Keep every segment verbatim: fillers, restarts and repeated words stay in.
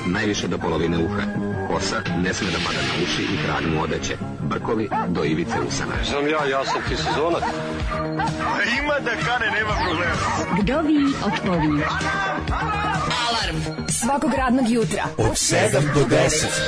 najviše do polovine uha. Kosa ne sme da pada na uši i krag mu odeće. Brkovi do ivice usana. Znam ja, ja sam ti sezonac. Ima da kane, nema problema. Vdovi otpovi. Alarm svakog radnog jutra od sedam do deset.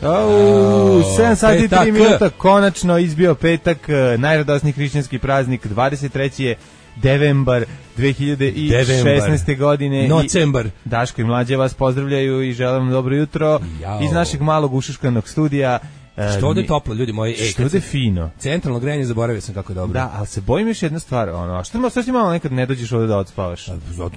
Oh, sedam sati i tri minuta, konačno izbio petak, najradosniji hrišćanski praznik, dvadeset treći je Devembar dve hiljade šesnaeste. godine. Nocembar. Daško i Mlađe vas pozdravljaju i želim vam dobro jutro. Jao. Iz našeg malog ušuškanog studija. Što ovde je toplo, ljudi moji. Ej, što ovde je fino. Centralno grejanje, zaboravio sam kako je dobro. Da, ali se bojim još jedna stvar. Ono, što ima, što malo nekad ne dođeš ovde da odspavaš?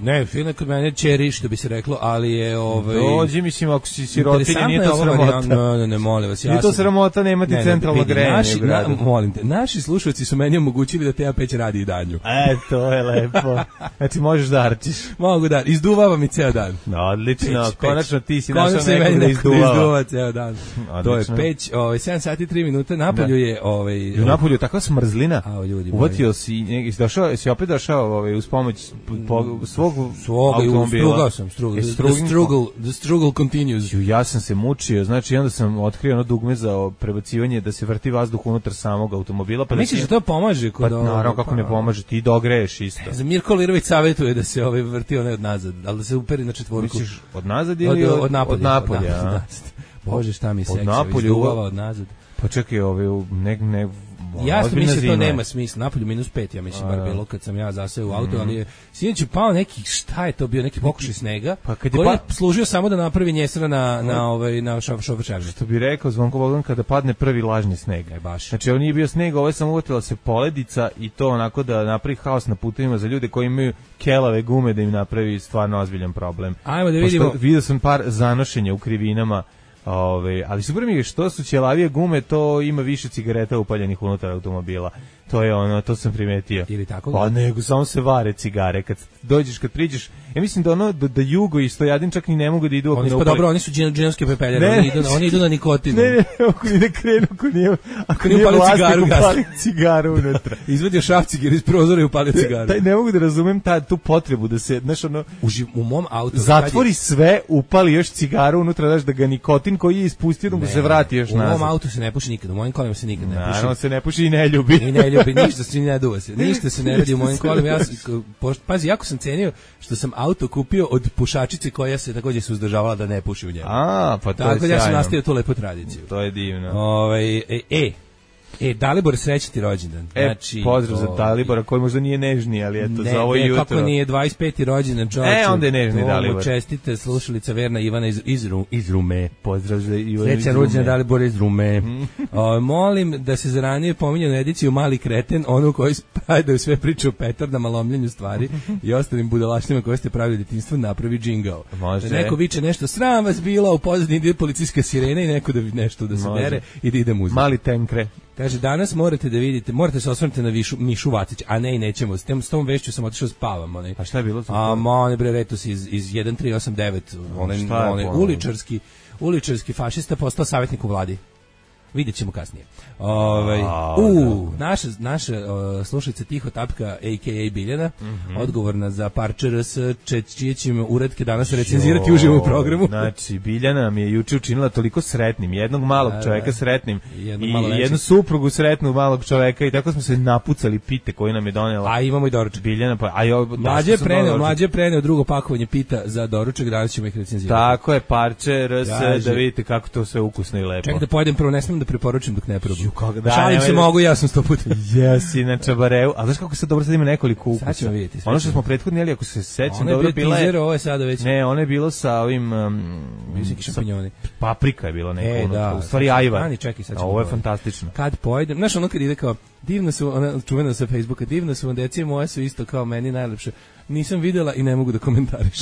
Ne, fino kod mene čeri, što bi se reklo, ali je... Ovaj, dođi, mislim, ako si sirotinja, nije to sramota. Ne, ne, ne, molim vas. Ja nije to sramota, nemati ne, centralno grejanje naši, u gradu. Na, molim te, naši slušalci su meni omogućili da te ja peć radi i danju. E, to je lepo. Znači, možeš da arčiš. Mogu da, izduvava mi ceo dan. No, odlično, peć, konačno ti si našao nekog da izduvava. Izduva ceo dan. To je peć, ovaj, sedam sati i tri minuta, napolju je ovaj u napolju je takva smrzlina. A ljudi, uvatio si, neki došao, si opet došao ovaj uz pomoć po, svog svog automobila. Sam struggle. The struggle, the struggle continues. Ja sam se mučio, znači onda sam otkrio ono dugme za prebacivanje da se vrti vazduh unutar samog automobila, pa misliš da to pomaže kod pa, naravno kako ne pomaže, ti dogreješ isto. Za Mirko Lirović savetuje da se ovaj vrti onaj od nazad, al da se uperi na četvorku. Misliš od nazad ili od, od, od napolja? Od napolja, od Bože, šta mi se izduvava od nazad. Pa čekaj, ove ne ne jasno mislim da to nema smisla. Napolju minus pet, ja mislim, bar bilo kad sam ja zaseo u auto, mm. ali je sinoć pao neki, šta je to bio, neki pokušaj snega, pa kad je koji pa... je služio samo da napravi njesra na, na, ovaj, na šofer šarže. Što bi rekao Zvonko Bogdan, kada padne prvi lažni sneg. E, baš. Znači, ovo nije bio sneg, ovo je samo uvatila se poledica i to onako da napravi haos na putevima za ljude koji imaju kelave gume da im napravi stvarno ozbiljan problem. Ajmo da vidimo. Pošto vidio sam par zanošenja u krivinama. Ove, ali super mi je što su ćelavije gume, to ima više cigareta upaljenih unutar automobila. To je ono, to sam primetio. Ili tako? Pa nego, samo se vare cigare. Kad dođeš, kad priđeš, ja mislim da ono, da, da Jugo i Stojadin čak ni ne mogu da idu. Oni su dobro, oni su džinovske pepeljare, oni idu, oni idu na nikotin. Ne, ne, ako ne krenu, ako nije, ako nije vlasnik upali cigaru unutra. Izvadio šrafciger iz prozora i upali cigaru. Taj, ne mogu da razumem ta, tu potrebu da se, znaš, ono, u, u mom autu zatvori je... sve, upali još cigaru unutra, znaš, da ga nikotin koji je ispustio, da mu se vrati još nazad. U mom autu se ne puši nikad, u mojim kolima se nikad ne puši. Naravno se ne puši i ne ljubi. I ne ljubi, ništa se ne duva se. Ništa se ne radi u mojim kolima. Ja sam, pazi, jako sam cenio što sam auto kupio od pušačice koja se takođe se uzdržavala da ne puši u njemu. A, pa to tako je sjajno. Ja sam nastavio tu lepu tradiciju. To je divno. Ovaj e, e E, Dalibor, srećan ti rođendan. E, znači, pozdrav za Dalibora, koji možda nije nežni, ali eto, ne, za ovo ne, jutro. Kako nije dvadeseti peti rođendan, čovječe. E, onda je nežni Dalibor. Čestite, slušalica verna Ivana iz, iz, iz Rume. Pozdrav za Ivana iz Rume. Srećan rođendan Dalibora iz Rume. o, molim da se za ranije pominjenu ediciju Mali kreten, onu koji spadaju sve priče o petardama, lomljenju stvari i ostalim budalaštima koje ste pravili u djetinjstvu, napravi džingao. Može. Neko viče nešto, sram vas bila, u pozadini ide policijska sirena i neko da nešto da se Može. dere i da ide muzika. Mali tenkre. Kaže, danas morate da vidite, morate se osvrnuti na Višu, Mišu Vacić, a ne i nećemo. S, tem, s tom vešću sam otišao spavam. Onaj. A šta je bilo? A ma, onaj bre Retus iz, iz jedan tri osam devet, onaj, onaj uličarski, uličarski fašista postao savjetnik u vladi. Vidjet ćemo kasnije. Ove, u, naša, naša uh, slušalica Tiho Tapka, a k a. Biljana, mm -hmm. odgovorna za parče R S, čije ćemo uredke danas recenzirati uživo u programu. Znači, Biljana nam je juče učinila toliko sretnim, jednog malog da, čoveka sretnim jedno i jednu suprugu sretnu malog čoveka i tako smo se napucali pite koje nam je donela. A imamo i doručak. Biljana, pa, a jo, mlađe preneo, mlađe preneo drugo pakovanje pita za doručak, danas ćemo ih recenzirati. Tako je, parče R S, da vidite kako to sve ukusno i lepo. Čekaj da pojedem, prvo ne smijem da preporučim dok ne probam. Da, šalim se mogu, ja sam sto puta. Jesi na čabareu, a znaš kako se dobro sad ima nekoliko ukusa. Sad ćemo vidjeti. Ono što smo prethodni, ali ako se sećam, dobro bilo je... Ovo je sada već... Ne, ono je bilo sa ovim... Um, Visoki šampinjoni. Paprika je bilo neko. E, da. U stvari ajvar. Ani, čekaj, sad ćemo. Ovo je fantastično. Kad pojedem, znaš ono kad ide kao, divno su, ona čuvena sa Facebooka, divno su vam deci, moje su isto kao meni najlepše. Nisam videla i ne mogu da komentariš.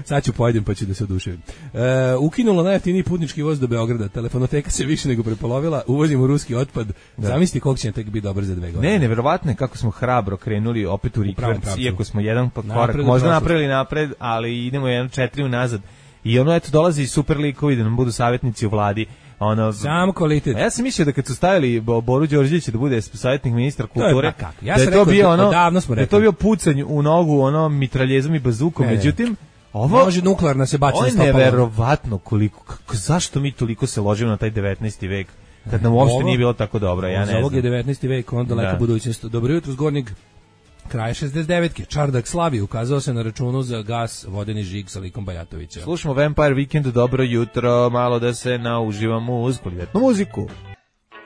Sad ću pojedem pa ću da se oduševim. E, ukinulo najjeftiniji putnički voz do Beograda. Telefonoteka se više nego prepolovila. Uvozimo ruski otpad. Da. Zamisli koliko će tek biti dobar za dve godine. Ne, neverovatno je kako smo hrabro krenuli opet u rikverc, iako smo jedan korak možda napravili napred, ali idemo jedan četiri unazad. I ono, eto, dolazi super likovi da nam budu savjetnici u vladi. ono, samo kvalitet. Ja sam mislio da kad su stavili Boru Đorđevića da bude savjetnik ministra kulture, to je, ja da je to bio ono, da je to bio pucanj u nogu, ono, mitraljezom i bazukom, ne, međutim, ovo može nuklearna se baci na stopalo. Ovo je neverovatno koliko, kako, zašto mi toliko se ložimo na taj devetnaesti vek, kad nam uopšte ovo, nije bilo tako dobro, ja ne znam. Ovog je devetnaesti vek, onda daleka budućnost. Dobro jutro, zgornjeg kraja šezdeset devetke. Čardak slavi, ukazao se na računu za gas, vodeni žig sa likom Bajatovića. Slušamo Vampire Weekend, dobro jutro, malo da se nauživamo uz kvalitetnu muziku.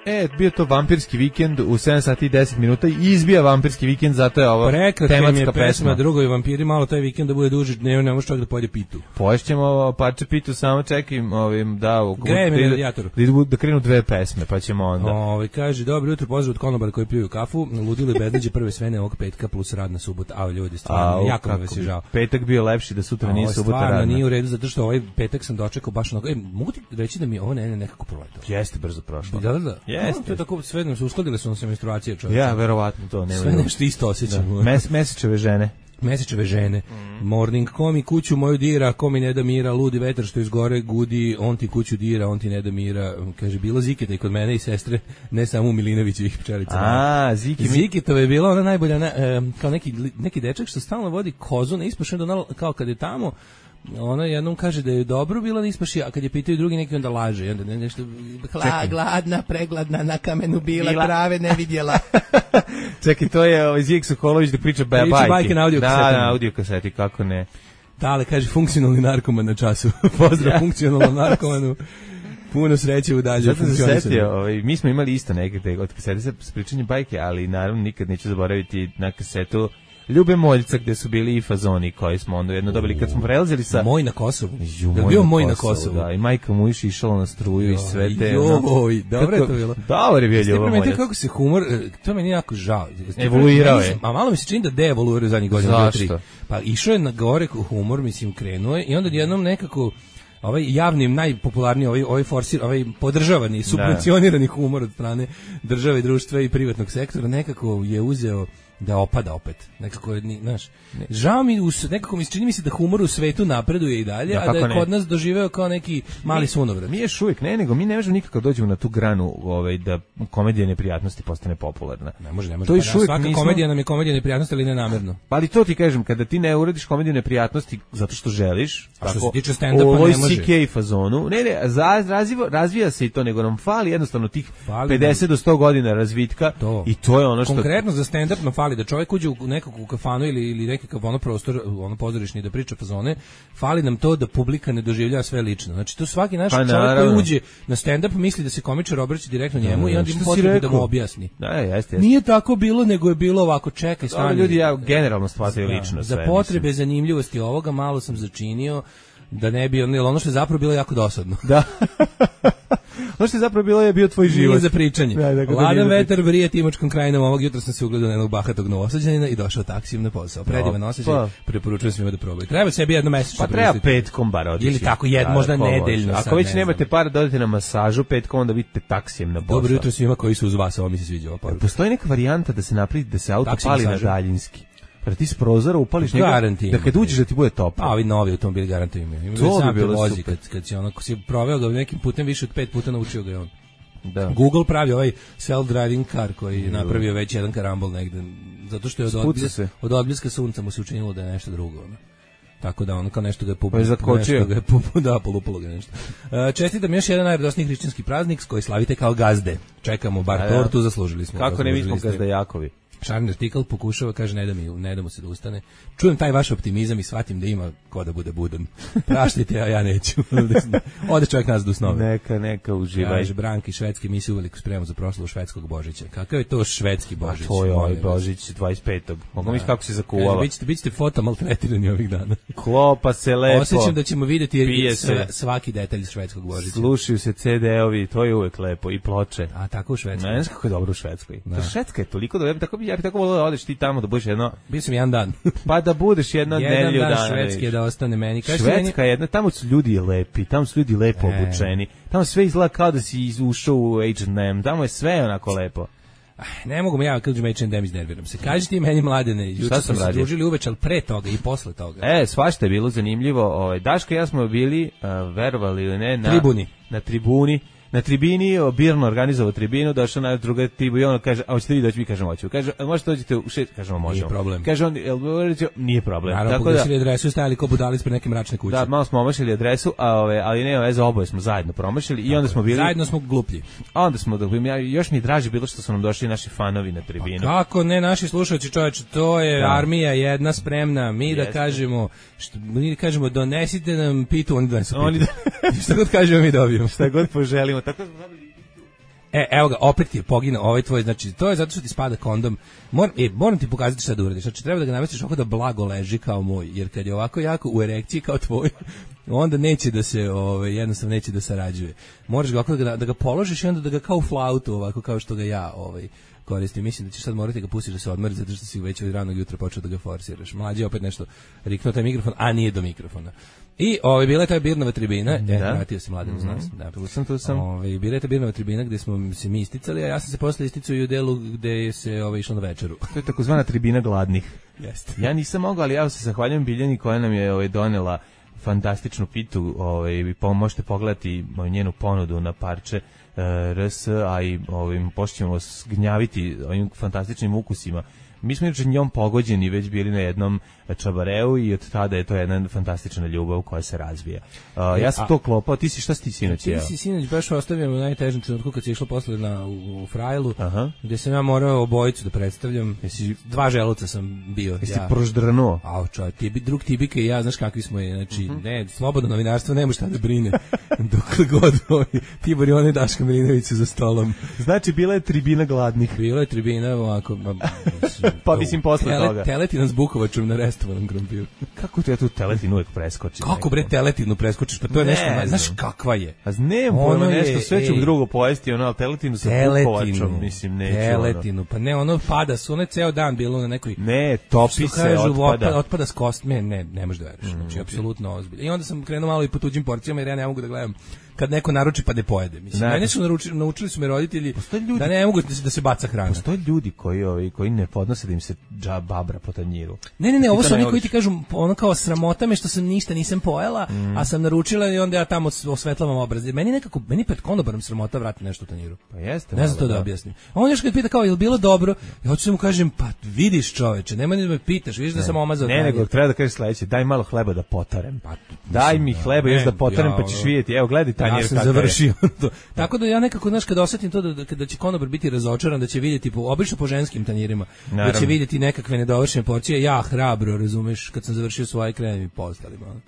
E, bio to vampirski vikend u sedam sati i deset minuta i izbija vampirski vikend, zato je ovo tematska pesma. Drugovi vampiri, malo taj vikend da bude duži, ne, ne može čovjek da pojede pitu. Poješćemo parče pitu, samo čekam ovim, da, grejem na radijatoru. Da, da krenu dve pesme, pa ćemo onda. Ove, kaže, dobro jutro, pozdrav od konobara koji piju kafu, ludilo i bedniđe prve svene ovog petka plus radna subota, a ljudi, stvarno, a, jako me se žao. Petak bio lepši da sutra nije subota radna. Stvarno, nije u redu, zato što ovaj petak sam dočekao baš onako, e, mogu ti reći da mi ovo ne, ne nekako proletalo. Jeste brzo prošlo. Da, da, da. Jeste. To je tako, sve nam se uskladile su nam se menstruacije, čovječe. Ja, verovatno to. Nema sve nešto isto osjećam. Mes, mesečeve žene. Mesečeve žene. Mm. Morning, ko mi kuću moju dira, ko mi ne da mira, ludi vetar što iz gore gudi, on ti kuću dira, on ti ne da mira. Kaže, bilo Ziketa i kod mene i sestre, ne samo u Milinovićevih pčelica. A, Ziki mi... Ziketova je bila ona najbolja, na, e, kao neki, neki dečak što stalno vodi kozu na ispašu, onda kao kad je tamo, ona jednom kaže da je dobro bilo na ispaši, a kad je pitaju drugi neki onda laže. Onda nešto, hla, gladna, pregladna, na kamenu bila, bila. Trave ne vidjela. Čekaj, to je ovaj Zijek Sokolović da priča bajke. Priča bajke na audio kaseti. Da, na audio kaseti, kako ne. Da, ali kaže funkcionalni narkoman na času. Pozdrav ja. Funkcionalnom narkomanu. Puno sreće u dalje funkcionisanju. Ovaj, mi smo imali isto neke od kasete sa pričanjem bajke, ali naravno nikad neću zaboraviti na kasetu Ljube Moljca, gde su bili i fazoni koji smo onda jedno dobili kad smo prelazili sa Moj na Kosovu. Ju, moj bio na Moj na Kosovu. Da, i majka mu iš išala na struju i sve te. Joj, dobro je to bilo. Dobro je bio Ljubo Moljac. Kako se humor, to meni jako žao. Evoluirao je. A malo mi se čini da deevoluirao zadnjih godina tri. Pa išao je na gore humor, mislim, krenuo je i onda jednom nekako ovaj javni najpopularniji ovaj ovaj forsir ovaj podržavani subvencionirani humor od strane države i društva i privatnog sektora nekako je uzeo da opada opet. Nekako je, znaš, žao mi, nekako mi se čini mi se da humor u svetu napreduje i dalje, ja, a da je ne. Kod nas doživeo kao neki mali sunovrat. Mi još uvijek ne, nego mi ne možemo nikako dođemo na tu granu ovaj, da komedija neprijatnosti postane popularna. Ne može, ne može. To pa, da, svaka nismo... komedija nam je komedija neprijatnosti, ali ne namerno. Pa ali to ti kažem, kada ti ne uradiš komediju neprijatnosti zato što želiš, a što tako, se tiče stand-upa ne može. C K fazonu, ne, ne, razvija, razvija se i to, nego nam fali jednostavno tih fali pedeset do sto godina razvitka to. I to je ono što... Konkretno za stand-up nam fali da čovjek uđe u nekakvu kafanu ili, ili nekakav ono prostor, ono pozorišni da priča fazone, fali nam to da publika ne doživljava sve lično. Znači to svaki naš pa, čovjek naravno. Koji uđe na stand-up misli da se komičar obraća direktno njemu da, i onda ima potrebu da mu objasni. Da, jeste, jeste. Nije tako bilo, nego je bilo ovako, čekaj, stani. Ljudi ja generalno shvataju lično za sve. Za potrebe mislim. Zanimljivosti ovoga malo sam začinio da ne bi ono, ono što je zapravo bilo jako dosadno. Da. Ono što je zapravo bilo je bio tvoj život. Nije za pričanje. Da, da, Ladan vetar vrije Timočkom krajinom, ovog jutra sam se ugledao na jednog bahatog Novosađanina i došao taksijem na posao. Predivan osjećaj, pa. Preporučujem svima da probaju. Treba sebi jedno mesečno. Pa treba petkom bar otići. Ili tako jed, da, možda nedeljno. Ako već ne nemate para da odete na masažu petkom, onda vidite taksijem na posao. Dobro jutro svima koji su uz vas, ovo mi se sviđa ova poruka. Postoji neka varijanta da se napravi da se auto Taksi pali masažu. Na daljinski. Kada ti s prozora upališ njega, da kad uđeš da ti bude toplo. A ovi novi automobili garantuju imaju. To bi bilo vozi, kad, kad si, ono, kad si proveo ga nekim putem više od pet puta naučio ga je on. Da. Google pravi ovaj self-driving car koji je napravio već jedan karambol negde, zato što je od, odbljeska, od odbljeska sunca mu se učinilo da je nešto drugo. Ono. Tako da ono kao nešto ga je pupo, pa nešto ga je pupo, da, polupalo ga nešto. Uh, čestitam još jedan najradosniji hrišćanski praznik koji slavite kao gazde. Čekamo bar A, tortu, zaslužili smo. Kako ne mi smo gazdajakovi? Šarni artikal pokušava, kaže, ne da, mi, ne da mu se da ustane. Čujem taj vaš optimizam i shvatim da ima ko da bude budan. Praštite, a ja neću. Ode čovjek nas do snove. Neka, neka uživaj. Kaže, Branki, švedski, mi se uveliko spremamo za proslavu švedskog Božića. Kakav je to švedski Božić? A to je ovaj Božić dvadeset petog Mogu mi kako se zakuvala. Bićete, bićete foto maltretirani ovih dana. Klopa se lepo. Osjećam da ćemo vidjeti sve, svaki detalj švedskog Božića. Slušaju se ce de ovi, to je uvek lepo. I ploče. A tako u Švedskoj. Ne znam kako je dobro u Švedskoj. Da. Švedska je toliko dobro. Tako bi ja bih tako volio da odeš ti tamo da budeš jedno. Bio sam jedan dan. Pa da budeš jedno nedelju dana. Jedan dan švedski da ostane meni. Kaži Švedska je jedna, tamo su ljudi lepi, tamo su ljudi lepo e. obučeni. Tamo sve izgleda kao da si ušao u H and M. Tamo je sve onako lepo. Ne mogu mi ja kad uđem H and M iznerviram se. Kaži ti meni Mladene, juče smo se družili uveče, ali pre toga i posle toga. E, svašta je bilo zanimljivo. Ovaj Daško i ja smo bili, uh, verovali ili ne, na tribuni. Na tribuni. na tribini, Birno organizovao tribinu, došao na druga tribu i on kaže, a hoćete vi doći, mi kažemo hoćemo. Kaže, a možete dođete u šest, kažemo možemo. Nije problem. Kaže on, jel nije problem. Naravno, pogledali adresu i stajali ko budali ispred neke mračne kuće. Da, malo smo omašili adresu, a ove, ali nema veze, oboje smo zajedno promašili i onda smo bili... Zajedno smo gluplji. A onda smo, ja, još mi draže bilo što su nam došli naši fanovi na tribinu. Pa kako ne, naši slušalci, čoveče, to je da. Armija jedna spremna, mi Jeste. da kažemo, što, mi da kažemo, donesite nam pitu, oni donesu pitu. Oni da... Šta god kažemo, mi dobijemo. Šta god poželimo, tako smo dobili. E, evo ga, opet ti je poginuo ovaj tvoj, znači, to je zato što ti spada kondom. Moram, e, moram ti pokazati šta da uradiš, znači, treba da ga namestiš ovako da blago leži kao moj, jer kad je ovako jako u erekciji kao tvoj, onda neće da se, ovaj, jednostavno neće da sarađuje. Moraš ga ovako da ga, da ga položiš i onda da ga kao flautu, ovako kao što ga ja, ovaj, koristim. Mislim da ćeš sad morati ga pustiš da se odmori, zato što si već od ranog jutra počeo da ga forsiraš. Mlađi opet nešto riknuo taj mikrofon, a nije do mikrofona. I ovaj bila je ta Birnova tribina, da. E, vratio se Mladen uz nas. Da, tu sam, tu sam. Ovaj bila je ta Birnova tribina gde smo se mi isticali, a ja sam se posle isticao i u delu gde se ovaj išlo na večeru. To je takozvana tribina gladnih. Jeste. Ja nisam mogao, ali ja se zahvaljujem Biljani koja nam je ovaj donela fantastičnu pitu, ovaj vi možete pogledati njenu ponudu na parče uh, R S, a i ovim pošćemo gnjaviti ovim fantastičnim ukusima. Mi smo inače njom pogođeni, već bili na jednom čabareu i od tada je to jedna fantastična ljubav koja se razvija. Uh, ja sam a, to klopao, ti si šta si ti sinoć jeo? Ti si sinoć baš ostavio u najtežem trenutku kad si išlo posle na, u, u Frajlu, Aha. gde sam ja morao obojicu da predstavljam. Jesi, dva želuca sam bio. Jesi ja. proždranuo? A čovjek, tibi, drug Tibika i ja, znaš kakvi smo je, znači, uh-huh. ne, slobodno novinarstvo, nema šta da brine. Dokle god ovaj, Tibor i onaj Daška Milinović za stolom. Znači, bila je tribina gladnih. Bila je tribina ovako... Pa mislim posle tele, toga. Teletina s Bukovačom na restovanom krompiru. Kako ti ja tu teletinu uvek preskočim? Kako bre teletinu preskočiš? Pa to je ne, nešto, ne, znaš kakva je? A znam, ono je nešto sve ću drugo pojesti, ono, ali teletinu sa Bukovačom, mislim, neću. Teletinu, pa ne, ono pada, su one ceo dan bilo na nekoj... Ne, topi se, kažu, otpada. otpada. Otpada s kostme, ne, ne možeš da veriš, znači, apsolutno ozbiljno. I onda sam krenuo malo i po tuđim porcijama, jer ja ne mogu da gledam kad neko naruči pa ne pojede, mislim. Ne, mene su naručili, naučili su me roditelji ljudi, da ne mogu da se, da se baca hrana. Postoje ljudi koji ovi koji ne podnose da im se džababra po tanjiru. Ne, ne, ne, ovo su oni koji ti kažu ono kao sramota me što sam ništa nisam pojela, mm. a sam naručila i onda ja tamo osvetlavam obraz. Meni nekako meni pred konobarom sramota vrati nešto u tanjiru. Pa jeste. Ne znam to da, da objasnim. A on još kad pita kao je li bilo dobro, ja hoću da mu kažem pa vidiš čoveče, nema ni da me pitaš, vidiš ne, da sam omazao. Ne, nego treba da kažeš sledeće, daj malo hleba da potarem. Pa, daj mi hleba još da potarem pa ćeš vidjeti. Evo gledaj tanjir kako tako da ja nekako, znaš, kad osetim to da, da, da će konobar biti razočaran, da će vidjeti, po, obično po ženskim tanjirima, Naravno. da će vidjeti nekakve nedovršene porcije, ja hrabro, razumeš, kad sam završio svoje krenem i postali malo.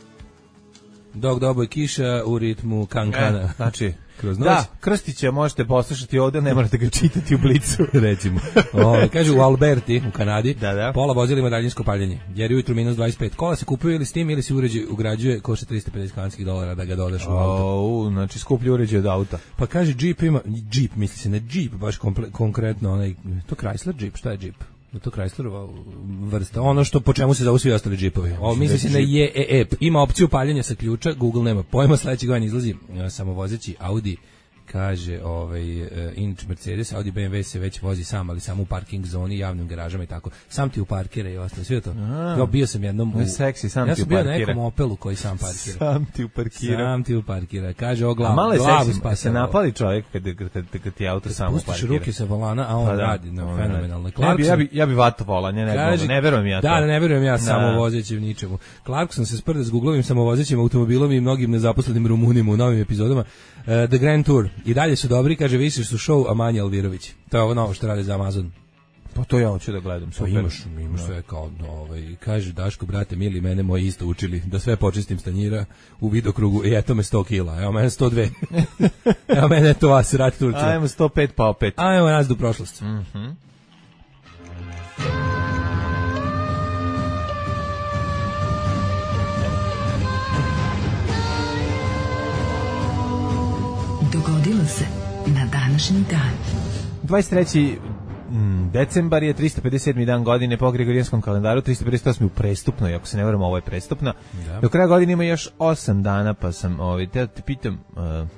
Dok doboj kiša u ritmu kankana. E, znači, kroz noć. Da, Krstića možete poslušati ovde, ne morate ga čitati u Blicu, recimo. O, kaže u Alberti, u Kanadi, da, da. pola vozila ima daljinsko paljenje, jer ujutru minus dvadeset pet. Kola se kupuju ili s tim, ili se uređaj ugrađuje, košta tristo pedeset kanadskih dolara da ga dodaš u auto. O, znači skuplji uređaj od auta. Pa kaže Jeep ima, Jeep, misli se na Jeep, baš komple, konkretno, onaj, to Chrysler Jeep, šta je Jeep? Da to Chryslerova vrsta, ono što po čemu se zovu svi ostali džipovi. Ovo misli se na J E E P. Ima opciju paljenja sa ključa, Google nema pojma, sledeće godine izlazi samovozeći Audi, kaže ovaj uh, inč Mercedes, Audi B M W se već vozi sam, ali samo u parking zoni, javnim garažama i tako. Sam ti u parkira i ostalo, sve to. Ja bio sam jednom u seksi, sam ja ti u parkira. Ja sam bio na nekom Opelu koji sam parkira. Sam ti u parkira. Sam ti u parkira. Kaže o glavu, glavu seksi, pa se napali čovjek kad kad kad, kad ti auto samo parkira. Pustiš ruke sa volana, a on pa da, radi na fenomenalno. Ja bi ja bi ja bi vato volanje, ne kaže, ne verujem ja to. Da, ne verujem ja samovozeći u ničemu. Clarkson se sprda s Googlovim samovozećim automobilom i mnogim nezaposlenim Rumunima u novim epizodama. Uh, The Grand Tour. I dalje su dobri, kaže, više su show, a manje Alvirović. To je ovo novo što rade za Amazon. Pa to ja hoću da gledam. Pa imaš, imaš sve kao, ovaj, kaže, Daško, brate, mili, mene moji isto učili da sve počistim stanjira u vidokrugu i eto me sto kila, evo mene sto dve. Evo mene to vas, rat Turcija. Ajmo sto pet pa opet. Ajmo nazad u prošlost. Mhm. Mm Dogodilo se na današnji dan. dvadeset treći decembar je tristo pedeset sedmi dan godine po Gregorijanskom kalendaru, tristo pedeset osmi u prestupnoj, ako se ne varam, ovo je prestupna. Da. Do kraja godine ima još osam dana, pa sam ovaj, te, te pitam, uh,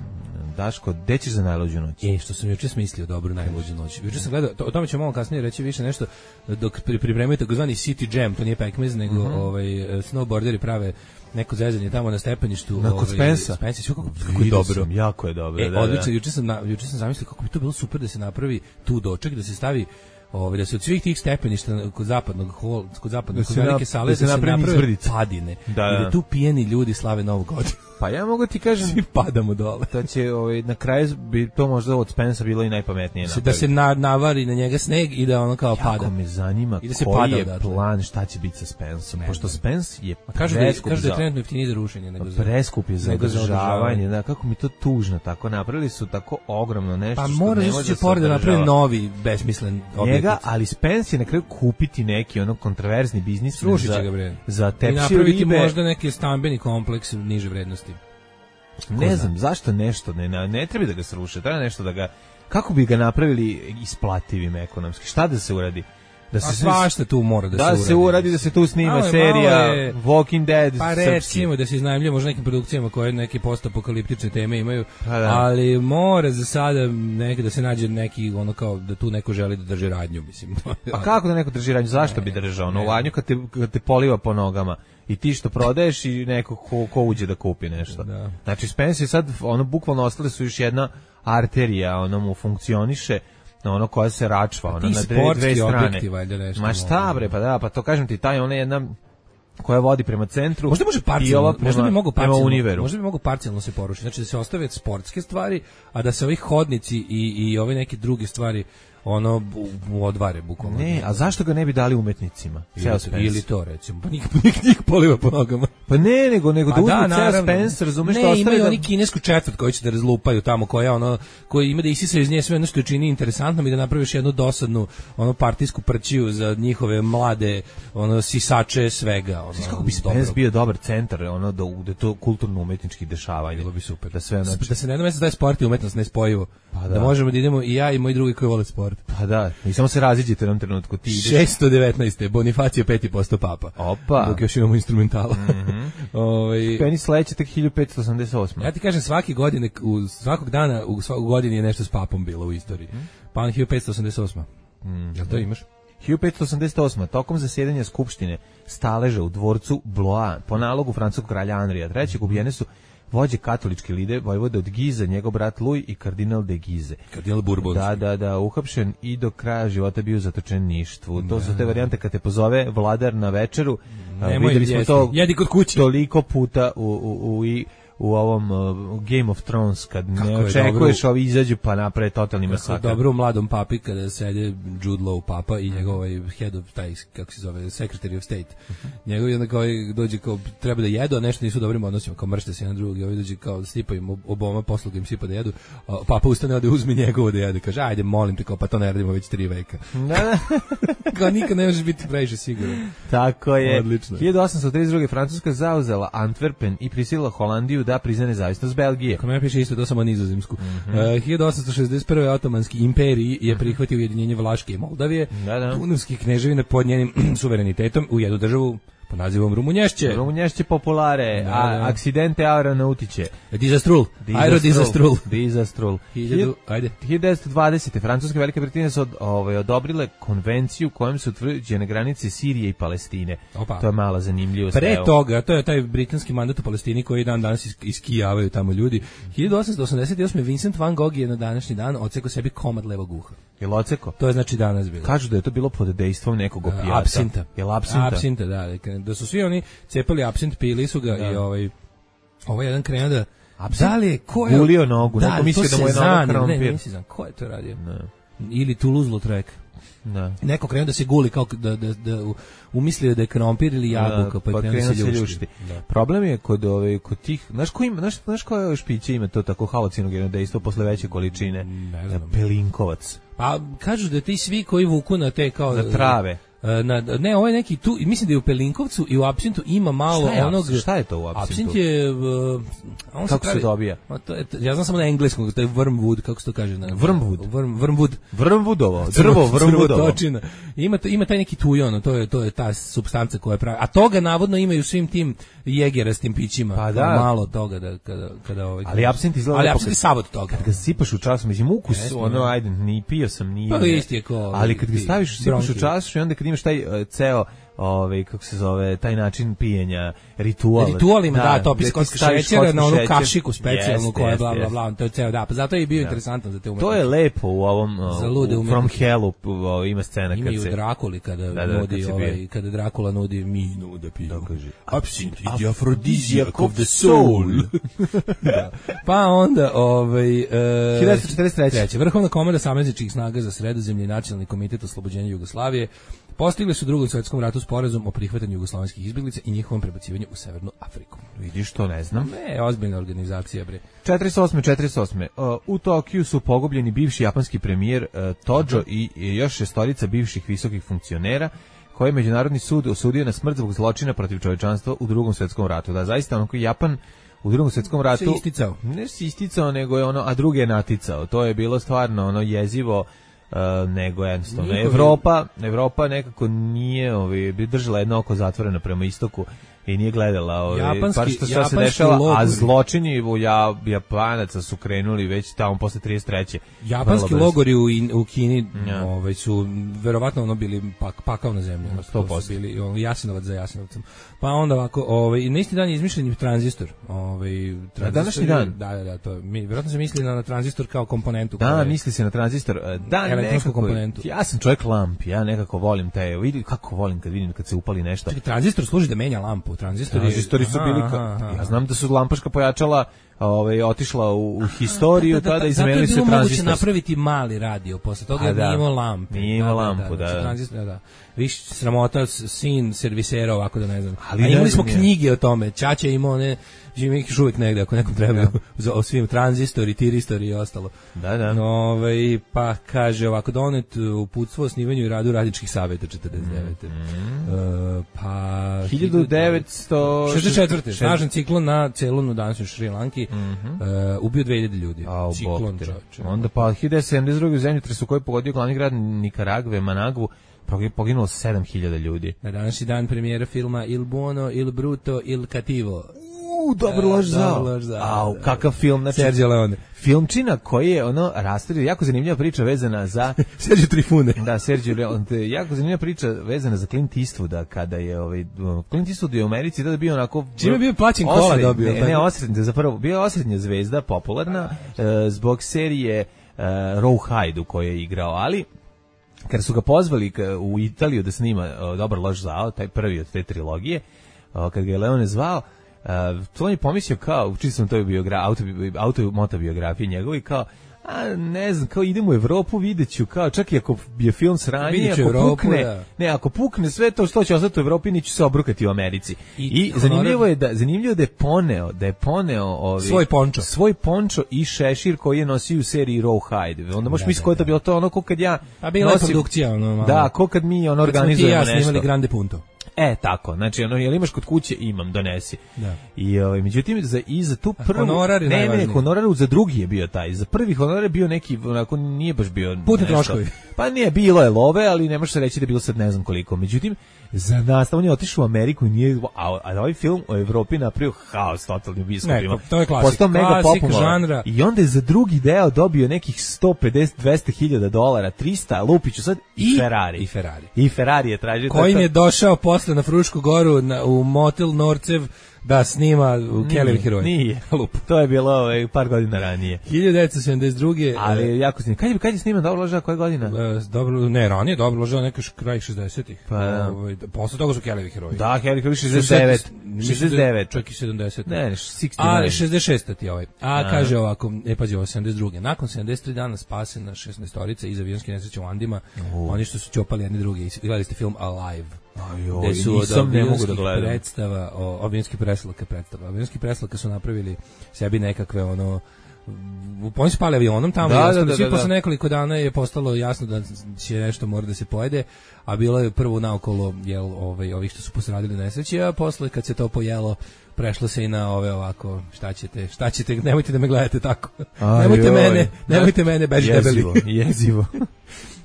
Daško, gde ćeš za najluđu noć? E, što sam juče smislio, dobro, najluđu noć. Juče sam gledao, to, o tome ćemo malo kasnije reći više nešto, dok pri, pripremaju takozvani City Jam, to nije pekmez, nego mm-hmm. ovaj, snowboarderi prave neko zezanje tamo na stepeništu. Na kod Spensa. Spensa, kako, kako je dobro. Sam, jako je dobro, e, da, odlično, da. juče sam, na, juče sam zamislio kako bi to bilo super da se napravi tu doček, da se stavi Ove, da se od svih tih stepeništa kod zapadnog hol, kod zapadnog kod velike sale da se, da se naprave padine da, da. I da tu pijeni ljudi slave Novu godinu. Pa ja mogu ti kažem svi padamo dole. Da će ovaj na kraju bi to možda od Spensa bilo i najpametnije napraviti. Da se na, navari na njega sneg i da ono kao jako pada. Jako me zanima da se koji je odatle. Plan šta će biti sa Spensom, ne, pošto Spence je kaže da kaže da je trenutno jeftiniji za rušenje nego za preskup je za održavanje, da kako mi to tužno tako napravili su tako ogromno nešto pa što mora ne može se pored da napravi novi besmislen njega, ali Spence je na kraju kupiti neki ono kontroverzni biznis za ga bre. Za tepsiju i napraviti možda neki stambeni kompleks niže vrednosti. Ne znam, zašto nešto, ne, ne treba da ga sruše, treba nešto da ga, kako bi ga napravili isplativim ekonomski, šta da se uradi? Da se svašta tu mora da, da se uradi. Da se uradi, da se tu snima malo serija je, Walking Dead pa srpski. Recimo da se iznajmljuje možda nekim produkcijama koje neke postapokaliptične teme imaju, pa da. Ali mora za sada neke da se nađe neki ono kao da tu neko želi da drži radnju, mislim. Pa kako da neko drži radnju, zašto ne, bi držao ono radnju kad te, kad te poliva po nogama? I ti što prodaješ i neko ko, ko uđe da kupi nešto. Da. Znači Spence je sad, ono, bukvalno ostale su još jedna arterija, ono mu funkcioniše, ono koja se račva, ono na dve, dve strane. Ma šta bre, pa da, pa to kažem ti, taj ona jedna koja vodi prema centru. Možda može parcijalno, prema, možda bi mogao parcijalno, možda bi mogao parcijalno se porušiti. Znači da se ostave sportske stvari, a da se ovih hodnici i i ove neke druge stvari ono u odvare bukvalno. Ne, a zašto ga ne bi dali umetnicima? Ili, ili to recimo, pa nik, nik, nik poliva po nogama. Pa ne, nego, nego da uzme ceo Spence, razumeš što ostave. Ne, imaju da... oni kinesku četvrt koju će da razlupaju tamo, koja ono, koji ima da isisaju iz nje sve ono što čini interesantnom i da napraviš jednu dosadnu ono partijsku prćiju za njihove mlade ono sisače svega. Ono, kako bi Spence dobro. Bio dobar centar, ono, da, da to kulturno-umetnički dešavanje. Bilo bi super. Da, sve, znači... da se na jednom mjestu daje sport i umetnost nespojivo. Pa da. Da možemo da idemo i ja i moji drugi koji vole sport. Pa da, i samo se raziđete u jednom trenutku. Ti ideš... šesto devetnaeste Bonifacio peti posto papa. Opa. Dok još imamo instrumentala. Mm-hmm. Ove... Peni sledeće tek hiljadu petsto osamdeset osme. Ja ti kažem, svaki godine, u svakog dana, u svakog godini je nešto s papom bilo u istoriji. Mm. Pa on hiljadu petsto osamdeset osme. Mm. Jel to imaš? hiljadu petsto osamdeset osme. Tokom zasjedanja skupštine staleža u dvorcu Blois po nalogu francuskog kralja Anrija trećeg ubijene su vođe katoličke lide, vojvode od Gize, njegov brat Louis i kardinal de Gize. Kardinal Bourbonski. Da, da, da, uhapšen i do kraja života bio zatočen ništvu. To su te varijante kad te pozove vladar na večeru. Videli smo to jedi kod kuće. Toliko puta u, u, u, i u ovom uh, Game of Thrones kad kako ne očekuješ ovi izađu pa naprave totalni masakr. Dobro u mladom papi kada sede Jude Law papa i njegov ovaj head of taj kako se zove Secretary of State. Uh-huh. Njegov je kao dođe kao treba da jedu, a nešto nisu dobrim odnosima, kao mršte se jedan drugi, ovaj dođe kao sipa im oboma posluga im sipa da jedu. A papa ustane da uzme njegovo da jede, kaže ajde molim te kao pa to ne radimo već tri veka. Da. Kao nikad ne možeš biti previše siguran. Tako je. Odlično. hiljadu osamsto trideset druge Francuska zauzela Antwerpen i prisilila Holandiju da prizna nezavisnost Belgije. Kako me piše isto to samo nizozemsku. Mm-hmm. Uh, hiljadu osamsto šezdeset prve Otomanski imperij je prihvatio ujedinjenje Vlaške i Moldavije. Da, da. Dunavskih kneževina pod njenim suverenitetom u jednu državu pod nazivom Rumunješće. Rumunješće populare, da, a akcidente aeronautiče. Disastrul. Aerodisastrul. Disastrul. Hiljadu, ajde. hiljadu devetsto dvadesete Francuska i Velika Britanija su od, ovaj, odobrile konvenciju kojom su utvrđene granice Sirije i Palestine. Opa. To je mala zanimljivost. Pre toga, to je taj britanski mandat u Palestini koji dan danas is, iskijavaju tamo ljudi. hiljadu osamsto osamdeset osme Vincent van Gogh je na današnji dan odsekao sebi komad levog uha. Jel oceko? To je znači danas bilo. Kažu da je to bilo pod dejstvom nekog opijata. Apsinta. Jel apsinta? Apsinta, da. Da su svi oni cepali apsint, pili su ga da. I ovaj, ovaj jedan krenuo da... Absint? Da li je, ko je... Gulio nogu, da, neko mislio da mu je noga krompir. Ne, nisi znam, ko je to radio? Ne. Ili Toulouse-Lautrec. Da. Neko krenuo da se guli, kao da, da, da umislio da je krompir ili jabuka, pa, pa krenuo da se ljušti. Da. Problem je kod, ove, kod tih, znaš ko ima, znaš, znaš koje špiće ima to tako halucinogeno dejstvo posle veće količine? Ne znam. Pelinkovac. Pa kažu da ti svi koji vuku na te kao... Na trave. Na, ne, ovo je neki tu, mislim da je u Pelinkovcu i u apsintu ima malo šta onog... Apsint? Šta je to u apsintu? Apsint je... Uh, on kako se, pravi, se dobija? To je, ja znam samo na engleskom, to je wormwood, kako se to kaže? Na, wormwood? Worm, wormwood. Wormwoodovo, drvo, wormwoodovo. Ima, to, ima taj neki tujon, to je, to je ta supstanca koja pravi. A toga navodno imaju svim tim jegerastim pićima. Pa da. Malo toga da, kada... kada ovaj, ali apsint izgleda... Ali apsint je savod toga. Kad ga sipaš u času, mislim, ukus, yes, ono, ajde, ni pio sam, nije... Pa isti je ko... Ali kad ga staviš, sipaš u času i onda kad imaš taj uh, ceo ovaj kako se zove taj način pijenja ritual. Ritualima da, da to piskotska šećera na onu kašiku specijalnu yes, koja je bla bla bla, to je ceo da, pa zato je bio da. interesantan za te umetnike. To je lepo u ovom u From Hellu ima scena ima kad se ima u Drakuli kada da, da, nudi kad ovaj kada Drakula nudi minu da pije. Absint is aphrodisiac of the soul. Da. Pa onda ovaj uh, hiljadu četrdeset treće Vrhovna komanda savezničkih snaga za Sredozemlje i Nacionalni komitet oslobođenja Jugoslavije postigli su u Drugom svjetskom ratu sporazum o prihvatanju jugoslovenskih izbjeglica i njihovom prebacivanju u Severnu Afriku. Vidiš, to ne znam. Ne, ozbiljna organizacija, bre. četrdeset osme četrdeset osme Uh, u Tokiju su pogubljeni bivši japanski premijer uh, Tojo i, i još šestorica bivših visokih funkcionera koje je Međunarodni sud osudio na smrt zbog zločina protiv čovječanstva u Drugom svjetskom ratu. Da, zaista onako Japan u Drugom svjetskom ratu se isticao. Ne se isticao, nego je ono, a druge je naticao. To je bilo stvarno ono jezivo. Uh, nego jednostavno Evropa, Evropa nekako nije ovaj, bi držala jedno oko zatvoreno prema istoku i nije gledala ovaj, pa što šta se dešava, logori. A zločini u ja, Japanaca su krenuli već tamo posle trideset treće Japanski logori u, u Kini ja. ovaj, su verovatno ono bili pak, pakao na zemlji. sto posto su bili ono, Jasenovac za Jasenovcem. Pa onda ovako, ovaj, na isti dan je izmišljen tranzistor. Ovaj, tranzistor današnji dan? Da, da, da. To, mi, verovatno se misli na, na tranzistor kao komponentu. Da, koje, misli se na tranzistor. Da, nekako, komponentu. Ja sam čovjek lamp, ja nekako volim te, vidi kako volim kad vidim kad se upali nešto. Čekaj, tranzistor služi da menja lampu. Tranzistori, tranzistori su bili, aha, aha, ja znam da su lampaška pojačala ovaj otišla u, u historiju, da, da, da, tada izmenili se tranzistor. Zato je bilo moguće napraviti mali radio, posle toga je nije imao lampu. Nije imao lampu, da. da, da. Tranzistor, da, da. Viš sramota sin servisera ovako da ne znam. Ali a imali smo je. knjige o tome. Ćaća je imao ne, živi ih uvijek negde ako nekom treba ja. o svim tranzistori, tiristori i ostalo. Da, da. Ove, pa kaže ovako donet uputstvo o snimanju i radu radničkih savjeta četrdeset devete Mm. Uh, pa hiljadu devetsto šezdeset četvrte snažan ciklon na celom u današnjoj Šrilanki mm -hmm. uh, ubio dve hiljade ljudi. A, ciklon čovječe. Onda pa hiljadu sedamdeset druge u zemljotresu koji je pogodio glavni grad Nikaragve, Managvu, poginulo sedam hiljada ljudi. Na današnji dan premijera filma Il Buono, Il Bruto, Il Cattivo. U, dobro lož zao. Au, kakav film, znači Sergio Leone. Filmčina koji je ono rastrio, jako zanimljiva priča vezana za Sergio Trifune. Da, Sergio Leone, jako zanimljiva priča vezana za Clint Eastwooda kada je ovaj Clint Eastwood je u Americi da bio onako čime je bio plaćen kola dobio. Ne, ne osrednja, zapravo bio osrednja zvezda, popularna uh, zbog serije uh, Rawhide u kojoj je igrao, ali kad su ga pozvali u Italiju da snima uh, Dobar loš zao, taj prvi od te trilogije, uh, kad ga je Leone zvao, uh, to on je pomislio kao, učio sam to je biogra, auto, auto motobiografije njegovi, kao, a ne znam, kao idem u Evropu, videću, kao čak i ako je film sranje, ako Evropu, pukne, da. ne, ako pukne sve to što će ostati u Evropi, neću se obrukati u Americi. I, I zanimljivo je da zanimljivo da je poneo, da je poneo ovi, svoj pončo, svoj pončo i šešir koji je nosio u seriji Rawhide. Onda možeš misliti ko je to bilo to ono ko kad ja a bila nosim, je produkcija ono malo. Da, ko kad mi ono organizujemo nešto. Ja snimali Grande Punto. E, tako, znači, ono, jel imaš kod kuće, imam, donesi. Da. I, ovaj, međutim, za, i za tu prvu... Honorar je ne, ne, honorar za drugi je bio taj. Za prvi honorar je bio neki, onako, nije baš bio... Putni troškovi. Pa nije, bilo je love, ali ne može se reći da je bilo sad ne znam koliko. Međutim, za nas, on je otišao u Ameriku i nije... A, a ovaj film o Evropi napravio haos totalni u biskupima. To je klasik. Postao mega popularan. Žanra. I onda je za drugi deo dobio nekih sto pedeset do dvesta hiljada dolara, trista, lupiću sad, i, i Ferrari. I Ferrari. I Ferrari je tražio... Kojim je došao posle na Frušku goru na, u motel Norcev da snima u Kelly heroje. Nije, lup. To je bilo ovaj, par godina ranije. hiljadu devetsto sedamdeset druge Ali e, jako snim. Kad je, kad je sniman Dobro loža, koja godina? E, dobro, ne, ranije Dobro loža neka kraj šezdesetih Pa, da. Ovaj, posle toga su Kelly heroji. Da, Kelly heroji šezdeset devet šezdeset devet Čak i sedamdeset Ne, ne, šezdeset devet Ali šezdeset šest ti ovaj. A, a kaže ovako, e pazi ovo, sedamdeset druge Nakon sedamdeset tri dana spasena šesnaestorica iz avionske nesreće u Andima. Uh. Oni što su ćopali jedni drugi. Gledali ste film Alive. Ajoj, gde su od ne mogu da gledam. Predstava, o, avionski preslaka predstava. Avionski preslaka su napravili sebi nekakve ono oni su pali avionom tamo da, i da, da, da, posle nekoliko dana je postalo jasno da će nešto mora da se pojede, a bilo je prvo naokolo jel, ovaj, ovih što su posradili nesreće, a posle kad se to pojelo prešlo se i na ove ovako, šta ćete, šta ćete, nemojte da me gledate tako. Aj, nemojte joj. mene, nemojte mene, beži debeli. Jezivo.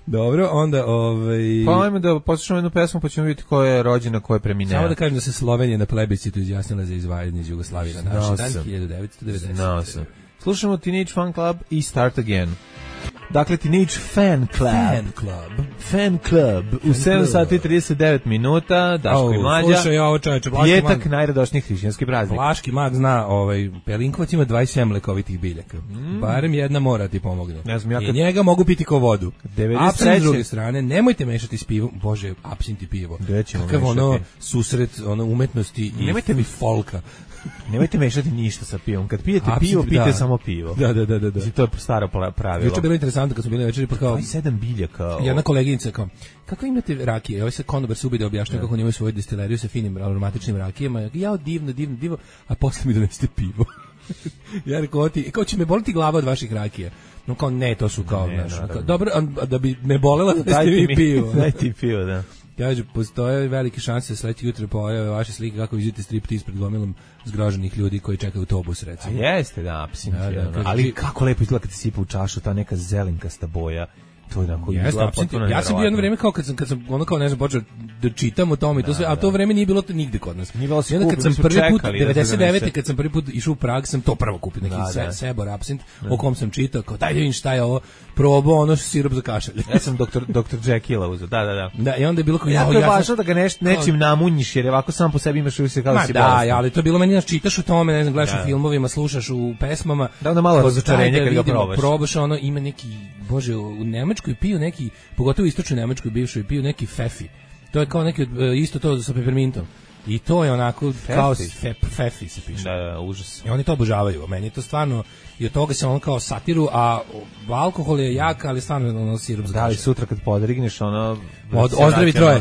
Dobro, onda ovaj pa ajmo da poslušamo jednu pesmu pa ćemo vidjeti ko je rođena, ko je premineo. Samo da kažem da se Slovenija na plebiscitu izjasnila za izdvajanje iz Jugoslavije na naš dan hiljadu devetsto devedeset Znao sam. Slušamo Teenage Fan Club i Start Again. Dakle, Teenage Fan Club. Fan Club. Fan Club. U sedam sati i trideset devet minuta, Daško i Mlađa. Slušaj, ovo čoveče, Vlaški mag. Pjetak, najradošniji hrišćanski praznik. Vlaški mag zna, ovaj, Pelinkovac ima dvadeset sedam lekovitih biljaka. Mm. Barem jedna mora ti pomogne. Ne znam, ja kad... I njega mogu piti ko vodu. devedeset treće. Apsint s druge strane, nemojte mešati s pivom. Bože, apsint i pivo. Kakav ono susret ono, umetnosti i, nemojte mi folka. Nemojte mešati ništa sa pivom. Kad pijete Apsint, pivo, pijete da. samo pivo. Da, da, da, da. Znači, to je staro pravilo. Juče je bilo interesantno kad smo bili večeri, pa kao... dvadeset sedam biljaka. Jedna koleginica kao, kako imate rakije? Ovaj se konobar se ubide da objašnjava kako imaju svoju destileriju sa finim aromatičnim rakijama. Ja, divno, divno, divno, a posle mi donesete pivo. Ja rekao, ti, kao će me boliti glava od vaših rakija. No kao, ne, to su kao, ne, naš, kao dobro, a da bi me bolela da ste mi pivo. Daj ti pivo, da. Kaže, postoje velike šanse da sledećeg jutra pojave vaše slike kako vidite striptiz pred gomilom zgroženih ljudi koji čekaju autobus, recimo. A jeste, da, apsint, da, da, ali ži... kako lepo izgleda kad se sipa u čašu ta neka zelenkasta boja. To je onako izgleda potpuno. Ja sam bio jedno vreme kao kad sam kad sam ono kao ne znam počeo da čitam o tome i to sve, a to vreme nije bilo to nigde kod nas. Nije bilo se kad sam prvi put devedeset devete kad sam prvi put išao u Prag sam to prvo kupio neki da, Sebor apsint o kom sam čitao kao daj da vidim šta je ovo, probao ono sirup za kašalj. Ja sam doktor doktor Jekyll uzeo. Da, da, da. Da, i onda je bilo kao ja, to je važno da ga neš, nečim namunjiš jer ovako sam po sebi imaš uvijek kao da si da, ja, ali to je bilo meni da čitaš o tome, ne znam, gledaš u filmovima, slušaš u pesmama. Da, onda malo razočarenje kad ga probaš. Probaš ono ima neki, bože, u Nemačkoj piju neki, pogotovo u istočnoj Nemačkoj bivšoj piju neki fefi. To je kao neki isto to sa pepermintom. I to je onako fefi. Kao fep, fefi se piše. Da, da, užas. I oni to obožavaju. Meni je to stvarno i od toga se on kao satiru, a alkohol je jak, ali stvarno ono sirup za kašalj. Da, li sutra kad podrigneš ono Od, ozdravi troje.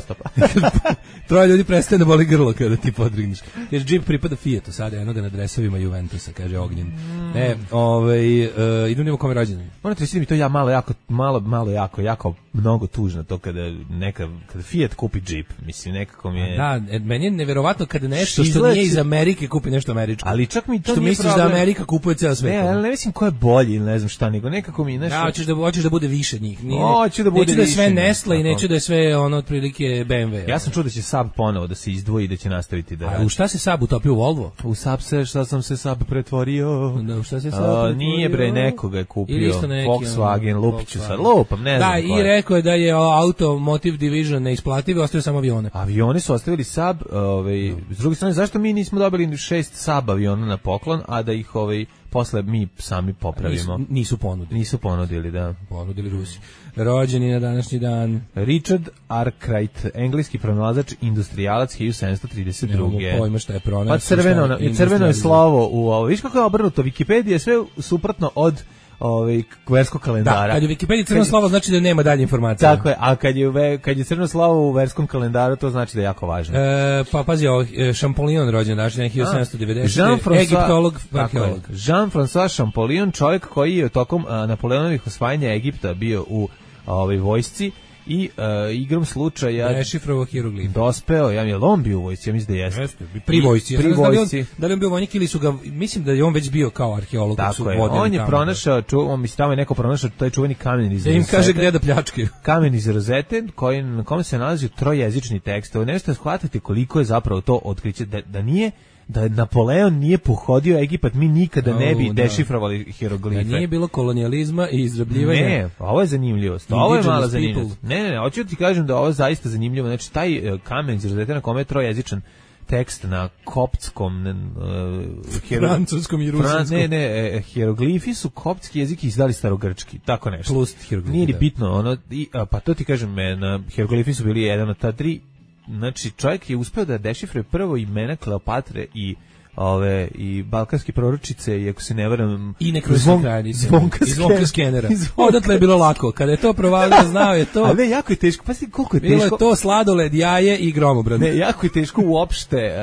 Troje ljudi prestaje da boli grlo kada ti podrigneš. Jer džip pripada Fiatu, sada jednoga na dresovima Juventusa, kaže Ognjen. Mm. E, ovaj, uh, idem nimo kome rođendan. Morate reći mi to ja malo jako, malo, malo jako, jako mnogo tužno to kada neka, kada Fiat kupi džip, mislim nekako mi je... Da, meni je neverovatno kada nešto što, što nije iz Amerike kupi nešto američko. Ali čak mi to što nije misliš problem. Da Amerika kupuje ceo svet. Ne, ali ne mislim ko je bolji ili ne znam šta, nego nekako mi nešto... Da, hoćeš da, hoćeš da bude više njih. Nije, hoću da bude neću više. Da je sve Nestle i neću da je sve ono otprilike B M W. Ja sam čuo da će Saab ponovo da se izdvoji i da će nastaviti da... A u šta se Saab utopio u Volvo? U Saab se, šta sam se Saab pretvorio? Da, u šta se Saab A, pretvorio? Nije bre, nekoga je kupio. Volkswagen, Lupiću sad, lupam, ne znam. Da, i rekao je da je Automotive Division neisplativ, ostavio samo avione. Avione su ostavili Saab, ovaj, no. S druge strane, zašto mi nismo dobili šest Saab aviona na poklon, a da ih ovaj posle mi sami popravimo? Nisu, nisu ponudili. Nisu ponudili, da. Ponudili Rusi. Rođeni na današnji dan. Richard Arkwright, engleski pronalazač, industrijalac hiljadu sedamsto trideset druge. Nemamo pojma šta je pronašao. Pa crveno, crveno je slovo u ovo. Viš kako je obrnuto, Wikipedia je sve suprotno od ovaj verskog kalendara. Da, kad je u Wikipediji crveno slovo znači da nema dalje informacije. Tako je, a kad je kad je crveno slovo u verskom kalendaru to znači da je jako važno. E, pa pazi, ovo Champollion rođen danas hiljadu sedamsto devedesete. Egiptolog, arheolog. Jean-François Champollion, čovjek koji je tokom a, Napoleonovih osvajanja Egipta bio u ovaj vojsci i uh, igrom slučaja dešifrovao hieroglif. Dospeo, ja mi je on bio u vojsci, ja mislim da jeste. Jeste, pri vojsci. Pri vojsci. Da li, on, da li on bio vojnik ili su ga, mislim da je on već bio kao arheolog. Tako je, on je tamo, pronašao, ču, on mislim tamo je neko pronašao taj čuveni kamen iz Rozete. Da im kaže gde da pljačke. Kamen iz Rozete, koji, na kome se nalazi trojezični tekst. Ovo nešto shvatite koliko je zapravo to otkriće, da, da nije da Napoleon nije pohodio Egipat, mi nikada oh, ne bi da. dešifrovali hieroglife. Da nije bilo kolonijalizma i izrabljivanja. Ne, ovo je zanimljivost. Ovo je mala zanimljivost. Ne, ne, ne, hoću ti kažem da ovo je zaista zanimljivo. Znači, taj uh, kamen iz Rozete na kome je trojezičan tekst na koptskom uh, hero... francuskom i rusinskom. Fran, ne, ne, hieroglifi su koptski jezik izdali starogrčki, tako nešto. Plus hieroglifi. Nije ni da. bitno, ono, i, a, pa to ti kažem, na hieroglifi su bili jedan od ta tri. Znači, čovjek je uspeo da dešifruje prvo imena Kleopatre i ove i balkanske proročice i ako se ne varam i nekruzne kraljice i zvonka skenera. Odatle je bilo lako. Kada je to provalio, znao je to. A ne, jako je teško. Pa si koliko je teško. Bilo je to sladoled, jaje i gromobran. Ne, jako je teško uopšte.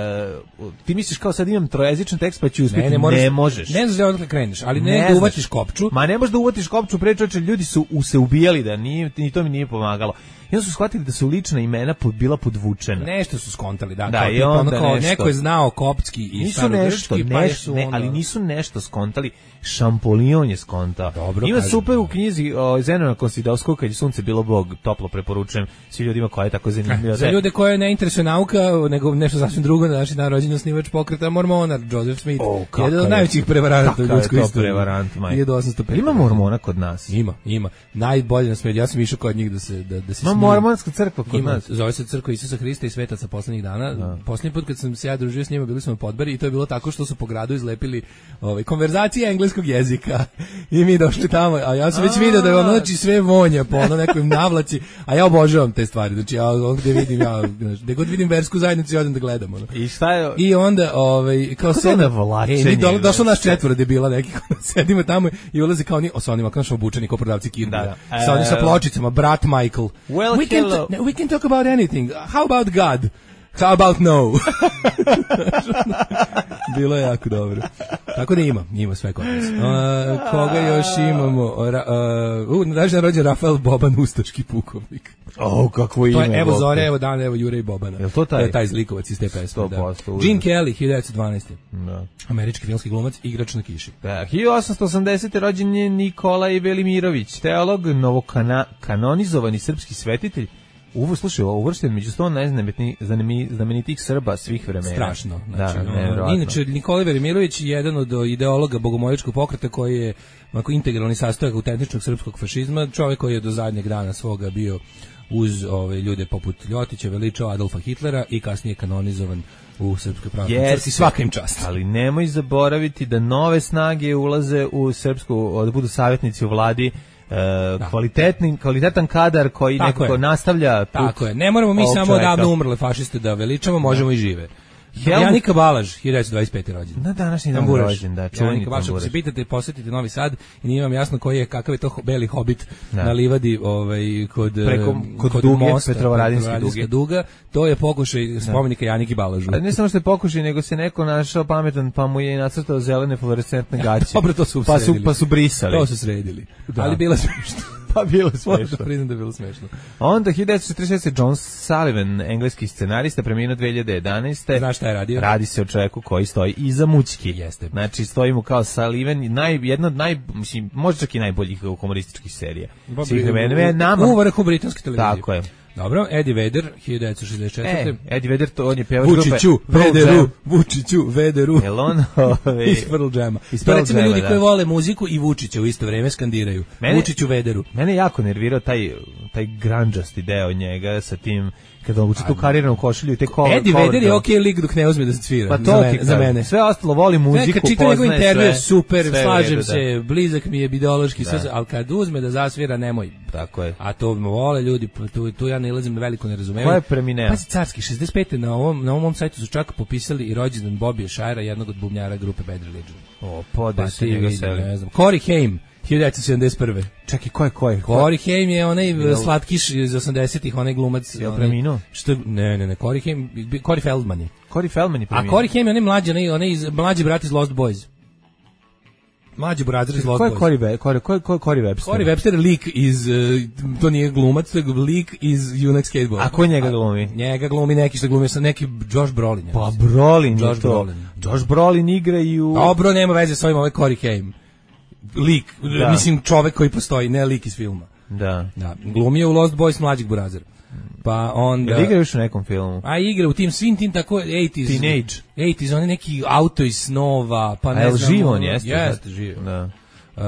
Uh, ti misliš kao sad imam trojezičan tekst pa ću uspjeti. Ne, ne, moraš, ne možeš. Ne znaš da odakle kreneš, ali ne, ne da uvatiš kopču. Ma ne možeš da uvatiš kopču, pre čoveče ljudi su se ubijali da nije, ni to mi nije pomagalo. I onda su shvatili da su lična imena pod, bila podvučena. Nešto su skontali, da. Da, kao, i tipa, onda ono kao, nešto. neko je znao koptski i nisu nešto, starogrčki, pa neš, su ne, ono... ali nisu nešto skontali. Šampolion je skonta. Dobro, ima kažem. super u knjizi o Zenona Konstidovskog, kad je sunce bilo bog, toplo preporučujem svim ljudima koja je tako zanimljiva. Za ljude koje ne interesuje nauka, nego nešto sasvim drugo, na naši dan rođen osnivač pokreta Mormona, Joseph Smith, O, jedan od najvećih prevaranata u ljudskoj istoriji. Prevarant, maj. hiljadu osamsto pet. Ima Mormona kod nas? Ima, ima. Najbolje na svijetu. Ja sam išao kod njih da se da da se ima mormonska crkva kod ima, nas. Zove se Crkva Isusa Hrista i svetaca poslednjih dana. Da. Poslednji put kad sam se ja družio s njima, bili smo na Podbari i to je bilo tako što su po gradu izlepili ovaj konverzacije engleskog jezika. I mi došli tamo, a ja sam već video da je ono, znači sve vonja po ono nekoj navlaci, a ja obožavam te stvari. Znači ja ovdje vidim, ja, gde god vidim versku zajednicu, ja odem da gledam. Ono. I šta je? I onda, ovaj, kao se navlačenje. E, do, došlo naš četvoro debila neki, sedimo tamo i ulazi kao oni, o, sa onima, kao naš obučeni, kao prodavci Kirbija. Sa onim sa pločicama, brat Michael. Well, we, can hello. we can talk about anything. How about God? How about no? Bilo je jako dobro. Tako da ima, ima sve kod nas. Uh, koga još imamo? Ra, uh, uh, daži na rođen Rafael Boban, ustaški pukovnik. O, kakvo ime. To je, evo Zore, evo Dan, evo Jure i Bobana. Je to taj? To je taj zlikovac iz te pesme. Da. Gene Kelly, hiljadu devetsto dvanaeste. Da. Američki filmski glumac, igrač na kiši. Da, hiljadu osamsto osamdesete. rođen je Nikolaj Velimirović, teolog, novokanonizovani srpski svetitelj. Uvo, slušaj, uvršten među sto najznamenitijih Srba svih vremena. Strašno. Znači, da, no, inače, Nikolaj Velimirović je jedan od ideologa bogomoljačkog pokreta koji je onako integralni sastojak autentičnog srpskog fašizma, čovjek koji je do zadnjeg dana svoga bio uz ove ljude poput Ljotića, veličao Adolfa Hitlera i kasnije kanonizovan u Srpskoj pravoslavnoj crkvi. Svaka im čast. Ali nemoj zaboraviti da nove snage ulaze u srpsku, da budu savjetnici u vladi. Uh, kvalitetni, kvalitetan kadar koji tako nekako je. nastavlja put. Tako je, ne moramo mi samo odavno umrle fašiste da veličamo, možemo da. i žive. Helmut... Janika Balaž, hiljadu devetsto dvadeset pete. rođen. Na današnji dan rođen, da, čuveni Janika Balaž, ako se pitate, posjetite Novi Sad i nije vam jasno koji je, kakav je to beli hobit da. na livadi ovaj, kod, Preko, kod, kod duge, mosta, Petrovaradinske duge. duga. To je pokušaj spomenika Janiki Balažu. Ali ne samo što je pokušaj, nego se neko našao pametan, pa mu je nacrtao zelene fluorescentne gaće. Dobro, to su pa su, pa su brisali. To su sredili. Da. Ali bilo smiješno. Pa bilo smešno. Da priznam da je bilo smešno. Onda hiljadu devetsto četrdeset šeste. John Sullivan, engleski scenarista, preminuo dve hiljade jedanaeste. Znaš šta je radio? Radi se o čovjeku koji stoji iza mućki. Jeste. Znači, stoji mu kao Sullivan, naj, jedna od naj, mislim, možda čak i najboljih humorističkih serija. Svih vremena. Nama... U vrhu britanske televizije. Tako je. Dobro, Eddie Vedder, hiljadu devetsto šezdeset četvrte. E, Eddie Vedder, to on je pevač grupe. Vučiću, Vederu, Vučiću, Vederu. Jel on? Ove... Iz Pearl Jama. To recimo ljudi da. koji vole muziku i Vučića u isto vreme skandiraju. Mene, Vučiću, Vederu. Mene jako nervirao taj, taj grandžasti deo njega sa tim, kada uči tu kariranu košulju i te kola. Eddie Vedder je okej lik dok ne uzme da se svira. Pa to za, mene, za mene. Sve ostalo, voli muziku, kad čita njegov intervju, super, sve slažem redu, se, da. blizak mi je ideološki, sve, ali kad uzme da zasvira, nemoj. Tako je. A to vole ljudi, tu, tu ja ne ilazim na veliko nerazumevanje. Ko je premineo? Pazi, carski, šezdeset pete. na ovom, na ovom sajtu su čak popisali i rođendan Bobija Shira, jednog od bubnjara grupe Bad Religion. O, pode se njega seli. Ne znam. Corey Haim, hiljadu devetsto sedamdeset prve. Čekaj, ko je, ko je? Corey Haim je onaj Jel... slatkiš iz osamdesetih, onaj glumac. Je preminuo? Što, ne, ne, ne, Corey Haim, Corey Feldman je. Corey Feldman je preminuo. A Corey Haim je onaj mlađi, onaj, onaj iz, mlađi brat iz Lost Boys. Mlađi brat iz Lost Boys. Ko je Corey, Corey, Corey, Corey Webster? Corey Webster je lik iz, uh, to nije glumac, to je lik iz Junak Skateboard. A ko njega glumi? A, njega glumi neki što glumi sa neki Josh Brolin. Pa Brolin Josh je to. Brolin. Josh Brolin igra i u... Dobro, nema veze s ovim, ovaj Corey Haim. Lik, da. Mislim čovek koji postoji, ne lik iz filma. Da. Da, glumio u Lost Boys mlađeg burazera. Pa onda... Jel igra još u nekom filmu? A igra u tim svim tim tako osamdeset Teenage. osamdeset oni neki auto iz snova, pa ne znam. A je živo on jeste? Jeste, živo. Da. Uh,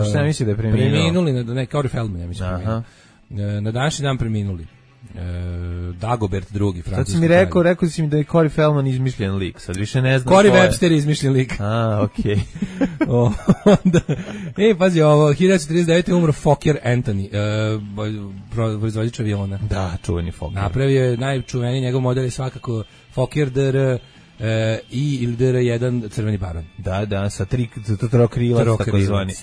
šta ja misli da je preminuo? Preminuli, na, ne, Corey Feldman, ja mislim. Aha. Na današnji dan preminuli. E, Dagobert drugi, francuski. Sad si mi rekao, rekao si mi da je Corey Feldman izmišljen lik, sad više ne znam. Corey Webster je izmišljen lik. A, okej. Okay. Onda, ej, pazi, ovo, hiljadu devetsto trideset devete. umro Fokker Anthony, e, proizvođač aviona. Da, čuveni Fokker. Napravio je najčuveniji, njegov model je svakako Fokker D R E, I ili D R jedan crveni baron. Da, da, sa tri trokrilac, tako zvani.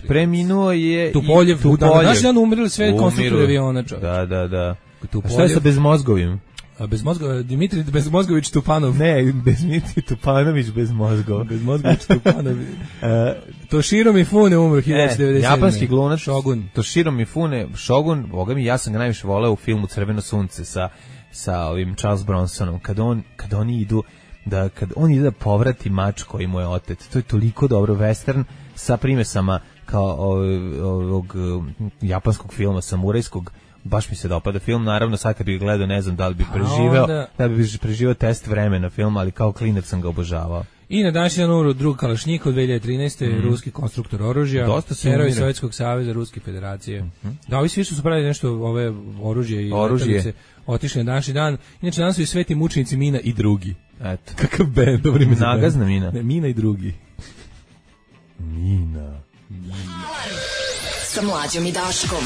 Preminuo je Tupoljev, u današnji dan umrli sve konstruktori aviona, čovječ. Da, da, da. A šta je sa bezmozgovim? A bez mozgova, Dimitri Bezmozgović Tupanov. Ne, Dimitri Tupanović bez mozgova. Bezmozgović Tupanović. uh, Toshiro Mifune umro hiljadu devetsto devedeset sedme. Japanski glumac Shogun. Toshiro Mifune, Shogun, boga mi, ja sam ga najviše voleo u filmu Crveno sunce sa, sa ovim Charles Bronsonom. Kad, on, kad oni idu, da, kad on ide da povrati mač koji mu je otet. To je toliko dobro western sa primesama kao ovog, ovog japanskog filma, samurajskog. Baš mi se dopada film, naravno sad kad bih gledao ne znam da li bih preživeo, onda... da bih preživeo test vremena film, ali kao klinac sam ga obožavao. I na današnji dan umro drug Kalašnjikov dve hiljade trinaeste. Mm. ruski konstruktor oružja, heroj Sovjetskog saveza, Ruske federacije. Mm-hmm. Da, ovi svi su pravili nešto ove oružje i letelice, otišli na današnji dan. Inače danas su i sveti mučenici Mina i drugi. Eto. Kakav band, dobro ime za band. Nagazna Mina. Ne, Mina i drugi. Mina. Mina. Sa Mlađom i Daškom.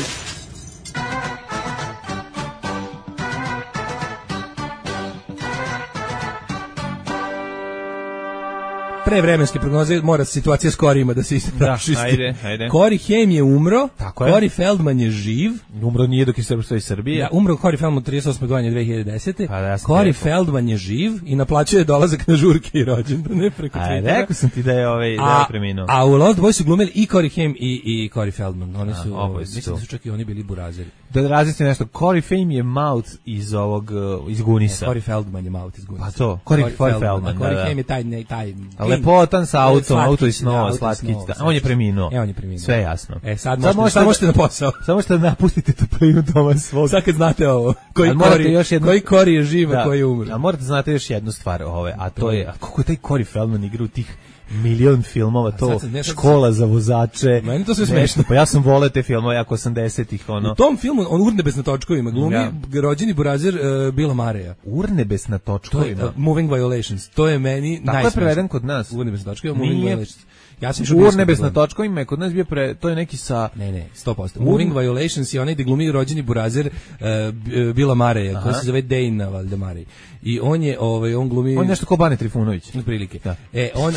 Prevremenske prognoze, mora situacija s Korima da se istrašisti. Da, ajde, ajde. Kori Haim je umro, tako je. Kori Feldman je živ. Umro nije dok je Srbstvo iz Srbije. Da, umro Kori Feldman trideset osme godine dve hiljade desete. Pa da, Kori Feldman je živ i naplaćuje dolazak na žurke i rođendane preko Twittera. Ajde, rekao sam ti da je, ovaj, da je preminuo. A u Lost Boys su glumili i Kori Haim i, i Kori Feldman. Oni su, a, mislim da su čak i oni bili burazeri. Da različite nešto, Kori Haim je Maut iz ovog, iz Gunisa. Kori Feldman je Maut iz Gunisa. Pa to, Kori Feldman, Feldman, da, Kori da. Haim je taj, ne, taj... Lepotan sa autom, auto i snova, da, slatkić. Da. On je preminuo. E, on je preminuo. Sve jasno. E, sad, sad možete, možete na posao. Samo možete da napustite toplinu doma svog. Sad kad znate ovo, koji Kori, još jednu... koji Kori je živ, a koji je umro. A morate znate još jednu stvar, ove, a to je, a kako je taj Kori Feldman igra u tih milion filmova, to sad, ne, sad, škola za vozače. Meni to sve smešno. Pa ja sam voleo te filmove jako osamdesetih, ono. U tom filmu, on Urnebes na točkovima, glumi ja. rođeni burazer uh, Bila Mareja. Urnebes na točkovima? Uh, Moving Violations. To je meni najsmešnije. Tako je preveden kod nas. Urnebes na točkovima, Moving Violations. Ja sam Urnebes na točkovima je kod nas bio pre, to je neki sa... Ne, ne, sto posto. Moving Violations je onaj gde glumi rođeni burazer uh, Bila Mareja, koji se zove Dejna Valdemarej. I on je, ovaj, on glumi... On je nešto kao Bane Trifunović. Na prilike. Da. E, on...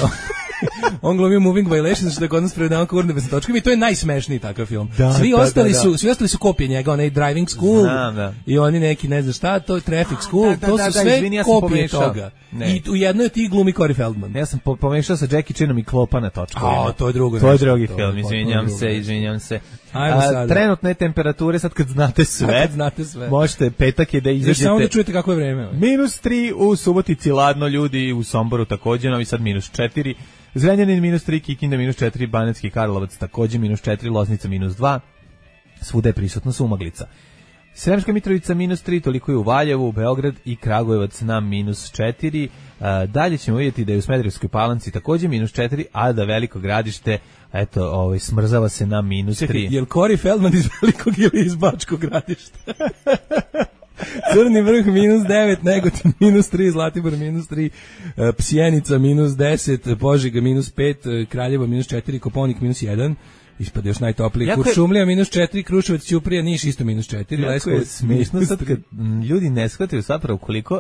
on glumio Moving Violations, što je kod nas prevedeno kao Urnebes na točkovima i to je najsmešniji takav film. Da, svi, da, ostali da, da. Su, svi ostali su kopije njega, onaj Driving School da, da. i oni neki, ne znam šta, to je Traffic School, da, da, to su da, sve izvini, ja kopije toga. Ne. I u jednoj od tih glumi Kori Feldman. Ja sam po, pomešao sa Jackie Chanom i Klopa na točkovima. A, to je drugo. To je drugi to, film, izvinjam se, drugo. izvinjam se. A, trenutne temperature, sad kad znate sve, kad znate sve. Možete, petak je da izađete. Samo da čujete kako je vreme. Ovaj. Minus tri u Subotici, ladno ljudi, u Somboru također, Novi Sad minus četiri. Zrenjanin minus tri, Kikinda minus četiri, Banatski Karlovac također minus četiri, Loznica minus dva, svuda je prisutna sumaglica. Sremska Mitrovica minus tri, toliko je u Valjevu, Beograd i Kragujevac na minus četiri. E, dalje ćemo vidjeti da je u Smederevskoj Palanci također minus četiri, a da Veliko Gradište, eto, ovaj, smrzava se na minus tri. Čekaj, je li Kori Feldman iz Velikog ili iz Bačkog Gradišta? Crni Vrh minus devet, Negotin minus tri, Zlatibor minus tri, Psjenica minus deset, Požega minus pet, Kraljevo minus četiri, Koponik minus jedan, ispade još najtopliji, Kuršumlija minus četiri, Kruševac, Ćuprija, Niš isto minus četiri, Leskovac smiješno sad kad ljudi ne shvataju zapravo koliko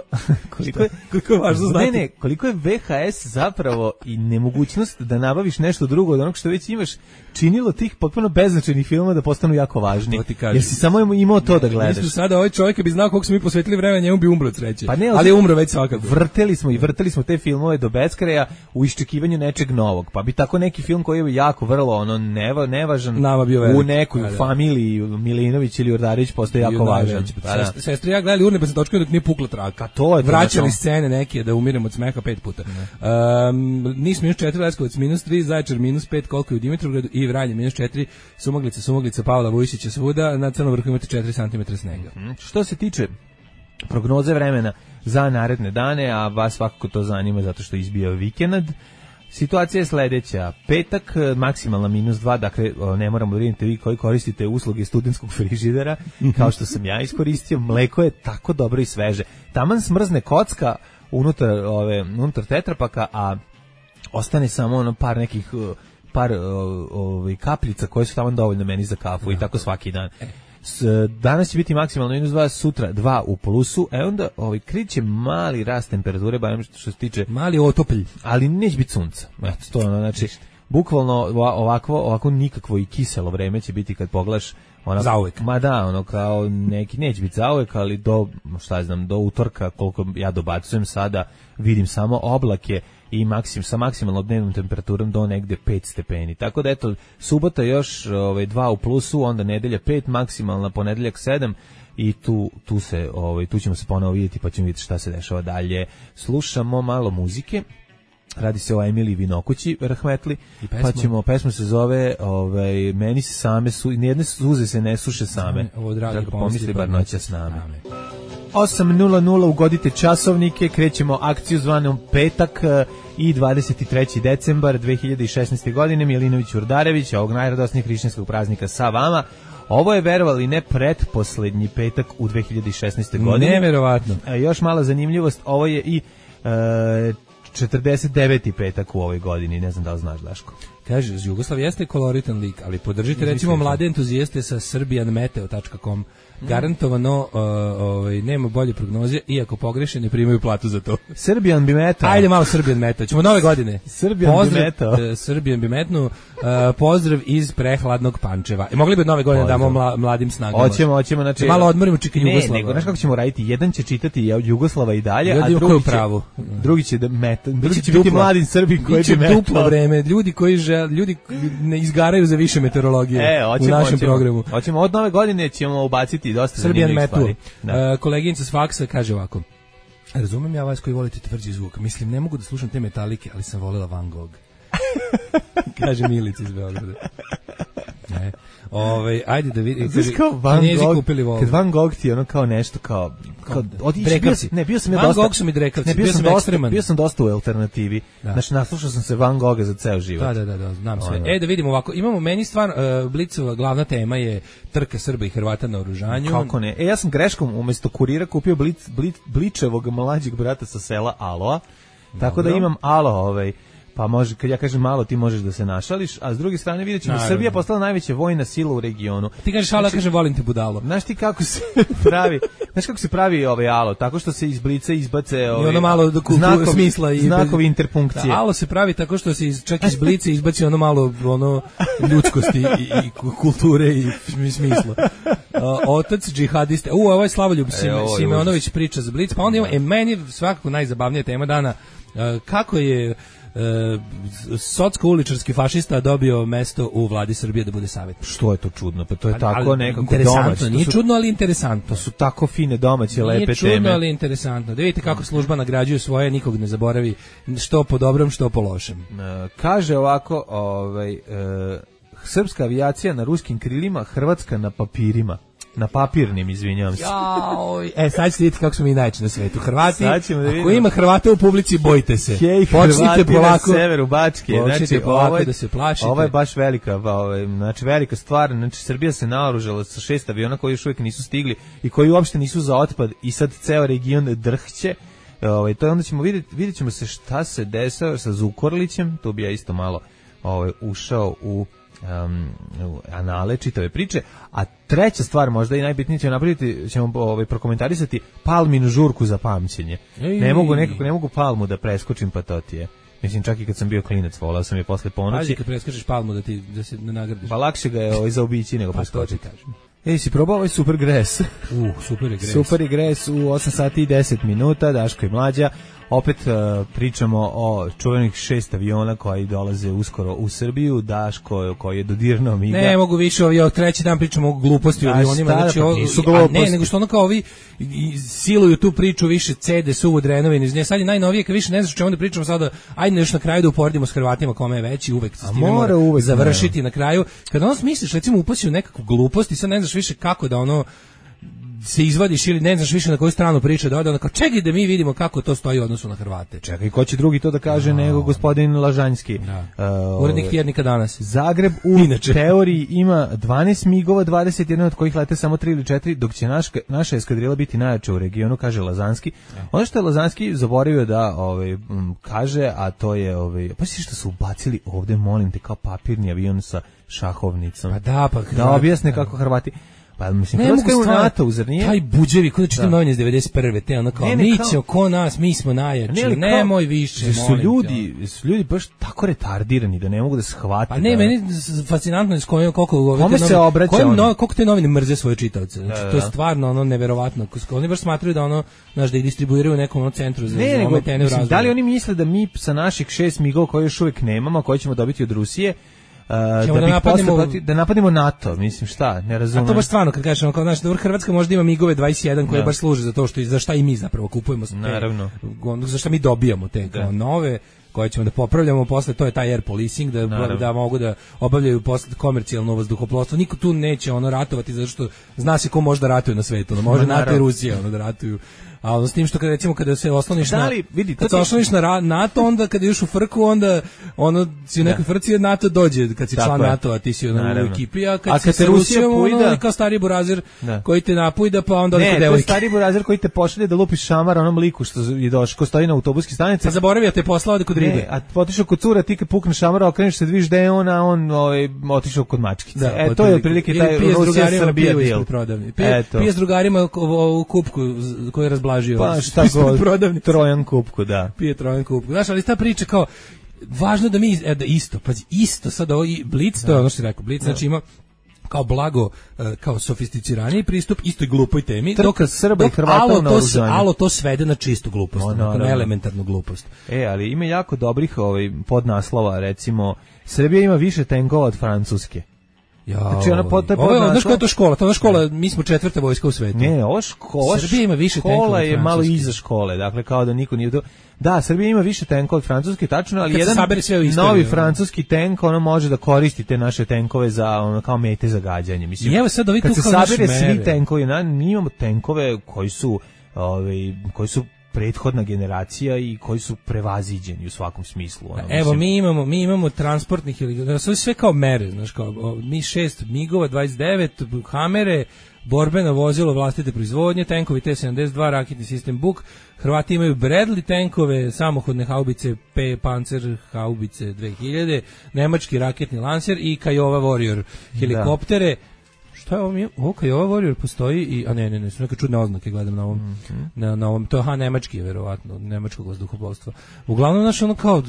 koliko je, koliko je važno znati. Ne, ne, koliko je V H S zapravo i nemogućnost da nabaviš nešto drugo od onog što već imaš činilo tih potpuno beznačajnih filmova da postanu jako važni. Jer si samo imao to da gledaš. Mislim sada ovaj čovjek bi znao koliko smo mi posvetili vremena, njemu bi umro od sreće. Pa ne, ali je umro već svakako. Vrteli smo i vrteli smo te filmove do beskraja u iščekivanju nečeg novog. Pa bi tako neki film koji je jako vrlo ono neva, nevažan u nekoj da, familiji Milinović ili Ordarić postoji jako važan. Da. Sestri ja gledali Urnebes na točkovima dok nije pukla traka. To je vraćali to. Scene neke da umiremo od smeha pet puta. Um, Niš minus četiri, Leskovac minus tri, Zaječar minus pet, koliko je u Dimitrovgradu i Vranje minus četiri, Sumaglica, Sumaglica, Pavla Vujsića svuda, na Crnom Vrhu imate četiri centimetra snega. Mm, što se tiče prognoze vremena za naredne dane, a vas svakako to zanima zato što izbija vikend, situacija je sledeća. Petak, maksimalna minus dva, dakle ne moramo da vidite vi koji koristite usluge studentskog frižidera, kao što sam ja iskoristio, mleko je tako dobro i sveže. Taman smrzne kocka unutar, ove, unutar tetrapaka, a ostane samo ono par nekih par ovaj kapljica koje su tamo dovoljno meni za kafu no. I tako svaki dan. S, danas će biti maksimalno minus dva, sutra dva u plusu, e onda ovaj kriće mali rast temperature, barem što se tiče mali otopelj, ali neće biti sunca. Eto to ono, znači bukvalno ovako ovako nikakvo i kiselo vreme će biti kad pogledaš Ona, zauvek. Ma da, ono kao neki neće biti zauvek, ali do, šta znam, do utorka, koliko ja dobacujem sada, vidim samo oblake i maksim, sa maksimalnom dnevnom temperaturom do negde pet stepeni. Tako da eto, subota još ovaj, dva u plusu, onda nedelja pet, maksimalna ponedeljak sedam i tu, tu, se, ovaj, tu ćemo se ponovo vidjeti pa ćemo vidjeti šta se dešava dalje. Slušamo malo muzike. Radi se o Emiliji Vinokući, rahmetli, pa ćemo, pesma se zove ovaj, Meni se same, su, nijedne suze se ne suše same, ovo dragi tako pomisli bar noća s name. osam nula nula ugodite časovnike, krećemo akciju zvanom Petak i dvadeset treći decembar dve hiljade šesnaeste. godine, Milinović Urdarević, ovog najradosnijeg hrišćanskog praznika sa vama. Ovo je, verovali ne, pretposlednji petak u dve hiljade šesnaeste. godine. Neverovatno. A još mala zanimljivost, ovo je i e, četrdeset deveti petak u ovoj godini, ne znam da li znaš, Daško. Kaže, Jugoslav jeste koloritan lik, ali podržite recimo mlade entuzijaste sa serbian meteo tačka com. Garantovano uh, ovaj, nema bolje prognoze, iako pogreše ne primaju platu za to. Serbian bi metao. Ajde malo Serbian metao, ćemo nove godine. Serbian pozdrav, bi metao. Uh, Serbian bi metnu, uh, pozdrav iz prehladnog Pančeva. I mogli bi nove godine damo mla, mladim snagama. Hoćemo, hoćemo, znači malo odmorimo čika Jugoslava. Ne, nego znaš kako ćemo raditi? Jedan će čitati Jugoslava i dalje, ljudi a drugi će, pravu. drugi će da meta, drugi će biti mladim Srbi koji bi metao. Duplo vreme, ljudi koji žel, ljudi ne izgaraju za više meteorologije e, hoćemo, u našem hoćemo, programu. Hoćemo od nove godine ćemo ubaciti dosta zanimljivih stvari. Da. Uh, koleginica s faksa kaže ovako: razumem ja vas koji volite tvrđi zvuk, mislim ne mogu da slušam te metalike, ali sam volela Van Gogh. Kaže Milica iz Beograda. Ne. Ove, ajde da vidi. Znaš kao Van Gogh, kad Van Gogh ti je ono kao nešto kao... kao drekavci. Ne, bio sam ja Van dosta... Van Gogh su mi drekavci, ne, bio, bio, sam sam dosta, bio sam dosta u alternativi. Da. Znači, naslušao sam se Van Gogha za ceo život. Da, da, da, da znam sve. E, da vidimo ovako, imamo meni stvar, uh, Blicova glavna tema je trka Srba i Hrvata na oružanju. Kako ne? E, ja sam greškom umjesto kurira kupio blic, blic, Bličevog mlađeg brata sa sela Aloa, tako Dobro. da imam Alo, ovaj... Pa može, kad ja kažem malo, ti možeš da se našališ, a s druge strane vidjet ćemo, Srbija postala najveća vojna sila u regionu. Ti kažeš Alo, znači, kažem volim te budalo. Znaš ti kako se pravi, znaš kako se pravi ovaj Alo, tako što se iz blica izbace ovaj, i ono malo do znakov, smisla i znakovi interpunkcije. Da, Alo se pravi tako što se iz, čak iz blica izbaci ono malo ono ljudskosti i, i kulture i smisla. Uh, otac džihadiste. U, ovo je Slavoljub e, Simeonović priča za blic, pa onda ima, e, meni svakako najzabavnija tema dana, uh, kako je E, socko-uličarski fašista dobio mesto u vladi Srbije da bude savjetnik. Što je to čudno? Pa to je tako ali, nekako domaće. Nije su, čudno, ali interesantno. To su tako fine domaće, lepe teme. Nije čudno, ali interesantno. Da vidite kako služba nagrađuje svoje, nikog ne zaboravi, što po dobrom, što po lošem. E, kaže ovako, ovaj, e, srpska avijacija na ruskim krilima, Hrvatska na papirima. Na papirnim, izvinjavam se. Jaoj. E, sad ćete vidjeti kako smo mi najveći na svetu. Hrvati, da ako ima Hrvata u publici, bojte se. Hej, Hrvati polako, na severu Bačke. Znači, polako ovaj, da se plašite. Ovo je baš velika, ovaj, znači velika stvar. Znači, Srbija se naoružala sa šest aviona koji još uvijek nisu stigli i koji uopšte nisu za otpad i sad ceo region drhće. Ovaj, to je onda ćemo vidjeti, vidjet ćemo se šta se desava sa Zukorlićem. Tu bi ja isto malo ovaj, ušao u Um, anale čitave priče, a treća stvar možda i najbitnije ćemo napraviti, ćemo ovaj, prokomentarisati Palminu žurku za pamćenje. Ej. Ne mogu nekako, ne mogu Palmu da preskočim, pa to ti je. Mislim, čak i kad sam bio klinac, volao sam je posle ponoći. Ajde, kad preskočiš Palmu da ti da se ne nagradiš. Pa lakše ga je ovaj, zaobići nego pa preskočiti. Ej, si probao ovaj super gres? U, super je gres. Super je gres u osam sati i deset minuta, Daško i Mlađa. Opet uh, pričamo o čuvenih šest aviona koji dolaze uskoro u Srbiju, Daško koji je dodirno miga. Ne mogu više, ovi, treći dan pričamo o gluposti o avionima, znači o, nisu gluposti. Ne, nego što ono kao ovi siluju tu priču više C D, suvo, drenovine, iz nje sad je najnovije, kad više ne znaš o čemu da pričamo sada, ajde još na kraju da uporedimo s Hrvatima kome je veći, uvek se s time mora uvek završiti ne. Na kraju. Kad ono misliš, recimo upasi u nekakvu glupost i sad ne znaš više kako da ono se izvadiš ili ne znaš više na koju stranu priča da ode, onda kao čekaj da mi vidimo kako to stoji u odnosu na Hrvate. Čekaj, ko će drugi to da kaže no. nego gospodin Lažanjski. Da. Uh, Urednik tjednika Danas. Zagreb u Inače. teoriji ima dvanaest migova, dvadeset jedan od kojih lete samo tri ili četiri, dok će naš, naša eskadrila biti najjača u regionu, kaže Lazanski. Ja. Ono što je Lazanski zaboravio da ovaj, m, kaže, a to je, ovaj, pa si što su ubacili ovde, molim te, kao papirni avion sa šahovnicom. Pa da, pa da objasne kako Hrvati. Pa mislim, Hrvatska je u NATO, zar nije? Taj buđevi, kod da čitam novine iz devedeset prve, te ono kao, ne, ne, mi ćemo, ko nas, mi smo najjači, ne, nemoj više, su ljudi, su ljudi baš tako retardirani da ne mogu da shvate. Pa ne, da, meni fascinantno je s kojim, koliko, kome se obraća kojim, no, koliko te novine mrze svoje čitaoce. Znači, da, to je stvarno ono neverovatno. Oni baš smatraju da ono, znaš, da ih distribuiraju u nekom ono centru za, ne, za ometene u razvoju. Da li oni misle da mi sa naših šest migova koje još uvijek nemamo, koje ćemo dobiti od Rusije, Uh, da, da, napadimo, posle, da napadimo NATO, mislim šta, ne razumem. A to baš stvarno, kad kažemo, kao naš, dobro, Hrvatska možda ima migove dvadeset jedan koje da. baš služe za to što, za šta i mi zapravo kupujemo. Te, naravno. Za šta mi dobijamo te da. kao nove, koje ćemo da popravljamo, posle to je taj air policing, da, da mogu da obavljaju posle komercijalno vazduhoplovstvo. Niko tu neće ono ratovati, zato što zna se ko može da ratuje na svetu, no, može no, NATO i Rusija ono, da ratuju. A ono s tim što kada recimo kada se osloniš da li, na vidi, kad se osloniš na NATO, onda kada ideš u frku, onda ono si u nekoj frci NATO dođe kad si tako član NATO-a, ti si ono u ekipi, a kad, a kad se Rusija pojda, ono, kao stari burazir da. koji te napujda, pa onda ne, to je stari burazir koji te pošalje da lupiš šamar onom liku što je došao, ko stoji na autobuskoj stanici. Pa zaboravio te poslao da kod ribe. Ne, a otišao kod cura, ti kad pukneš šamara, okreneš se, vidiš da je on, a on ovaj, otišao kod mačkice. Da, e, to je otprilike taj Rusija Srbija deal. Pije s drugarima u kupku koji je razblažio. Pa šta god, Trojan kupku, da. Pije Trojan kupku. Znaš, ali ta priča kao, važno da mi, e, da isto, pazi, isto sad ovo, Blic, to je ono što si rekao, Blic, znači ima kao blago, kao sofisticiraniji pristup istoj glupoj temi, dok Srba i Hrvata na oružanju. Alo to svede na čistu glupost, no, no, na elementarnu glupost. E, ali ima jako dobrih ovaj, podnaslova, recimo, Srbija ima više tenkova od Francuske. Ja, znači ona pot, ovo je, znaš koja je to škola? To je škola, mi smo četvrta vojska u svetu. Ne, ovo škola, Srbija ima više tenkova. Škola je malo iza škole, dakle kao da niko nije to. Da, Srbija ima više tenkova od Francuske, tačno, ali jedan novi francuski tenk, ono može da koristi te naše tenkove za ono kao mete za gađanje. Mislim, evo sad ovi kad tu se sabere svi tenkovi, na, mi imamo tenkove koji su, ovaj, koji su prethodna generacija i koji su prevaziđeni u svakom smislu. Ono, evo, mislim. mi imamo mi imamo transportnih ili sve kao mere, znaš, kao mi šest migova, dvadeset devet, Hamere, borbeno vozilo vlastite proizvodnje, tenkovi T sedamdeset dva, raketni sistem Buk, Hrvati imaju Bradley tenkove, samohodne haubice P Panzer haubice dve hiljade, nemački raketni Lancer i Kiowa Warrior helikoptere. Da. Šta je ovo mi? Ovo Kiowa Warrior postoji i a ne ne ne, su neke čudne oznake, gledam na ovom mm-hmm. na, na ovom, to je ha nemački je verovatno, nemačkog vazduhoplovstva. Uglavnom naš ono kao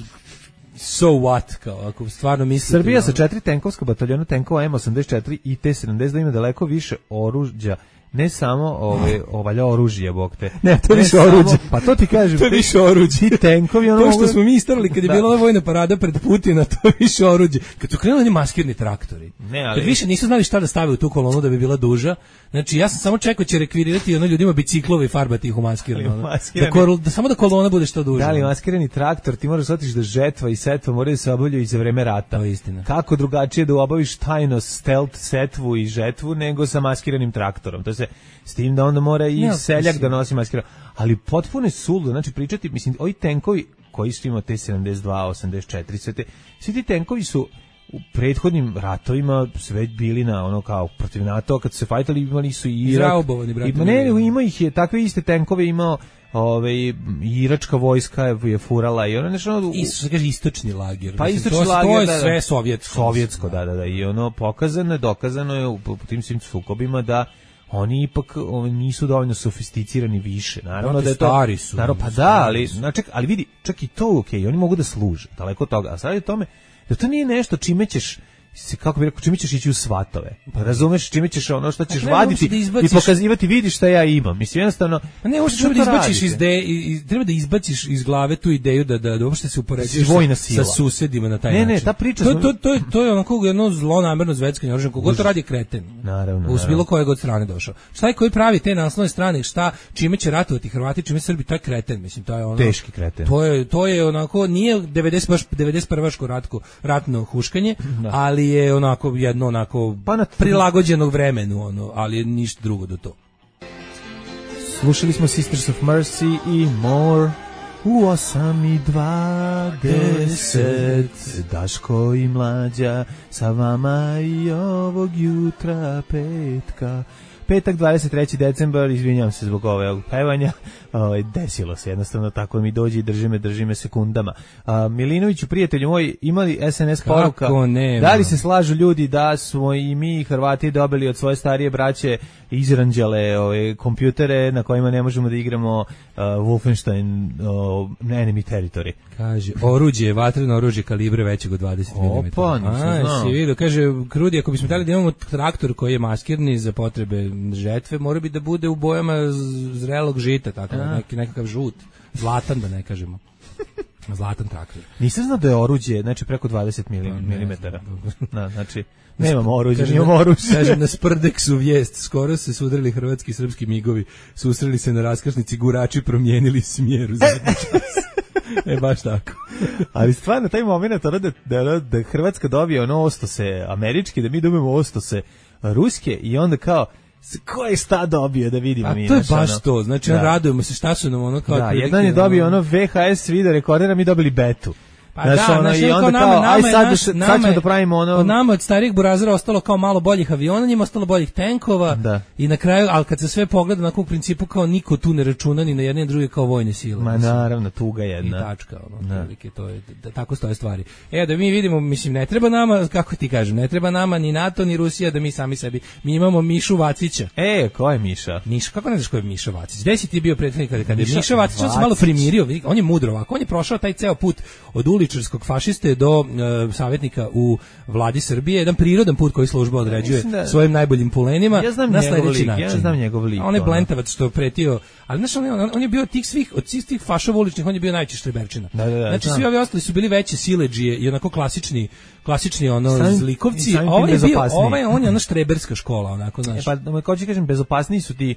so what, kao ako stvarno mislite. Srbija ono, sa četiri tenkovska bataljona tenkova M osamdeset četiri i T sedamdeset dva ima daleko više oružja. Ne samo ove ovalja oružje, bog te. Ne, to više oruđe. Pa to ti kažem. To je više oruđe. Ti tenkovi, ono to što mogu... smo mi istarali kad je da. bila vojna parada pred Putina, to je više oruđe. Kad su krenuli maskirni traktori. Ne, ali... Kad više nisu znali šta da stave u tu kolonu da bi bila duža. Znači ja sam samo čekao će rekvirirati ono ljudima biciklove i farbati ih u maskirni. Da, kol, da samo da kolona bude što duža. Da li maskirani traktor, ti moraš shvatiti da žetva i setva moraju da se obavljaju i za vreme rata. To je istina. Kako drugačije da obaviš tajno stealth setvu i žetvu nego sa maskiranim traktorom. To se s tim da onda mora i ja, seljak da nosi maskira. Ali potpuno je suludo, znači pričati, mislim, ovi tenkovi koji su imao T sedamdeset dva, osamdeset četiri, sve te, svi ti tenkovi su u prethodnim ratovima sve bili na ono kao protiv NATO, kad su se fajtali imali su i Irak. Izraubovani, brate. I, ne, ima ih je, takve iste tenkove imao Ove, iračka vojska je, je furala i ono nešto... Isto se kaže istočni lager. Pa istočni to, lager, to je da, sve sovjetsko. Sovjetsko, da, da, da. I ono pokazano je, dokazano je u, u tim svim sukobima da oni ipak oni nisu dovoljno sofisticirani više. Naravno da je to stari su. Naravno, pa da, ali znači, ali vidi, čak i to okej, okay, oni mogu da služe, daleko od toga. A sad je tome da to nije nešto čime ćeš se kako bi rekao, čime ćeš ići u svatove. Pa razumeš čime ćeš ono što ćeš vaditi da izbaciš... i pokazivati, vidi šta ja imam. Mislim jednostavno, a ne možeš da izbaciš iz ideje, iz, treba da izbaciš iz glave tu ideju da da, da uopšte se upoređuješ sa, sa susedima na taj ne, način. Ne, ne, ta priča to, to, to je to je onako jedno zlonamerno zveckanje oružjem, kogo to radi kreten. Naravno. U bilo koje god strane došao. Šta je koji pravi te naslovne strane, šta čime će ratovati Hrvati, čime Srbi, to je kreten, mislim, to je ono teški kreten. To je to je onako nije devedeset baš devedeset prvaško ratko ratno huškanje, da. Ali je onako jedno onako pa na prilagođenog vremenu, ono, ali ništa drugo do to. Slušali smo Sisters of Mercy i More u osam i dvadeset. Daško i Mlađa sa vama i ovog jutra petka. Petak dvadeset treći decembar, izvinjavam se zbog ovog pevanja, o, desilo se jednostavno tako mi dođe i drži me, drži me sekundama. A, Milinoviću, prijatelju moj, imali es en es poruka, da li se slažu ljudi da smo i mi Hrvati dobili od svoje starije braće izranđale ove kompjutere na kojima ne možemo da igramo uh, Wolfenstein uh, Enemy Territory. Kaže, oruđe, vatreno oružje kalibre većeg od dvadeset milimetara. Opa, nisam znao. Si vidio, kaže, Krudi, ako bismo htjeli da imamo traktor koji je maskirni za potrebe žetve, mora bi da bude u bojama zrelog žita, tako, neki, nekakav žut, zlatan da ne kažemo. Zlatan traktor. Nisam znao da je oruđe, znači preko dvadeset milimetara. Da, znači, nemamo oruđe, nimamo oružje. Kaže, na Sprdeksu vijest, skoro se sudarili hrvatski i srpski migovi, susreli se na raskrsnici, gurači promijenili smjer u zadnji čas. E, baš tako. Ali stvarno, taj moment, da, da, da Hrvatska dobije ono ostose američki, da mi dobijemo ostose ruske i onda kao, ko je šta dobio da vidimo a mi. A to je baš ono, to, znači da. Radujemo se šta su nam ono kao... Da, jedan je dobio ono ve ha es video rekordera, mi dobili betu. Pa znaš, da, ono, znaš, i onda nama, kao, nama, aj sad, naš, sad nama, ćemo da pravimo ono... Od nama od starijih burazera ostalo kao malo boljih aviona, njima ostalo boljih tenkova da. I na kraju, ali kad se sve pogleda na u principu kao niko tu ne računa ni na jedne ni druge kao vojne sile. Ma naravno, tuga jedna. I tačka, ono, prilike, to je, da, tako stoje stvari. E, da mi vidimo, mislim, ne treba nama, kako ti kažem, ne treba nama ni NATO, ni Rusija da mi sami sebi, mi imamo Mišu Vacića. E, ko je Miša? Miša, kako ne znaš ko je Miša Vacić? Gde si ti bio prethodnik kada, kada je Miša Vacić, on se malo primirio, on je mudro ovako, on je prošao taj ceo put od uličarskog fašiste do uh, savjetnika u vladi Srbije, jedan prirodan put koji služba određuje da, svojim najboljim pulenima ja znam na sledeći lik, način. Ja znam njegov lik. A on je blentavac što je pretio, ali znaš, on, on, on je bio tih svih, od svih tih fašova uličnih, on je bio najveći štreberčina. Da, da, da, znači, znam. svi ovi ostali su bili veće siledžije i onako klasični, klasični ono Samim, zlikovci, a ovaj je bio, ovaj on je ona štreberska škola, onako, znaš. E, pa, kao ću kažem, bezopasniji su ti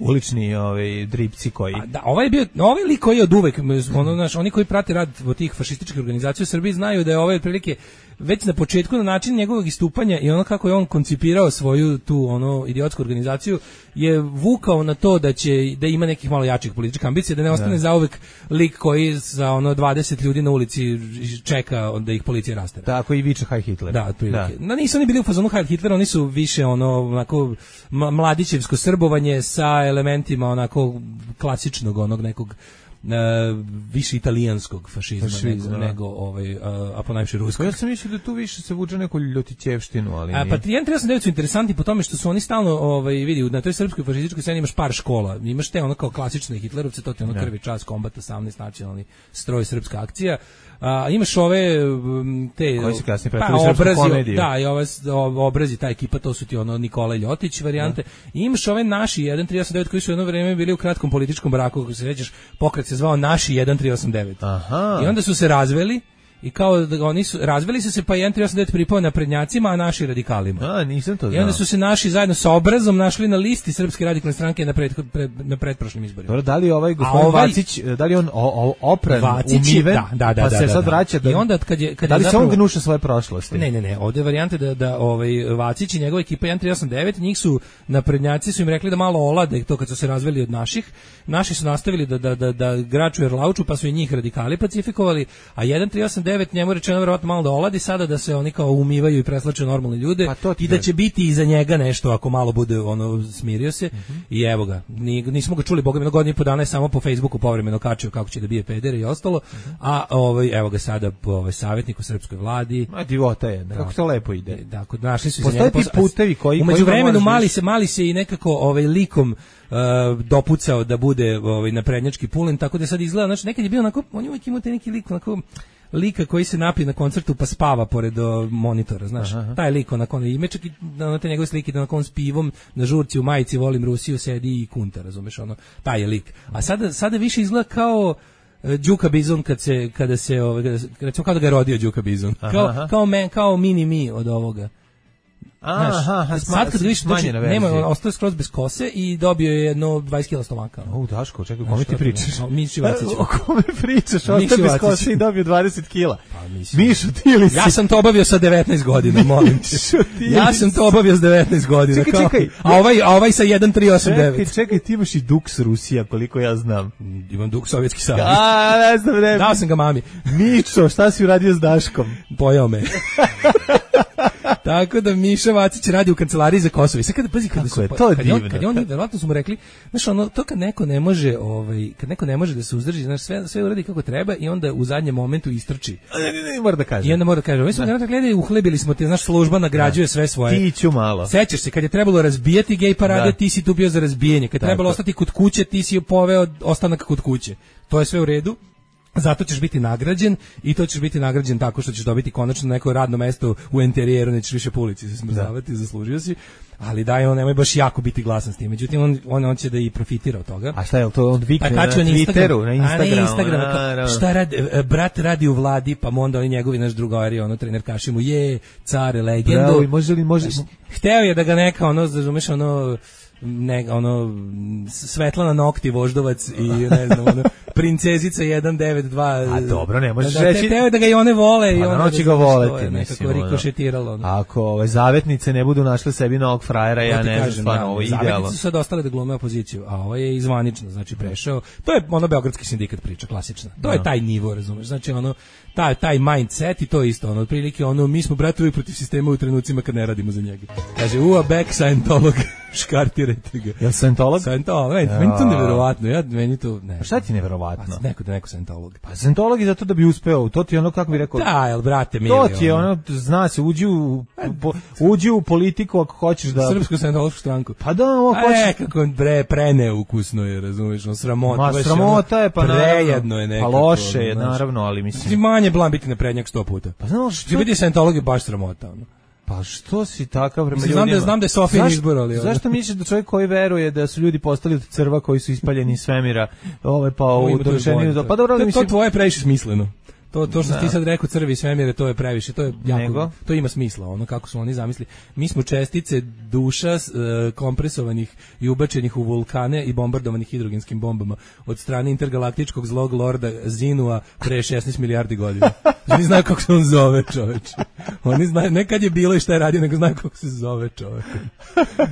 ulični ovaj dripci koji a, da, ovaj je bio ovaj lik koji je od uvek ono naš oni koji prate rad od tih fašističkih organizacija u Srbiji znaju da je ovaj otprilike već na početku na način njegovog istupanja i ono kako je on koncipirao svoju tu ono idiotsku organizaciju je vukao na to da će da ima nekih malo jačih političkih ambicija, da ne ostane da. zauvek lik koji za ono dvadeset ljudi na ulici čeka da ih policija rastera. Tako i viče Heil Hitler. Da, otprilike. Da. No, nisu oni bili u fazonu Heil Hitler, oni su više ono onako mladićevsko srbovanje sa elementima onako klasičnog onog nekog Uh, više italijanskog fašizma, fašizma nego, nego ovaj, uh, a ponajviše ruskog. Ja sam mislio da tu više se vuče neku ljotićevštinu, ali a, nije. Pa jedan tri osam devet su interesantni po tome što su oni stalno, ovaj, vidi, na toj srpskoj fašističkoj sceni imaš par škola, imaš te ono kao klasične hitlerovce, to ti ono krvi čas, kombat osamnaest, nacionalni stroj, srpska akcija, a imaš ove te koji se kasnije pa, pretvorili obrazi, srpsku komediju. Da, i ove obrazi, ta ekipa, to su ti ono Nikola Ljotić varijante. I imaš ove naši jedan tri osam devet koji su jedno vreme bili u kratkom političkom braku, kako se sećaš, pokret se zvao Naši jedan tri osam devet. Aha. I onda su se razveli. I kao da oni su razveli su se pa jedan tri osam devet pripao naprednjacima, a naši radikalima. A, nisam to znao. I onda su se naši zajedno sa Obrazom našli na listi Srpske radikalne stranke na pred, pred na pretprošlim izborima. Dobro, da li ovaj gospodin ovaj, Vacić, da li on o, o, opran, Vacić, umiven, da, da, da, pa se da, sad da. vraća da, I onda kad je kad da li je zapravo, se on gnuša svoje prošlosti? Ne, ne, ne, ovde je varijante da da ovaj Vacić i njegova ekipa jedan tri osam devet, njih su naprednjaci su im rekli da malo olade to kad su se razveli od naših. Naši su nastavili da da da da graču Erlauču, pa su i njih radikali pacifikovali, a jedan tri osam devet njemu rečeno verovatno malo da oladi sada da se oni kao umivaju i preslače normalne ljude pa i da će biti iza njega nešto ako malo bude ono smirio se uh-huh. I evo ga, Ni, nismo ga čuli boga mi na godinu i po dana je samo po Facebooku povremeno kačio kako će da bije pedere i ostalo, uh-huh. A ovaj evo ga sada ovaj savjetnik u srpskoj vladi. Ma divota je, kako to lepo ide. Da, kod našli su se njega putevi koji u međuvremenu mali se mali se i nekako ovaj likom uh, dopucao da bude ovaj naprednjački pulen, tako da sad izgleda, znači nekad je bio onako, on je uvijek imao te neki lik onako lika koji se napije na koncertu pa spava pored o, monitora, znaš. Aha. Taj lik onako ime čak i na te njegove slike da onako s pivom na žurci u majici volim Rusiju sedi i kunta, razumeš, ono taj je lik. A sada sada više izgleda kao uh, Đuka Bizon kad se kada se ovaj recimo kao da ga je rodio Đuka Bizon. Kao kao men, kao mini mi od ovoga. Aha, aha, sad kad vidiš znači, nema, ostao skroz bez kose i dobio je jedno dvadeset kilograma stomaka. O, Daško, čekaj, kome ti pričaš? Miši Vacić. O kome pričaš? Ostao bez kose i dobio dvadeset kilograma. Pa, Mišo, ti li si? Ja sam to obavio sa devetnaest godina, molim te. Ja sam to obavio sa devetnaest godina. Čekaj, čekaj. A ovaj, a ovaj sa jedan tri osam devet. Čekaj, čekaj, ti imaš i Dux Rusija, koliko ja znam. Imam Dux Sovjetski savez. A, ne znam, ne. Dao sam ga mami. Mišo, šta si uradio s Daškom? Pojao me. Tako da Miša Vacić radi u kancelariji za Kosovo. I sad kada pazi kada su je to kad divno. On, kad je on verovatno su mu rekli, znaš, ono to kad neko ne može, ovaj kad neko ne može da se uzdrži, znaš, sve sve uradi kako treba i onda u zadnjem momentu istrči. Ne, ne, ne, mora da kaže. I onda mora da kaže, mi smo da gledali, uhlebili smo te, znaš, služba nagrađuje da. sve svoje. Ti ću malo. Sećaš se kad je trebalo razbijati gej parade, da. ti si tu bio za razbijanje. Kad je trebalo ostati kod kuće, ti si poveo ostanak kod kuće. To je sve u redu. Zato ćeš biti nagrađen i to ćeš biti nagrađen tako što ćeš dobiti konačno neko radno mesto u enterijeru, nećeš više po ulici se smrzavati, zaslužio si. Ali daj, on nemoj baš jako biti glasan s tim. Međutim, on, on, on će da i profitira od toga. A šta je to? On vikne pa na Twitteru, na Instagramu. A na Instagramu. A, šta radi, brat radi u vladi, pa onda oni njegovi naš drugari, ono, trener kaši mu, je, care, legendu. Bravo, može li, može... Hteo je da ga neka, ono, razumeš, ono... ne, ono Svetlana Nokti Voždovac i ne znam ono princezica jedan devet dva. A dobro, ne možeš da, reći. Teo da ga i one vole i ono će ga voleti, nekako rikošetiralo. Ono. Ako ove zavetnice ne budu našle sebi novog frajera, ja ne znam, stvarno ovo je idealno. Zavetnice su sad ostale da glume opoziciju, a ovo je izvanično, znači prešao. To je ono beogradski sindikat priča, klasična. To je taj nivo, razumeš? Znači ono taj taj mindset i to isto, ono otprilike ono mi smo bratovi protiv sistema u trenucima kad ne radimo za njega. Kaže u a back Scientolog škartirajte ga. Jel Scientolog? Scientolog, meni, meni to neverovatno, ja meni to ne. Pa šta ti neverovatno? Pa neko da neko Scientolog. Pa Scientolog je zato da bi uspeo, to ti je ono kako bi rekao. Da, jel brate mili. To ti je ono, zna se, uđi u po, uđi u politiku ako hoćeš da Srpsku Scientološku stranku. Pa da, ovo hoćeš. E, kako bre preneukusno je, razumiješ, on sramota. Ma sramota je pa prejedno je nekako. Pa loše je naravno, ali mislim. Manje blan biti naprednjak sto puta. Pa znaš što? Ti biti Scientolog je baš sramota, ono. Pa što si takav prema ljudima? Znam da, znam da je Sofijin izbor, ali... Zašto misliš da čovjek koji veruje da su ljudi postali od crva koji su ispaljeni iz svemira, ove pa u dovršenju... Pa dobro, to, mislim... To tvoje previše smisleno. To to što ti sad rekao crvi svemire, to je previše, to je jako, Nego? to ima smisla, ono kako su oni zamislili. Mi smo čestice duša uh, kompresovanih i ubačenih u vulkane i bombardovanih hidrogenskim bombama od strane intergalaktičkog zlog lorda Zinua pre šesnaest milijardi godina. Oni znaju kako se on zove, čoveče. Oni znaju, ne kad je bilo i šta je radio, nego znaju kako se zove, čovek.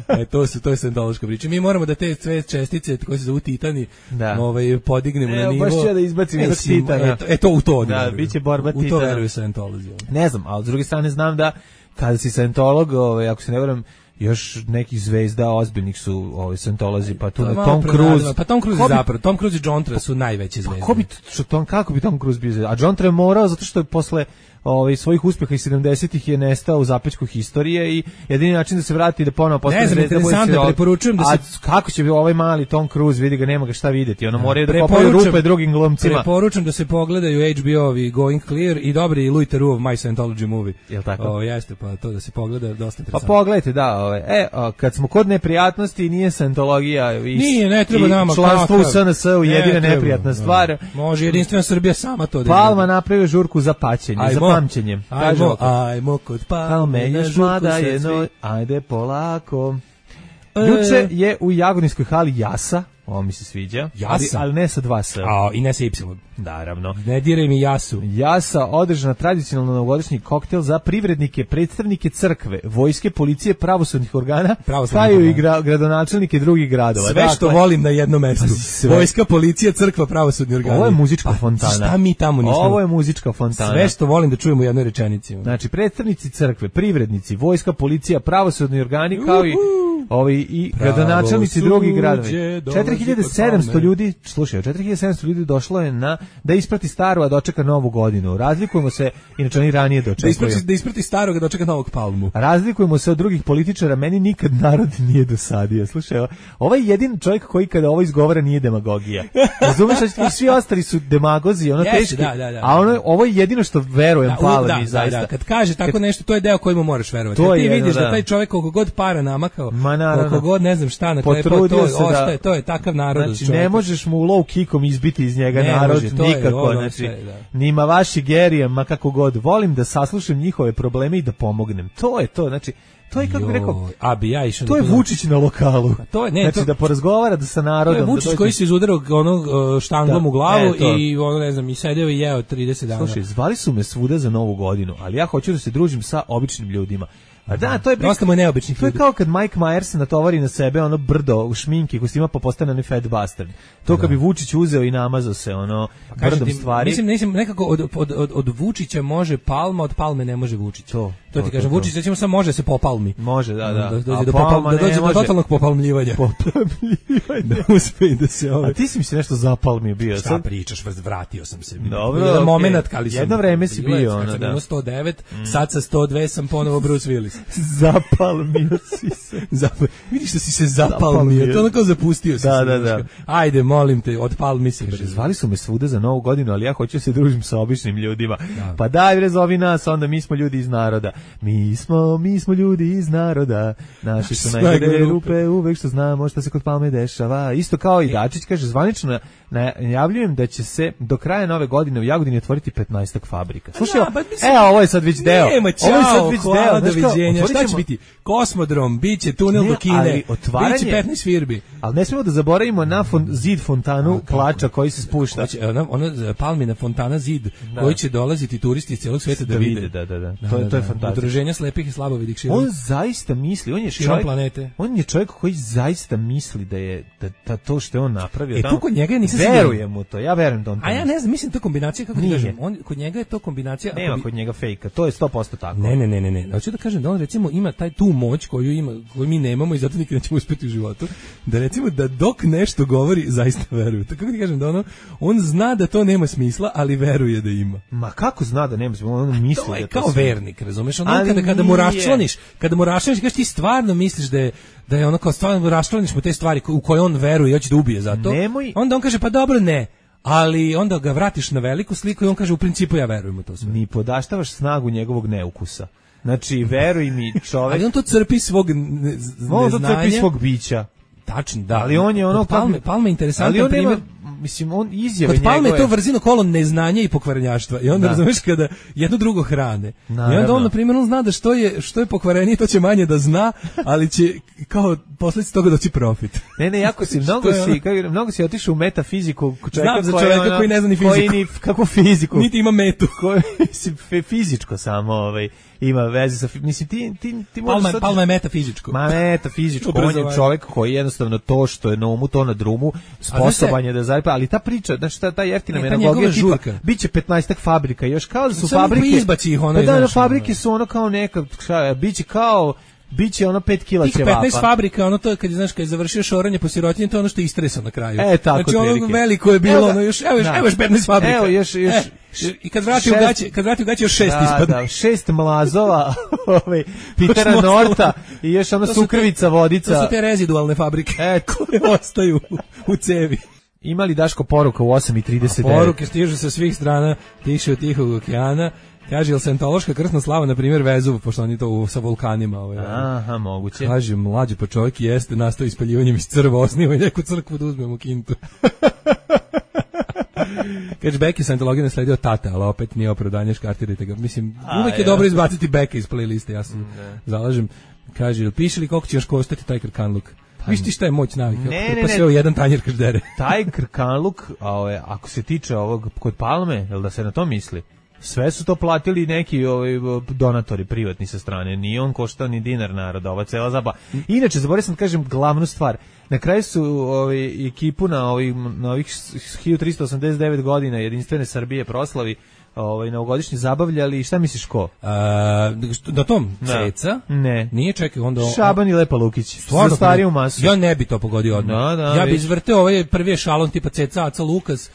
E, to su, to je scientološka priča. Mi moramo da te sve čestice, koje se zovu titani, da. ovaj, podignemo e, na nivo. Baš ću ja da izbacim e, titana. E, e, to u to da, biće borba titana. U to veruju Scientolozi. Ne znam, ali s druge strane znam da kada si Scientolog, ovaj, ako se ne verujem, još nekih zvezda ozbiljnih su ovi Scientolozi, pa tu na Tom Cruise. Pa Tom Cruise je zapravo, Tom Cruise i John Travolta su najveće zvezde. Pa ko bi, što Tom, kako bi Tom Cruise bio zvezda? A John Travolta morao zato što je posle ovaj svojih uspeha iz sedamdesetih je nestao u zapećku historije i jedini način da se vrati da ponovo postane zvezda. Ne znam, da preporučujem da se... A kako će ovaj mali Tom Cruise, vidi ga, nema ga šta videti, ono moraju da kopaju rupe drugim glumcima. Preporučujem da se pogledaju H B O-ovi Going Clear i dobri Louis Theroux My Scientology Movie. Jel tako? O, jeste, pa to da se pogleda, dosta interesantno. Pa pogledajte, da, ovaj. E, o, kad smo kod neprijatnosti, nije Scientologija i nije, ne treba nama članstvo u S N S-u jedina ne neprijatna stvar. Može jedinstvena Srbija sama to da. Palma napravio žurku za paćenje, za pamćenje. Ajmo, ajmo kod Palme, još mlada jedno, ajde polako. Juče je u Jagodinskoj hali Jasa, ovo mi se sviđa, Jasa. ali, ali ne sa dva S. A, i ne sa Y. Naravno. Ne diraj mi Jasu. Jasa održana tradicionalno novogodišnji koktel za privrednike, predstavnike crkve, vojske, policije, pravosudnih organa, pa i gra, gradonačelnike drugih gradova. Sve što dakle, volim na jednom mestu. Vojska, policija, crkva, pravosudni organi. Ovo je muzička pa, fontana. Šta mi tamo nismo? Ovo je muzička fontana. Sve što volim da čujemo u jednoj rečenici. Znači, predstavnici crkve, privrednici, vojska, policija, pravosudni organi, kao i ovi i gradonačelnici drugih gradova. četiri hiljade sedamsto ljudi, slušaj, četiri hiljade sedamsto ljudi došlo je na da isprati staru, a dočeka novu godinu. Razlikujemo se, inače oni ranije dočekuju. Da isprati, da isprati starog, a dočeka novog Palmu. Razlikujemo se od drugih političara, meni nikad narod nije dosadio. Slušaj, ovaj jedin čovjek koji kada ovo izgovara nije demagogija. Razumeš, svi ostali su demagozi, ono yes, teški, da, da, da, a ono, ovo je jedino što verujem da, Palmi, da, zaista. Da, da, kad kaže tako kad, nešto, to je deo kojemu moraš verovati. To ti vidiš da. da taj čovjek koliko god para namakao, koliko god ne znam šta, na kraju to, ostaje, to je takav narod. Znači, ne možeš mu low kickom izbiti iz njega ne narod, može, nikako, znači, sve, nima vaši gerijem, ma kako god, volim da saslušam njihove probleme i da pomognem, to je to, znači, to je, kako bih rekao, a bi ja išao to je Vučić na lokalu, to je, ne, znači, to, da porazgovara da sa narodom. To je Vučić da koji se izudarao onog štanglom da, u glavu e, i ono, ne znam, i sedeo i jeo trideset dana. Slušaj, zvali su me svuda za novu godinu, ali ja hoću da se družim sa običnim ljudima. A da, to je dosta mu neobičnih ljudi. To je kao kad Mike Myers se natovari na sebe ono brdo u šminke kostima pa postane onaj fat bastard. To kad bi Vučić uzeo i namazao se ono pa brdom ti, stvari. Mislim, mislim nekako od, od, od, od Vučića može Palma, od Palme ne može Vučić. To, to To ti kažem, Vučić recimo samo može se popalmi. Može, da, da. Da dođe do popal, da dođe do totalnog popalmljivanja. Popalmljivanja. Da uspe da se ovaj. A ti si mi se nešto zapalmio bio. Šta pričaš, vratio sam se. Dobro, jedan okay. Momenat kad sam. Jedno vreme si bio, ono, da. Kad sto devet, mm. sad sa sto dva sam ponovo Bruce Willis. Zapalmio si se. Zapal... Vidiš da si se zapalmio, to onako zapustio si da, se. Da, da. Ajde, molim te, odpalmi se. Zvali su me svuda za Novu godinu, ali ja hoću se družim sa običnim ljudima. Da. Pa daj bre, zovi nas, onda mi smo ljudi iz naroda. Mi smo, mi smo ljudi iz naroda. Naši su najgore rupe, uvek što znamo šta se kod Palme dešava. Isto kao i Dačić kaže, zvanično najavljujem da će se do kraja nove godine u Jagodini otvoriti petnaestak fabrika. Slušaj, ja, mislim, e, ovo je sad već deo. Nema, čao, ovo je sad već hvala, deo. doviđenja. Šta će biti? Kosmodrom, biće tunel ne, do Kine, biće petnaest firbi. Ali ne smemo da zaboravimo na fon, zid fontanu a, plača koji se spušta. Hoće, ona, ona Palmina fontana zid da. Koji će dolaziti turisti iz celog sveta da, da vide. Da, da, da. da to, da, to je da. fantastično. Udruženja slepih i slabovidih širom. On zaista misli, on je čovjek, planete. On je čovjek koji zaista misli da je da, da to što je on napravio. E tu kod njega nisam verujem mu to. Ja verujem da on to. A ja ne znam, mislim to kombinacija kako ti kažem. On kod njega je to kombinacija. Nema bi... kod njega fejka. To je sto posto tako. Ne, ne, ne, ne, ne. Hoću da kažem da on recimo ima taj tu moć koju ima, koju mi nemamo i zato nikad nećemo uspeti u životu. Da recimo da dok nešto govori zaista veruje. Tako kako ti kažem da ono on zna da to nema smisla, ali veruje da ima. Ma kako zna da nema smisla? On misli to je da to kao sve... vernik, razumeš? On kada kada mu raščlaniš, kada mu raščlaniš, kažeš ti stvarno misliš da je da je ono kao stvarno raščlaniš mu te stvari u koje on veruje i hoće da ubije za to. Nemoj... Onda on kaže pa dobro ne. Ali onda ga vratiš na veliku sliku i on kaže u principu ja verujem u to sve. Ni podaštavaš snagu njegovog neukusa. Znači, veruj mi, čovek... Ali on to crpi svog ne, on to crpi svog bića. Tačno, da. Ali on je ono... Palme, Palme interesantan primjer. Mislim, on izjave njegove... Kod Palme je to vrzino kolo neznanja i pokvarenjaštva. I onda, da. razumeš, kada jedno drugo hrane. Naravno. I onda on, na primjer, on zna da što je, što je pokvarenije, to će manje da zna, ali će kao posljedice toga doći profit. Ne, ne, jako si, mnogo si, kako, mnogo si otišao u metafiziku. Znam za čovjeka ono, koji ne zna ni fiziku. Koji ni, kakvu fiziku? Niti ima metu. Koji, mislim, fizičko samo, ovaj... ima veze sa mislim ti ti ti Palma, sad... Palma je metafizičko. Ma metafizičko, on je čovjek koji jednostavno to što je na umu to na drumu sposoban je da zaradi, ali ta priča da šta ta jeftina menagogija tipa biće petnaestak fabrika, još kao da su sam fabrike izbaci ih ono. Pa da, na fabrike su ono kao neka biće kao biće ono pet kila ćevapa. petnaest fabrika, ono to je kad je, znaš, kad je završio šoranje po sirotinji, to je ono što je istresao na kraju. E, tako znači ono veliko je bilo, evo, ono još, evo još, evo još petnaest fabrika. Evo još, još, e, i kad vrati šest, u gaće, kad vrati u gaće još šest da, ispada. Da, šest mlazova, ovaj, Pitera Norta i još ono sukrvica, vodica. To su te rezidualne fabrike e, koje ostaju u, u cevi. Imali Daško poruka u osam i trideset devet? Poruke stižu sa svih strana, tiše od Tihog okeana. Kaže, jel sentološka krstna slava, na primjer, Vezuv, pošto oni to u, sa vulkanima. Ovaj, aha, moguće. Kaže, mlađe pa čovjek jeste, nastao ispaljivanjem iz crva, osniva i neku crkvu da uzmemo kintu. Kaže, Beki sentologija nasledio tata, ali opet nije opravdanje, škartirajte ga. Mislim, A, uvek je ja. dobro izbaciti Beka iz playliste, ja se zalažem. Kaže, jel piše li koliko će još koštati taj krkanluk? Viš ti šta je moć navika? Ne, ne, pa sve u jedan tanjer krdere. Taj krkanluk, a, ako se tiče ovog kod Palme, jel da se na to misli? Sve su to platili neki ovaj, donatori privatni sa strane. Ni on koštao ni dinar naroda, ova cela zaba. Inače, zaboravio sam da kažem glavnu stvar. Na kraju su ovaj, ekipu na ovih, na ovih hiljadu tristo osamdeset devet godina Jedinstvene Srbije proslavi ovaj novogodišnji zabavljali. Šta misliš ko? A, na tom Ceca? Ne. Nije, čekaj, onda Šaban i Lepa Lukić. Stvarno, za stariju masu. Ja ne bi to pogodio odmah. Da, da, ja bi izvrteo ovaj prvi ešalon tipa Ceca, Aca Lukas.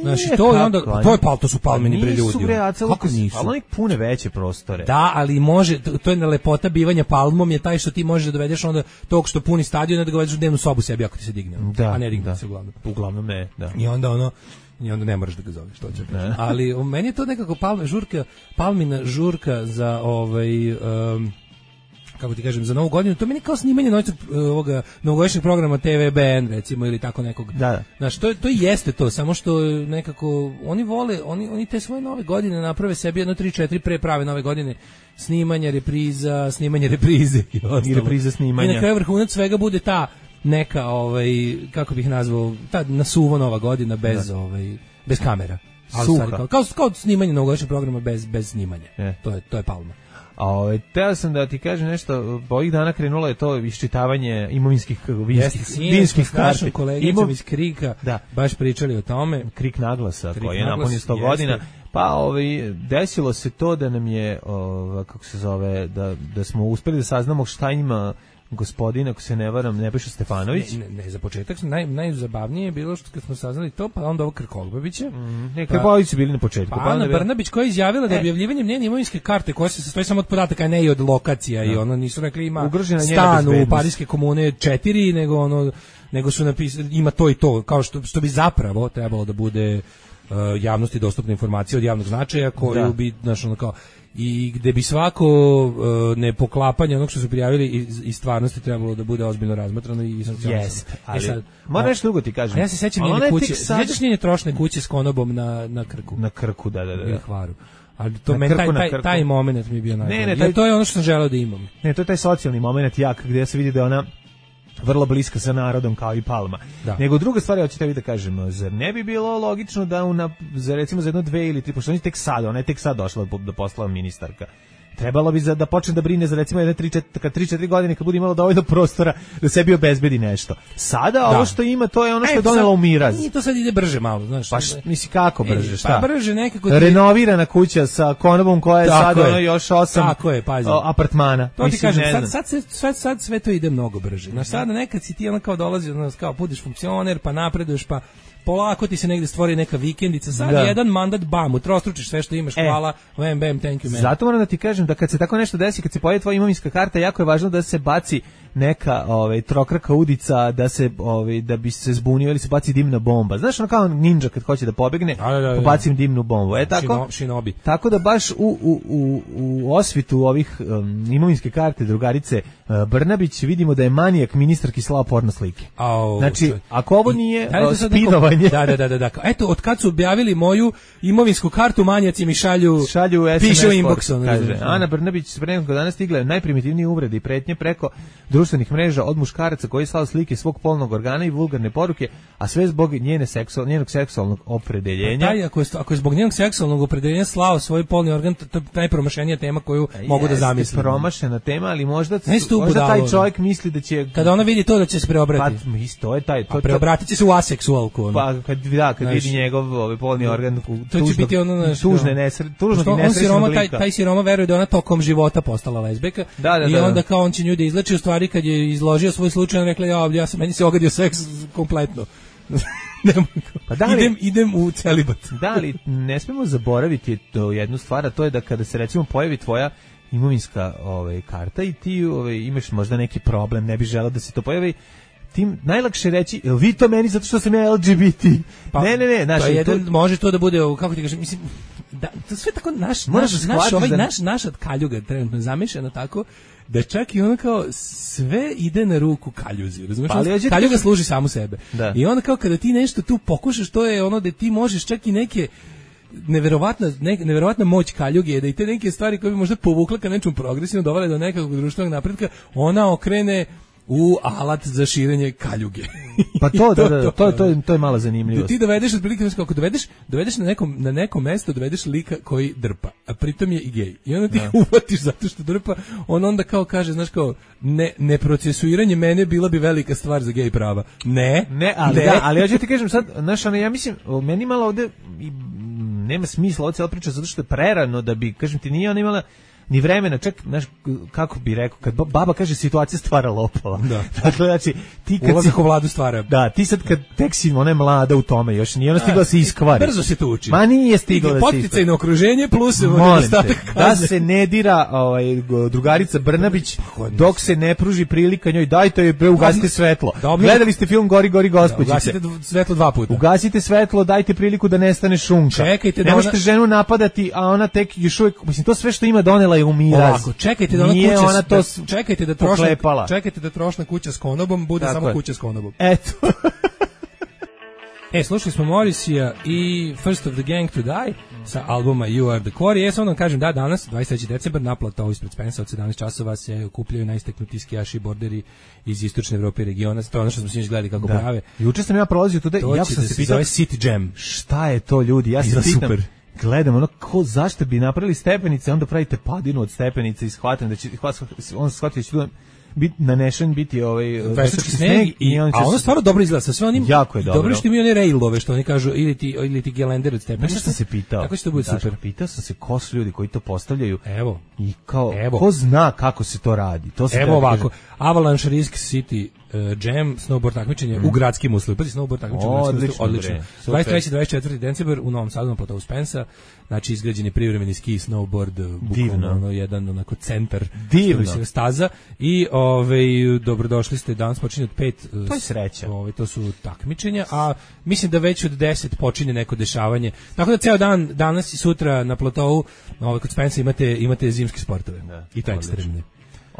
Znači to je onda to je pal to su palmini bre ljudi. Kako nisu? Ali oni pune veće prostore. Da, ali može, to je na lepota bivanja palmom je taj što ti možeš da dovedeš onda tog što puni stadion da ga dovedeš u dnevnu sobu sebi ako ti se digne. Da, a ne digne da. se uglavnom. Uglavnom ne, da. I onda ono i onda ne moraš da ga zoveš, to će. Ali u meni je to nekako palma žurka, palmina žurka za ovaj um, kako ti kažem, za novu godinu, to meni kao snimanje noćnog ovoga novogodišnjeg programa T V B N recimo ili tako nekog. Da, da. Znaš, to to jeste to, samo što nekako oni vole, oni oni te svoje nove godine naprave sebi jedno tri četiri pre prave nove godine snimanja repriza, snimanje reprize i ostalo. I repriza snimanja. I na kraju vrhunac svega bude ta neka ovaj kako bih nazvao ta nasuvo nova godina bez da. ovaj bez kamera. Ali stvari, kao, kao kao snimanje novogodišnjeg programa bez bez snimanja. E. To je to je palma. A teo sam da ti kažem nešto, ovih dana krenulo je to iščitavanje imovinskih vinskih, vinskih karti. Jeste, kolegicom Imo... iz Krika da. baš pričali o tome. Krik naglasa, Krik koji je naglas, napunio sto godina. Pa ovaj, desilo se to da nam je, ovaj, kako se zove, da, da smo uspeli da saznamo šta ima gospodin, ako se ne varam, Nebojša Stefanović. Ne, ne, ne za početak naj, najzabavnije je bilo što kad smo saznali to, pa onda ovo Krkobabića. Mm, ne, Krkobabić su bili na početku. Pa, pa Ana bila... Brnabić koja je izjavila da objavljivanjem njene imovinske karte, koja se sastoji samo od podataka, ne i od lokacija, da. I ono nisu rekli ima Ugrožena stan u Parijske komune četiri, nego ono, nego su napisali ima to i to, kao što, što bi zapravo trebalo da bude uh, javnosti dostupna informacija od javnog značaja, koju da. bi, znaš, ono kao, i gde bi svako uh, nepoklapanje onog što su prijavili iz, iz stvarnosti trebalo da bude ozbiljno razmatrano i sankcionisano. Yes, ali, e sad, moram nešto drugo ti kažem. Ja se sećam njene kuće, sad... sećaš njene trošne kuće s konobom na, na Krku? Na Krku, da, da, da. Na Hvaru. Ali to men, taj, taj, taj moment mi je bio najbolji. Ne, ne, taj, to je ono što sam želeo da imam. Ne, to je taj socijalni moment jak, gde se vidi da ona vrlo bliska sa narodom kao i Palma. Da. Nego druga stvar, hoćete vi da kažem, zar ne bi bilo logično da una, za recimo za jedno dve ili tri, pošto oni tek sad, ona je tek sad došla da postala ministarka. Trebalo bi za, da počne da brine za recimo jedne tri četiri godine kad bude imala dovoljno prostora da sebi obezbedi nešto. Sada da. Ovo što ima, to je ono što e, je donela u miraz. I to sad ide brže malo, znaš. Pa misli kako brže, šta? Pa brže nekako. Ti... Renovirana kuća sa konobom koja je sad ono još osam tako je, pazi. Apartmana. To mislim, ti kažem, sad, sad, sad, sad, sad sve to ide mnogo brže. Znaš, sada nekad si ti ono kao dolazi, ono, kao budeš funkcioner, pa napreduješ, pa polako ti se negde stvori neka vikendica, sad da. Jedan mandat, bam, utrostručiš sve što imaš, e, hvala, bam, bam, thank you, man. Zato moram da ti kažem da kad se tako nešto desi, kad se pojavi tvoja imovinska karta, jako je važno da se baci neka ovaj, trokraka udica, da se ovaj, da bi se zbunio ili se baci dimna bomba. Znaš, ono kao ninja kad hoće da pobegne, da, da, da, pobacim dimnu bombu. E, tako, Shinobi. Tako da baš u, u, u, u osvitu ovih um, imovinske karte drugarice uh, Brnabić vidimo da je manijak ministarki slao porno slike. Au, znači, čo... ako ovo nije da spinovanje... Da, da, da, da, da. Eto, od kad su objavili moju imovinsku kartu, manijaci mi šalju, šalju S M S pišu inboxom. Kaže, Ana Brnabić pre nekog dana stigla je najprimitivnije uvrede i pretnje preko društvenih mreža od muškaraca koji slao slike svog polnog organa i vulgarne poruke, a sve zbog njene seksual, njenog seksualnog opredeljenja. Taj, ako, je, ako je zbog njenog seksualnog opredeljenja slao svoj polni organ, to je najpromašenija tema koju a mogu da zamislim. Promašena tema, ali možda, možda taj čovjek misli da će... Kada ona vidi to da će se preobratiti. Pa, isto je taj... To, a preobratit će se u aseksualku. Ono. Pa, kad, da, kad znaš, vidi njegov ovaj polni organ, to će biti ono, znaš, tužne, nesre, tužnog i nesrećnog lika. Taj, taj siroma veruje da ona tokom života postala lezbijka. Da, da, i onda kao on će nju da izleči, u stvari kad je izložio svoj slučaj, on rekla, ja, ja sam, meni se ogadio seks kompletno. pa da li, idem, idem u celibat. Da, ali ne smemo zaboraviti to jednu stvar, a to je da kada se recimo pojavi tvoja imovinska ovaj, karta i ti ovaj, imaš možda neki problem, ne bi želeo da se to pojavi, tim najlakše reći, jel vi to meni zato što sam ja L G B T? Pa, ne, ne, ne. Naš, pa jedan, to... Može to da bude, kako ti kažem, mislim, da, to sve tako, naš, naš, naš, ovaj, da... naš, naša kaljuga trenutno je zamišljena tako, da čak i ono kao sve ide na ruku kaljuzi, razumiješ? Pa, kaljuga ti... služi samu sebe. Da. I onda kao kada ti nešto tu pokušaš, to je ono da ti možeš čak i neke neverovatna, ne, neverovatna moć kaljuge je da i te neke stvari koje bi možda povukla ka nečemu progresivno dovele do nekakvog društvenog napretka, ona okrene u alat za širenje kaljuge. Pa to, da, da, to, to, to, je, to je mala zanimljivost. Da ti dovedeš, otprilike, kako dovedeš, dovedeš na nekom, na neko mesto, dovedeš lika koji drpa, a pritom je i gej. I onda ti da. Uvatiš zato što drpa, on onda kao kaže, znaš kao, ne, neprocesuiranje mene bila bi velika stvar za gej prava. Ne, ne, ali, ne. Da, ali ja ću ti kažem sad, znaš, ono, ja mislim, meni malo ovde nema smisla ovo cijela priča, zato što je prerano da bi, kažem ti, nije ona imala ni vremena, čak, znaš, kako bi rekao, kad baba kaže situacija stvara lopova. Da. Dakle, znači, ti kad ulazak si, u vladu stvara. Da, ti sad kad tek si, ona je mlada u tome, još nije ona stigla da se iskvari. Brzo se to uči. Ma nije stigla da se iskvari. Poticajno okruženje plus nedostatak kazne. Da se ne dira ovaj, drugarica Brnabić dok se ne pruži prilika njoj, dajte joj, bre, ugasite svetlo. Dobro. Gledali ste film Gori, gori, gospođice. Ugasite svetlo dva puta. Ugasite svetlo, dajte priliku da nestane šunka. Čekajte da ne možete ona... ženu napadati, a ona tek još uvijek, mislim, to sve što ima donela je u miraz. Ovako, čekajte da ona nije kuća ona to da, čekajte da trošna, čekajte da trošna kuća s konobom bude tako samo je. Kuća s konobom. Eto. E, slušali smo Morrissey i First of the Gang to Die sa albuma You Are the Core. Ja sam vam kažem da danas, dvadeset treći decembar, naplata ovo ispred Spensa od sedamnaest časova se okupljaju najistaknutiji skijaši borderi iz istočne Evrope i regiona. To je ono što smo sinoć gledali kako da. Prave. Juče sam ja prolazio tuda i jako sam se pitao City Jam. Šta je to, ljudi? Ja se pitam. Super. gledam, ono, ko, zašto bi napravili stepenice, onda pravite padinu od stepenice i shvatim da će, on shvatio da će biti nanešen, biti ovaj veštački sneg, i, a ono stvarno dobro izgleda, sa sve onim, jako je dobro. Dobro što mi one railove, što oni kažu, ili ti, ili ti gelender od stepenice. Nešto sam se pitao. Kako će to bude super? Pitao sam se ko su ljudi koji to postavljaju. Evo. I kao, evo. Ko zna kako se to radi? To se evo ovako, Avalanche Risk City Uh, Jam, snowboard takmičenje mm. u gradskim uslovima. Pazi, snowboard takmičenje u gradskim uslovima, odlično. dvadeset treći do dvadeset četvrti decembar u Novom Sadu na platovu Spensa, znači izgrađen je privremeni ski, snowboard, bukvalno ono, jedan onako centar divno staza i ovaj, dobrodošli ste, danas počinje od pet, to je sreća. Ovaj, to su takmičenja, a mislim da već od deset počinje neko dešavanje, tako da ceo dan, danas i sutra na platovu ovaj, kod Spensa imate, imate zimske sportove, da, i to ekstremne.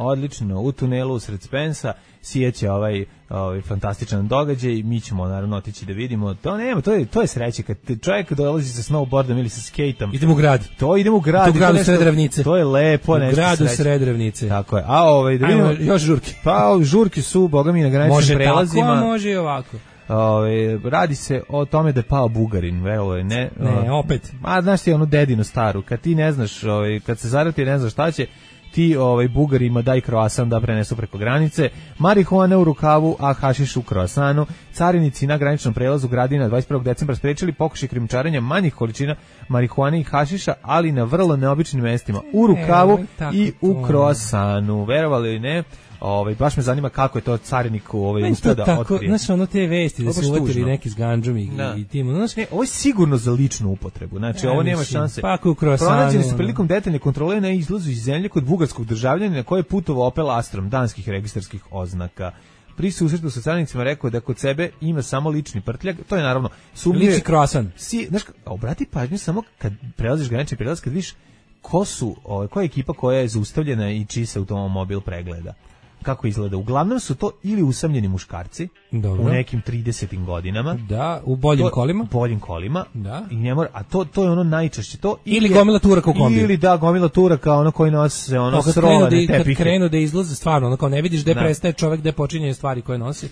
Odlično, u tunelu usred Spensa sijeće ovaj, ovaj fantastičan događaj i mi ćemo naravno otići da vidimo. To nema, to je to je sreće kad čovjek dolazi sa snowboardom ili sa skateom. Idemo u grad. To idemo u grad. To u gradu sred ravnice. To je lepo, u nešto. U gradu sred ravnice. Tako je. A ovaj da vidimo još žurke. Pa žurke su bogami na graničnim prelazima. Može tako, a može i ovako. Ove, radi se o tome da je pao Bugarin, verovali, ne? Ne, opet. A znaš ti onu dedinu staru, kad ti ne znaš, ovaj, kad se zarati ne znaš šta će, ti ovaj Bugarima daj kroasan da prenesu preko granice, marihuana u rukavu, a hašiš u kroasanu. Carinici na graničnom prelazu Gradina dvadeset prvog decembra sprečili pokušaj krijumčarenja manjih količina marihuane i hašiša, ali na vrlo neobičnim mestima, u rukavu e, i u kroasanu. Verovali ili ne? Ovaj baš me zanima kako je to cariniku ovaj uspeo da otkrije. Znači ono te vesti da su uvatili neki s ganđom i, i tim. Znači, ne, ovo je sigurno za ličnu upotrebu. Znači ja, ovo nema mislim, šanse. Pa u krosanu. Pronađeni su prilikom detaljne kontrole na izlazu iz zemlje kod bugarskog državljanina koji je putovao Opel Astrom danskih registarskih oznaka. Pri susretu sa carinicima rekao da kod sebe ima samo lični prtljag. To je naravno sumnjivo. Lični kroasan. Si, znaš, obrati pažnju samo kad prelaziš granični prelaz, kad vidiš ko su, ovaj, koja je ekipa koja je zaustavljena i čiji se automobil pregleda. Kako izgleda? Uglavnom su to ili usamljeni muškarci. Dobro. U nekim tridesetim godinama. Da, u boljim to, kolima. U boljim kolima. Da. I ne mora, a to to je ono najčešće to ili gomila turaka u kombiju. Ili da gomila turaka ono koji nose ono srovane tepihe. Kad krenu da izlaze stvarno, ono kao ne vidiš gde prestaje čovjek, gde počinje stvari koje nosi.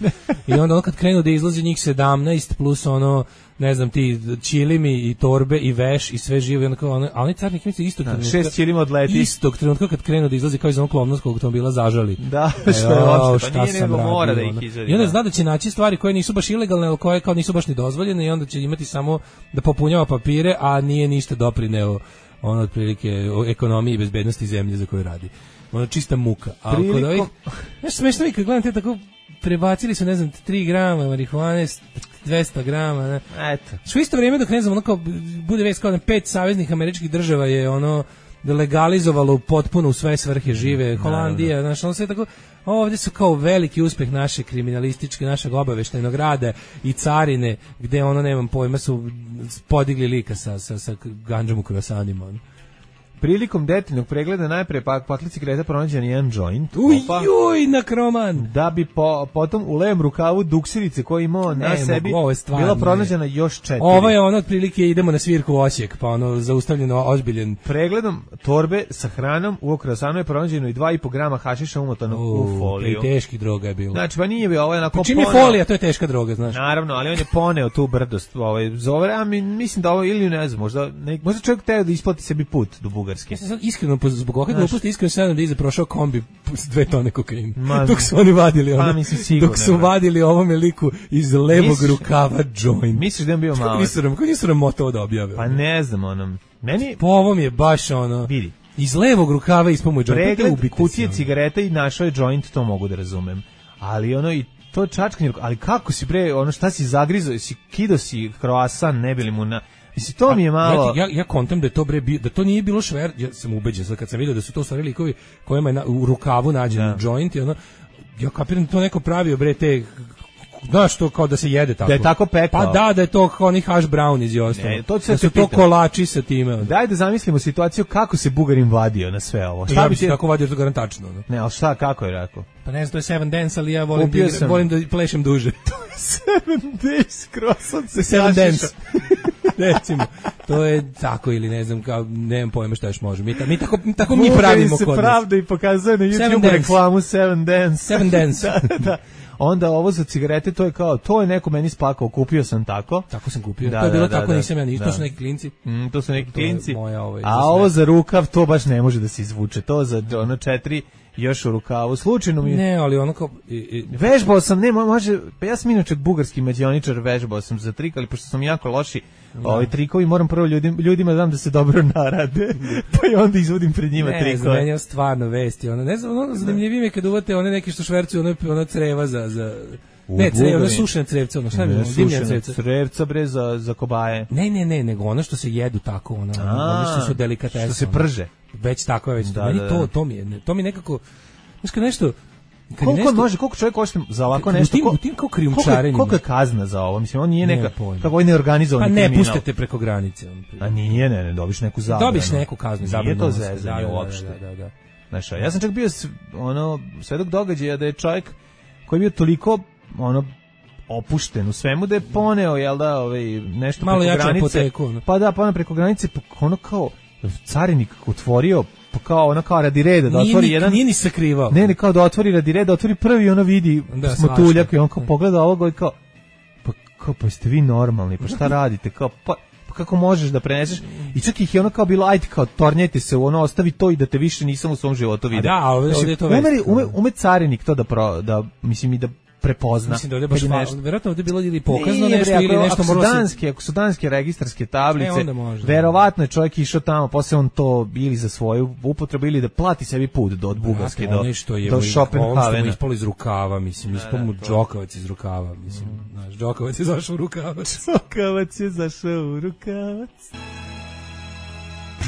I onda ono kad krenu da izlaze njih sedamnaest plus ono ne znam ti ćilimi i torbe i veš i sve živo i onako, ono, a oni carnik misli istog trenutka. Šest ćilima odleti. Istog trenutka kad krenu da izlazi kao iz onog klovnovskog automobila zažali. Da, što je uopšte, pa nije nego mora da ih izvedi. I onda zna da će naći stvari koje nisu baš ilegalne, ali koje kao nisu baš ni dozvoljene i onda će imati samo da popunjava papire, a nije ništa doprineo ono otprilike o ekonomiji i bezbednosti zemlje za koju radi. Ono čista muka. A Prilikom... kod ovih, znaš smešno mi kad gledam te tako prebacili su, ne znam, tri grama marihuane, dvesta grama, ne. Eto. Što isto vrijeme dok ne znam, ono kao, bude već kao pet saveznih američkih država je ono legalizovalo potpuno u sve svrhe žive, Holandija, znaš, ono sve tako, ovdje su kao veliki uspeh naše kriminalističke, našeg obaveštajnog rada i carine, gde ono, nemam pojma, su podigli lika sa, sa, sa ganđom u krosanima, ono. Prilikom detaljnog pregleda najpre pa paklici Greta pronađen jedan joint. Ujuj, na kroman. Da bi po, potom u levom rukavu duksirice koji imao na ne, sebi stvarno, bila pronađena još četiri. Ovo je ono otprilike idemo na svirku u Osijek, pa ono zaustavljeno ozbiljen. Pregledom torbe sa hranom u krosanu je pronađeno i dva i po grama hašiša umotano u, u foliju. Teški droga je bilo. Znači, pa nije bi ovo je onako čim je folija, to je teška droga, znaš. Naravno, ali on je poneo tu brdost, ovaj zove, a mi mislim da ovo ili ne znam, možda ne, možda čovjek teo da isplati sebi put do Bugarske. Ja sam sad iskreno zbog ovog gluposti iskreno se nadam da iza prošao kombi s dve tone kokaina. Dok su oni vadili ono. Pa, mislim, sigurno, dok su vadili ovome liku iz levog misliš, rukava joint. Misliš da je bio malo? Kako nisu nam moto da objave? Pa ne znam, onom. Meni po ovom je baš ono. Vidi. Iz levog rukava ispamo joint. Pregled kutije cigareta i našao je joint, to mogu da razumem. Ali ono i to čačkanje, ali kako si bre, ono šta si zagrizo, si kido si kroasan, ne bili mu na Mislim, to mi je malo... Ja, ja kontam da je to bre, da to nije bilo šver, ja sam ubeđen, sad kad sam vidio da su to stvari likovi kojima je na, u rukavu nađen ja. joint i ono, ja kapiram da to neko pravio bre te, znaš to kao da se jede tako. Da je tako pekao. Pa da, da je to kao oni hash brownies i ostalo. Ne, to da su to kolači sa time. Daj da zamislimo situaciju kako se Bugarin vadio na sve ovo. Šta ja bi ti tako vadio, to garantačno. Ne, ne ali šta, kako je rekao? Pa ne znam, to je Seven Dance, ali ja volim, da, volim da plešem duže. To je Seven Days, croissant se Seven Dance. Recimo, to je tako ili ne znam, kao, nemam pojma šta još može. Mi, ta, mi tako, tako mi pravimo kod nas. se pravda i pokazuje na YouTube reklamu Seven Dance. Seven Dance. da, da. Onda ovo za cigarete, to je kao, to je neko meni spakao, kupio sam tako. Tako sam kupio, da, to je bilo da, tako, da, nisam ja ništa, da. To su neki klinci. Mm, to su neki to klinci, moja, ovaj, a ovo za rukav, to baš ne može da se izvuče, to za ono četiri još u rukavu, slučajno mi... Ne, ali ono kao... I, i... Vežbao sam, ne, može, pa ja sam inače bugarski mađioničar, vežbao sam za trik, ali pošto sam jako loši da. Ovi trikovi, moram prvo ljudim, ljudima da dam da se dobro narade, pa i onda izvodim pred njima ne, trikove. Ne, za meni je stvarno vesti, ono, ne znam, ono, zanimljivije mi je kad uvate one neki što švercuju, ono, ono creva za... za... U, ne, creva, ono sušene crevce, ono, šta je bilo, dimljene crevce. Crevca, bre, za, za kobaje. Ne, ne, ne, nego ono što se jedu tako, ono, ono što su delikatese. Što se prže. Već tako je, već da, meni da, to, to mi je, to mi nekako, znaš kad nešto... Kad koliko nešto, može, koliko čovjek košta za ovako nešto? U tim, u tim kao krijumčarenjima. Koliko je kazna za ovo? Mislim, on nije neka, kako je neorganizovani kriminal. kriminal. Pa ne pustite preko granice. On, a nije, ne, ne, dobiš neku zabranu. Dobiš neku kaznu, zabranu. Nije to zezanje da, da, uopšte. Da, da, da. Znaš, ja sam čak bio ono, svedok događaja da je čovjek koji je bio toliko, ono, opušten u svemu da je poneo, jel da, ovaj, nešto malo preko granice. Apoteku, no. Pa da, poneo preko granice, pa ono kao carinik otvorio, pa kao ono kao radi reda da nije otvori ni, jedan. Nije ni sakrivao. Ne, ne, kao da otvori radi reda, otvori prvi, ono vidi da, smotuljak i on kao pogleda ovoga i kao, pa kao, pa ste vi normalni, pa šta radite, kao, pa, pa kako možeš da preneseš, i čak ih je ono kao bilo, ajde kao, tornjajte se, ono, ostavi to i da te više nisam u svom životu vidio. A da, ovdje je to već. Ume, ume, ume carinik to da, pro, da mislim i da prepozna. Mislim da ovdje baš nešto... verovatno ovdje bilo ili pokazno ne, nešto bre, ili nešto moralo se... Danske, ako su danske registarske tablice, e, verovatno je čovjek išao tamo, posle on to ili za svoju upotrebu ili da plati sebi put do od Bugarske do, do Schopenhavena. On ispalo iz rukava, mislim, ispalo mu Džokavac iz rukava, mislim, znaš, Džokavac je zašao u rukavac. Džokavac je zašao u rukavac.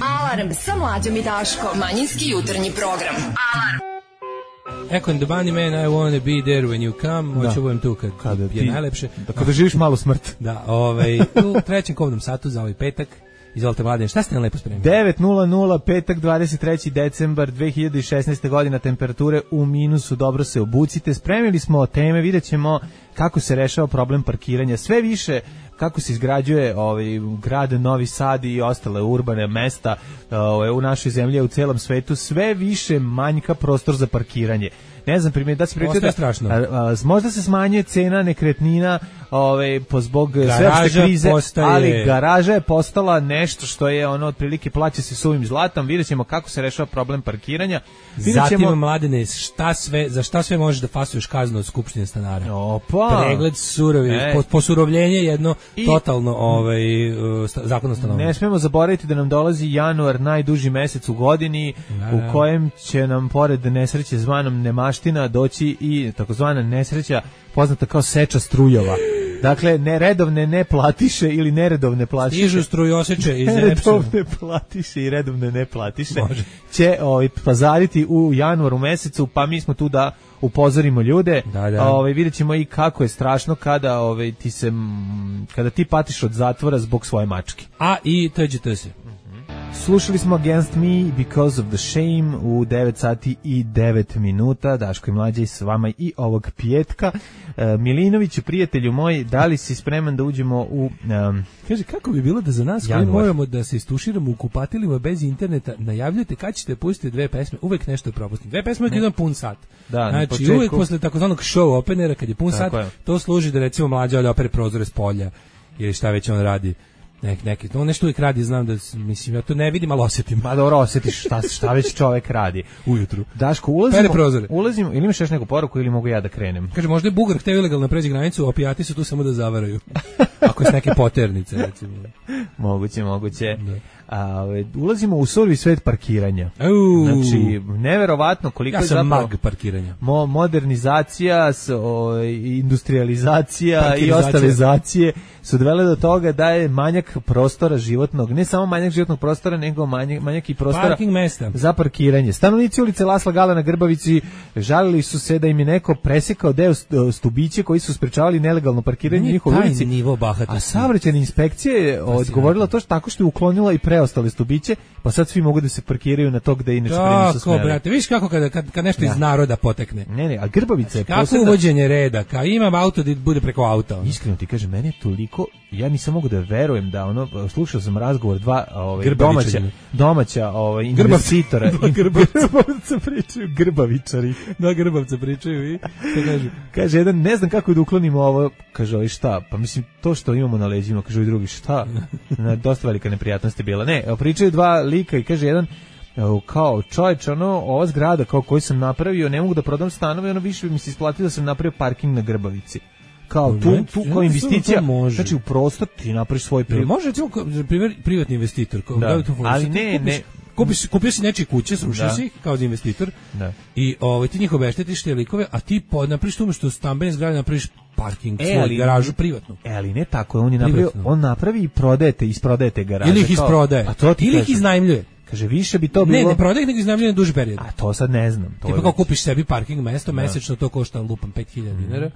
Alarm sa Mlađom i Daškom, manjinski jutarnji program. Alarm. Echo and the Bunnymen, I wanna be there when you come. Hoću tu kad, kad je ti, najlepše. Da kada živiš malu smrt. Da, ovaj, u trećem kovnom satu za ovaj petak. Izvolite, Mladen, šta ste nam lepo spremili? devet nula nula, petak, dvadeset treći decembar dve hiljade šesnaeste. godina, temperature u minusu, dobro se obucite. Spremili smo teme, vidjet ćemo kako se rešava problem parkiranja. Sve više kako se izgrađuje ovaj grad Novi Sad i ostale urbane mesta ovaj, u našoj zemlji, u celom svetu, sve više manjka prostor za parkiranje. Ne znam, primjer, da se priča da strašno. A, a, možda se smanjuje cena nekretnina ovaj, po zbog sveopšte krize, postaje... ali garaža je postala nešto što je ono otprilike plaća se suvim zlatom. Vidjet ćemo kako se rešava problem parkiranja. Vidjet ćemo... Zatim, Mladene, šta sve, za šta sve možeš da fasuješ kaznu od Skupštine stanara? Opa! Pregled surovi, e. posurovljenje jedno I... totalno ovaj, zakon o stanovanju. Ne smemo zaboraviti da nam dolazi januar, najduži mesec u godini, da, u kojem će nam pored nesreće zvanom nemaština doći i takozvana nesreća poznata kao seča strujova. Dakle, neredovne ne platiše ili neredovne platiše. Stižu strujoseče iz neredovne platiše i redovne ne platiše. Može. Će ovaj, pazariti u januaru mesecu, pa mi smo tu da upozorimo ljude. Da, da. Ovaj, vidjet ćemo i kako je strašno kada, ovaj, ti se, kada ti patiš od zatvora zbog svoje mačke. A i teđete se. Slušali smo Against Me Because of the Shame u devet sati i devet minuta. Daško i Mlađe s vama i ovog pjetka. E, Milinoviću, prijatelju moj, da li si spreman da uđemo u... Um, Kaže, kako bi bilo da za nas koji moramo da se istuširamo u kupatilima bez interneta, najavljujete kad ćete pustiti dve pesme, uvek nešto je propustiti. Dve pesme uvek jedan pun sat. Da, znači, početku... uvek posle takozvanog show openera, kad je pun Tako sat, je. To služi da recimo Mlađa da opere prozore s polja ili šta već on radi. Nek, neki, no nešto uvijek radi, znam da, mislim, ja to ne vidim, ali osjetim. Ma dobro, osjetiš šta, šta već čovek radi. Ujutru. Daško, ulazimo, ulazimo, ili imaš još neku poruku ili mogu ja da krenem? Kaže, možda je Bugar hteo ilegalno pređe granicu, opijati su tu samo da zavaraju. Ako je s neke poternice, recimo. Moguće, moguće. Da. A, ulazimo u survi svet parkiranja. Uu. Znači, neverovatno koliko ja je zapravo... mag parkiranja. Mo, modernizacija, s, o, industrializacija i ostalizacije su dovele do toga da je manjak prostora životnog, ne samo manjak životnog prostora, nego manjak, manjak i prostora parking mesta za parkiranje. Stanovnici ulice Lasla Gala na Grbavici žalili su se da im je neko presekao deo stubiće koji su sprečavali nelegalno parkiranje u njihovoj ulici. A saobraćajna inspekcija je odgovorila to što tako što je uklonila i preostale stubiće, pa sad svi mogu da se parkiraju na to gde inače pre nisu smeli. Tako, brate, viš kako kad, kad, kad nešto ja. iz naroda potekne. Ne, ne, a Grbavica je kako posebna... uvođenje reda, kao imam auto da bude preko auta. Ono. Iskreno ti kažem, meni je toliko, ja nisam mogu da verujem da da ono slušao sam razgovor dva ovaj domaća domaća ovaj investitora i grbavca pričaju grbavičari. Da, grbavca pričaju i šta kažu? Kaže jedan, ne znam kako da uklonimo ovo, kaže ovaj šta? Pa mislim to što imamo na leđima, kaže ovaj drugi šta? Na dosta velika neprijatnost je bila. Ne, pričaju dva lika i kaže jedan kao čovječ, ono, ova zgrada kao koju sam napravio, ne mogu da prodam stanove, ono više bi mi se isplatilo da sam napravio parking na Grbavici. Kao tu, tu kao investicija, znači u prostor ti napraviš svoj privat. Može, recimo, privatni investitor. Kao, da, ali ne, ne. Kupiš, kupio si nečije kuće, srušio si ih kao za investitor da. I ovaj, ti njih obeštetiš te likove, a ti napraviš tu umjesto stambene zgrade napraviš parking, e, svoj garažu privatnu. E, ali ne tako, on je napravio, on napravi i prodajete, isprodajete garaže. Ili ih isprodaje, a to ti ili ih iznajmljuje. Kaže, više bi to bilo... Ne, ne prodaje, nego iznajmljuje na duži period. A to sad ne znam. To Tipa kao kupiš sebi parking mesto, mesečno to košta lupam pet hiljada dinara.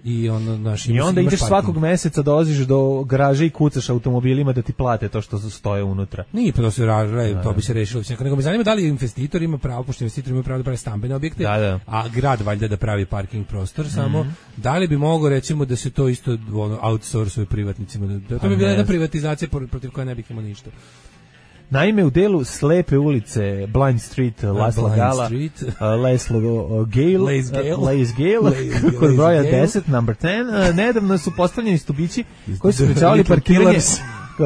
I ono, naš, I onda ideš svakog meseca, dolaziš do garaže i kucaš automobilima da ti plate to što stoje unutra. Nije pa to se raže, to bi se rešilo. Nego me zanima da li investitor ima pravo, pošto investitor ima pravo da pravi stambene objekte, da, da. A grad valjda da pravi parking prostor, mm-hmm. samo da li bi mogao recimo da se to isto ono, outsourcuje privatnicima, da, da to bi bila jedna privatizacija protiv koja ne bih imao ništa. Naime, u delu Slepe ulice, Blind Street, Lasla Gala, uh, Leslo uh, Gale, Lace Gale, kod broja deset, number ten, uh, nedavno su postavljeni stubići koji su sprečavali parkiranje,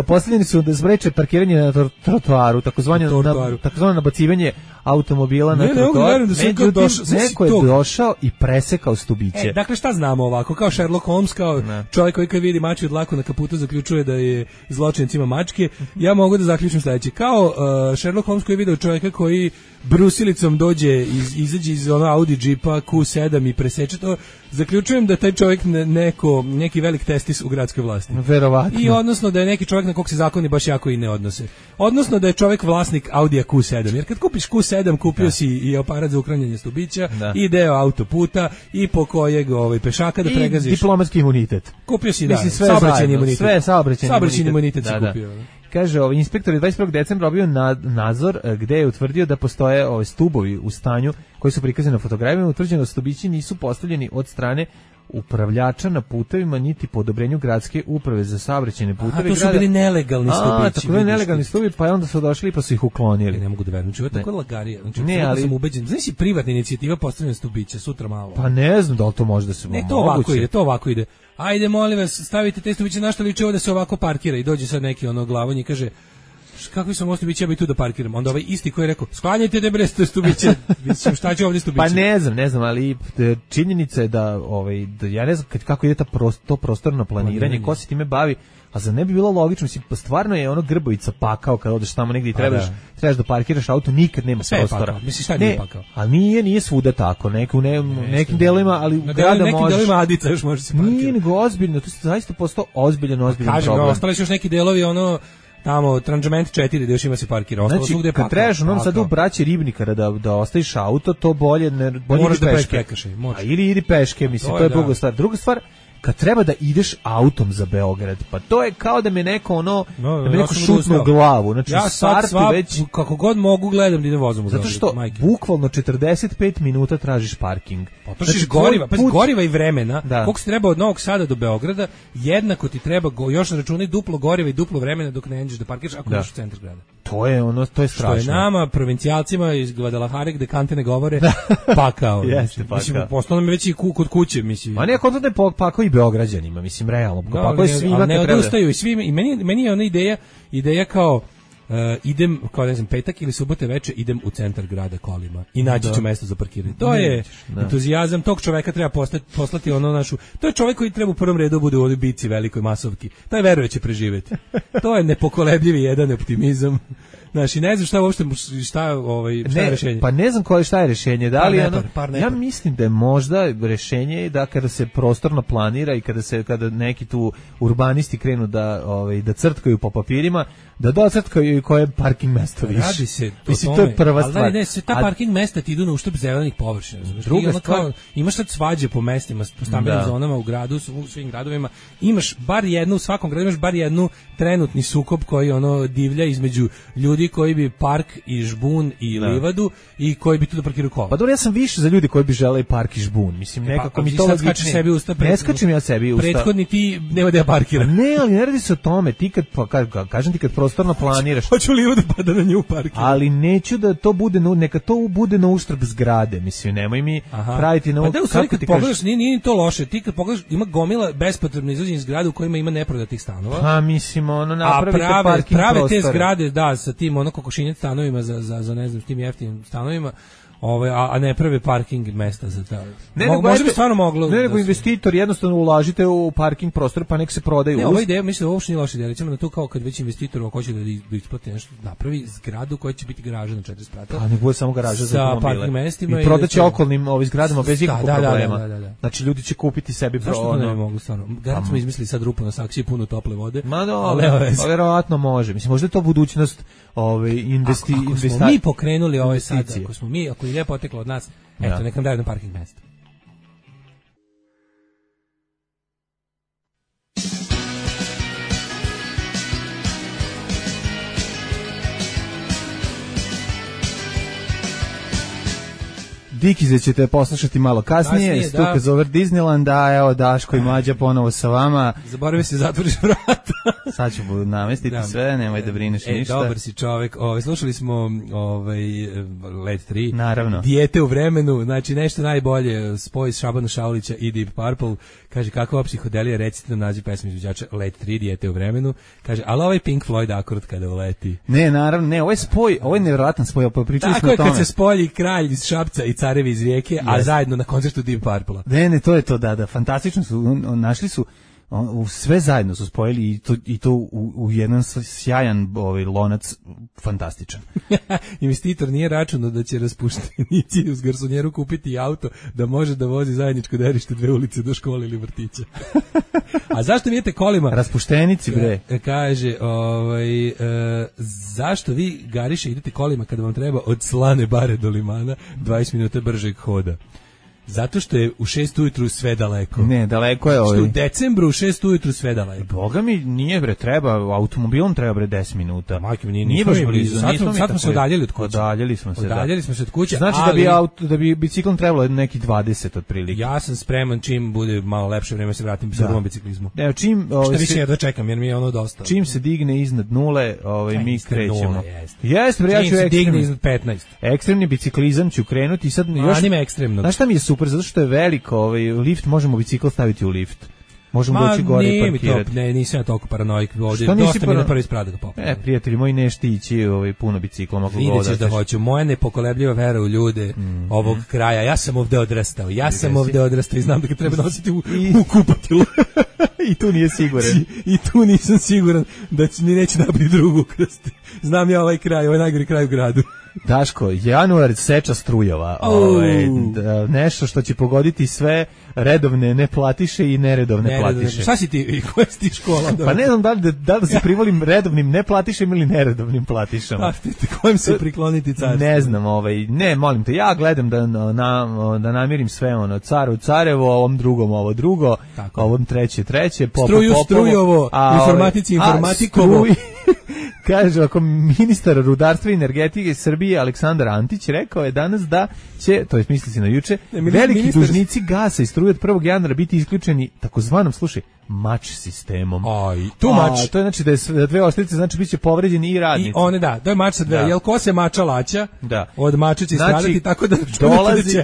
postavljeni su da spreče parkiranje na trotoaru, takozvano na, takozvano nabacivanje automobila ne, na trotoar. Međutim, došao, neko je došao i presekao stubiće. E, dakle, šta znamo ovako? Kao Sherlock Holmes, kao ne. Čovjek koji kad vidi mačju dlaku na kaputu zaključuje da je zločincima mačke, ja mogu da zaključim sledeće. Kao uh, Sherlock Holmes koji je video čovjeka koji brusilicom dođe, iz, izađe iz ono Audi Jeepa Q sedam i preseče to, zaključujem da taj čovjek ne, neko, neki velik testis u gradskoj vlasti. Verovatno. I odnosno da je neki čovjek na kog se zakoni baš jako i ne odnose. Odnosno da je čovjek vlasnik Audija Q sedam, jer kad kupiš Q sedam kupio da. Si i aparat za uklanjanje stubića, da. I deo autoputa, i po kojeg ovaj, pešaka da pregaziš. I diplomatski imunitet. Kupio si, da, sve saobraćajni imunitet. Sve saobraćajni imunitet. imunitet da, si kupio. Da. Kaže, ovaj inspektor je dvadeset prvog decembra obavio nadzor gde je utvrdio da postoje ovaj stubovi u stanju koji su prikazani na fotografijama, utvrđeno da stubići nisu postavljeni od strane upravljača na putevima niti po odobrenju gradske uprave za saobraćajne puteve. A to su grada. Bili nelegalni stubići. A, tako da nelegalni stubići, pa onda su došli pa su ih uklonili. Ja ne mogu da verujem, znači tako lagarija. Znači, ne, ali sam ubeđen. Znaš, privatna inicijativa postavljanja stubića sutra malo. Pa ne znam da li to može da se. Ne, to moguće. Ovako ide, to ovako ide. Ajde, molim vas, stavite te stubiće na što liči ovo da se ovako parkira i dođe sad neki ono glavonji i kaže kakvi su mosti biće, ja bi tu da parkiram. Onda ovaj isti koji je rekao, sklanjajte te bre stubiće. Mislim, šta će ovdje stubiće? Pa ne znam, ne znam, ali činjenica je da, ovaj, da ja ne znam kako ide ta prost, to prostorno planiranje, planiranje, ko se time bavi, a za ne bi bilo logično, mislim, stvarno je ono Grbovica pakao kad odeš tamo negdje i trebaš, da. trebaš da parkiraš auto, nikad nema sve prostora. Pakao. Mislim, šta nije pakao? Ali nije, nije svuda tako, Neku, ne, ne, nekim delima, ali na grada nekim možeš. Nekim delima Adica još može se parkirati. Nije nego ozbiljno, to je zaista postao ozbiljan, ozbiljan kažem, problem. Kažem, ostali su još neki delovi, ono, tamo Tranžement četiri da još ima se parkira. Znači, svugde kad trebaš u Novom Sadu u braći Ribnikara da, da ostaviš auto, to bolje, ne, bolje moraš idi da peške. Peške, A ili idi peške, mislim, to, to je druga da. stvar. Druga stvar, kad treba da ideš autom za Beograd, pa to je kao da me neko ono, no, da me neko ja šutno u glavu. Znači, ja sad sva, već kako god mogu gledam da idem vozom u Zato što majke. Bukvalno četrdeset pet minuta tražiš parking. Potrošiš znači, goriva, pa goriva i vremena. Da. Koliko se treba od Novog Sada do Beograda, jednako ti treba go, još računaj duplo goriva i duplo vremena dok ne ideš da parkiraš ako ideš u centar grada. To je ono, to je strašno. Što je nama provincijalcima iz Guadalajare gde kante ne govore pakao. Jeste pakao. Mislim, postalo mi već i ku, kod kuće, mislim. A ne, kod ne pakao i Beograđanima, mislim, realno. No, pakao je svima. Ali ne odustaju i svima, i meni, meni je ona ideja, ideja kao Uh, idem, kao ne znam, petak ili subote veče, idem u centar grada kolima i naći ću mesto za parkiranje. To ne, je da. entuzijazam, tog čoveka treba poslati, poslati ono našu, to je čovek koji treba u prvom redu bude u ovoj bici velikoj masovki, taj veruje će preživeti. To je nepokolebljivi jedan optimizam. Znači, ne znam šta uopšte, šta, ovaj, šta ne, je rešenje. Pa ne znam koje šta je rešenje. Da li nepar, ono, ja mislim da je možda rešenje da kada se prostorno planira i kada se kada neki tu urbanisti krenu da ovaj da crtkaju po papirima, da docrtkaju i koje parking mesto više. Radi se to, mislim, to je prva ali stvar. Ali ne, sve ta parking mesta ti idu na uštrb zelenih površina. Druga stvar, kao, imaš sad svađe po mestima, po stambenim zonama u gradu, u svim gradovima, imaš bar jednu, u svakom gradu imaš bar jednu trenutni sukob koji ono divlja između ljudi ljudi koji bi park i žbun i da. livadu i koji bi tu da parkiraju kola. Pa dobro, ja sam više za ljudi koji bi želeli park i žbun. Mislim, nekako pa, mi to logičnije. Sebi usta, ne skačem ja sebi usta. Prethodni ti nema da ja parkiram. Ne, ali ne radi se o tome. Ti kad, pa, ka, kažem ti kad prostorno planiraš. Hoću livadu pa da na nju parkiram. Ali neću da to bude, neka to bude na uštrb zgrade. Mislim, nemoj mi Aha. praviti na... Pa da, u stvari kad pogledaš, nije, nije to loše. Ti kad pogledaš, ima gomila bespotrebno izvođenje zgrada u kojima ima neprodatih stanova. Pa mislim, ono, napravite prave, parking prave prostore. Te zgrade, da, sa tim ono kokošinjac stanovima za, za, za ne znam, tim jeftinim stanovima, ove, a, a ne prave parking mesta za ta. Ne, Mo, možda bi stvarno moglo. Ne, nego investitor jednostavno ulažite u parking prostor pa nek se prodaju. Ne, ova ideja, mislim da uopšte nije loša ideja. Recimo na to kao kad već investitor ako hoće da, da isplati nešto, napravi zgradu koja će biti garaža na četiri sprata. A ne bude samo garaža za automobile. Parking mestima i prodaće okolnim ovim zgradama bez ikakvog da, problema. Da, da, da, da. Znači ljudi će kupiti sebi pro. Zašto ne mogu stvarno? Garant smo izmislili sad rupu na saksiji puno tople vode. Ma no, verovatno može. Mislim možda je to budućnost ovaj investi investicija. Mi pokrenuli ovaj sad, ako smo mi, ako je poteklo od nas, eto, nek nam daju na parking mesta. Dikize ćete poslušati malo kasnije, kasnije Stukas over Disneyland, a evo Daško i Mlađa ponovo sa vama. Zaboravi se zatvoriš vrata. Sad ću namestiti da. sve, nemoj da brineš e, ništa. Dobar si čovek, ovaj, slušali smo ovaj, Let tri, naravno. Dijete u vremenu, znači nešto najbolje, spoj Šabana Šaulića i Deep Purple, kaže kakva psihodelija, recite nam naziv pesme izvođača Let tri, Dijete u vremenu, kaže, ali ovaj Pink Floyd akord kada uleti. Ne, naravno, ne, ovo je spoj, ovo je nevjerojatan spoj, pa pričali smo o tome. Tako je kad se spoji kralj iz Šapca i carevi iz Rijeke, yes. a zajedno na koncertu Deep Purple. Ne, ne, to je to, da, da, fantastično su, našli su, u sve zajedno su spojili i to, i to u, u jedan sjajan ovaj, lonac fantastičan. Investitor nije računao da će raspuštenici uz garsonjeru kupiti auto da može da vozi zajedničko derište dve ulice do škole ili vrtića. A zašto vidite kolima? Raspuštenici, bre. Ka, kaže, ovaj, e, zašto vi gariše idete kolima kada vam treba od Slane bare do Limana dvadeset minuta bržeg hoda? Zato što je u šest ujutru sve daleko. Ne, daleko je ovaj. U decembru u šest ujutru sve daleko. Boga mi nije bre, treba, automobilom treba bre deset minuta. Majke mi nije, nije baš blizu. Sad smo, sad smo se udaljili od kuće. Udaljili smo se, Udaljili da. smo se od kuće. Znači ali, da bi auto, da bi biciklom trebalo neki dvadeset otprilike. Ja sam spreman čim bude malo lepše vreme se vratim sa drugom biciklizmu. Evo čim, ovaj, šta više ja da čekam jer mi je ono dosta. Čim se digne iznad nule, ovaj mi krećemo. Jeste, bre, ja ću se digne iznad petnaest. Ekstremni biciklizam ću krenuti i sad još. Anime ekstremno. Znaš šta mi je super, zato što je veliko, ovaj lift, možemo bicikl staviti u lift. Možemo Ma, doći gore i parkirati. Ne, nisam ja toliko paranoik ovdje. Dosta mi je na prvi sprat da ga popnem. E, prijatelji moji, ne štići ovaj, puno biciklom. Vidjet ćeš da hoću. Moja nepokolebljiva vera u ljude mm. ovog kraja. Ja sam ovdje odrastao. Ja sam Gdje ovdje si? odrastao i znam da ga treba nositi u, I... u kupatilu. I tu nije siguran. I, I tu nisam siguran da će, mi neće nabiti drugu krsti. Znam ja ovaj kraj, ovaj najgori kraj u gradu. Daško, januar seča strujova, ovaj, nešto što će pogoditi sve redovne neplatiše i neredovne ne, platiše. Šta si ti, koja si ti škola? Pa ne znam da li da, da, li se privolim redovnim neplatišem ili neredovnim platišama. A ti, kojim se prikloniti carstvo? Ne znam, ovaj, ne, molim te, ja gledam da, na, da namirim sve ono, caru carevo, ovom drugom ovo drugo, Tako. ovom treće treće, popo, struju popovo, strujovo, a, informatici informatikovo. Kaže, ako ministar rudarstva i energetike Srbije Aleksandar Antić rekao je danas da će, to je misli se na juče, ne, veliki ministar... dužnici gasa i struje od prvog januara biti isključeni takozvanom, slušaj, mač sistemom. Aj, tu mač. A, to je znači da je dve oštrice, znači biće povređeni i radnici. I one da, to je mač sa dve. Da. Jel ko se mača laća? Da. Od mača će znači, stradati tako da dolazi,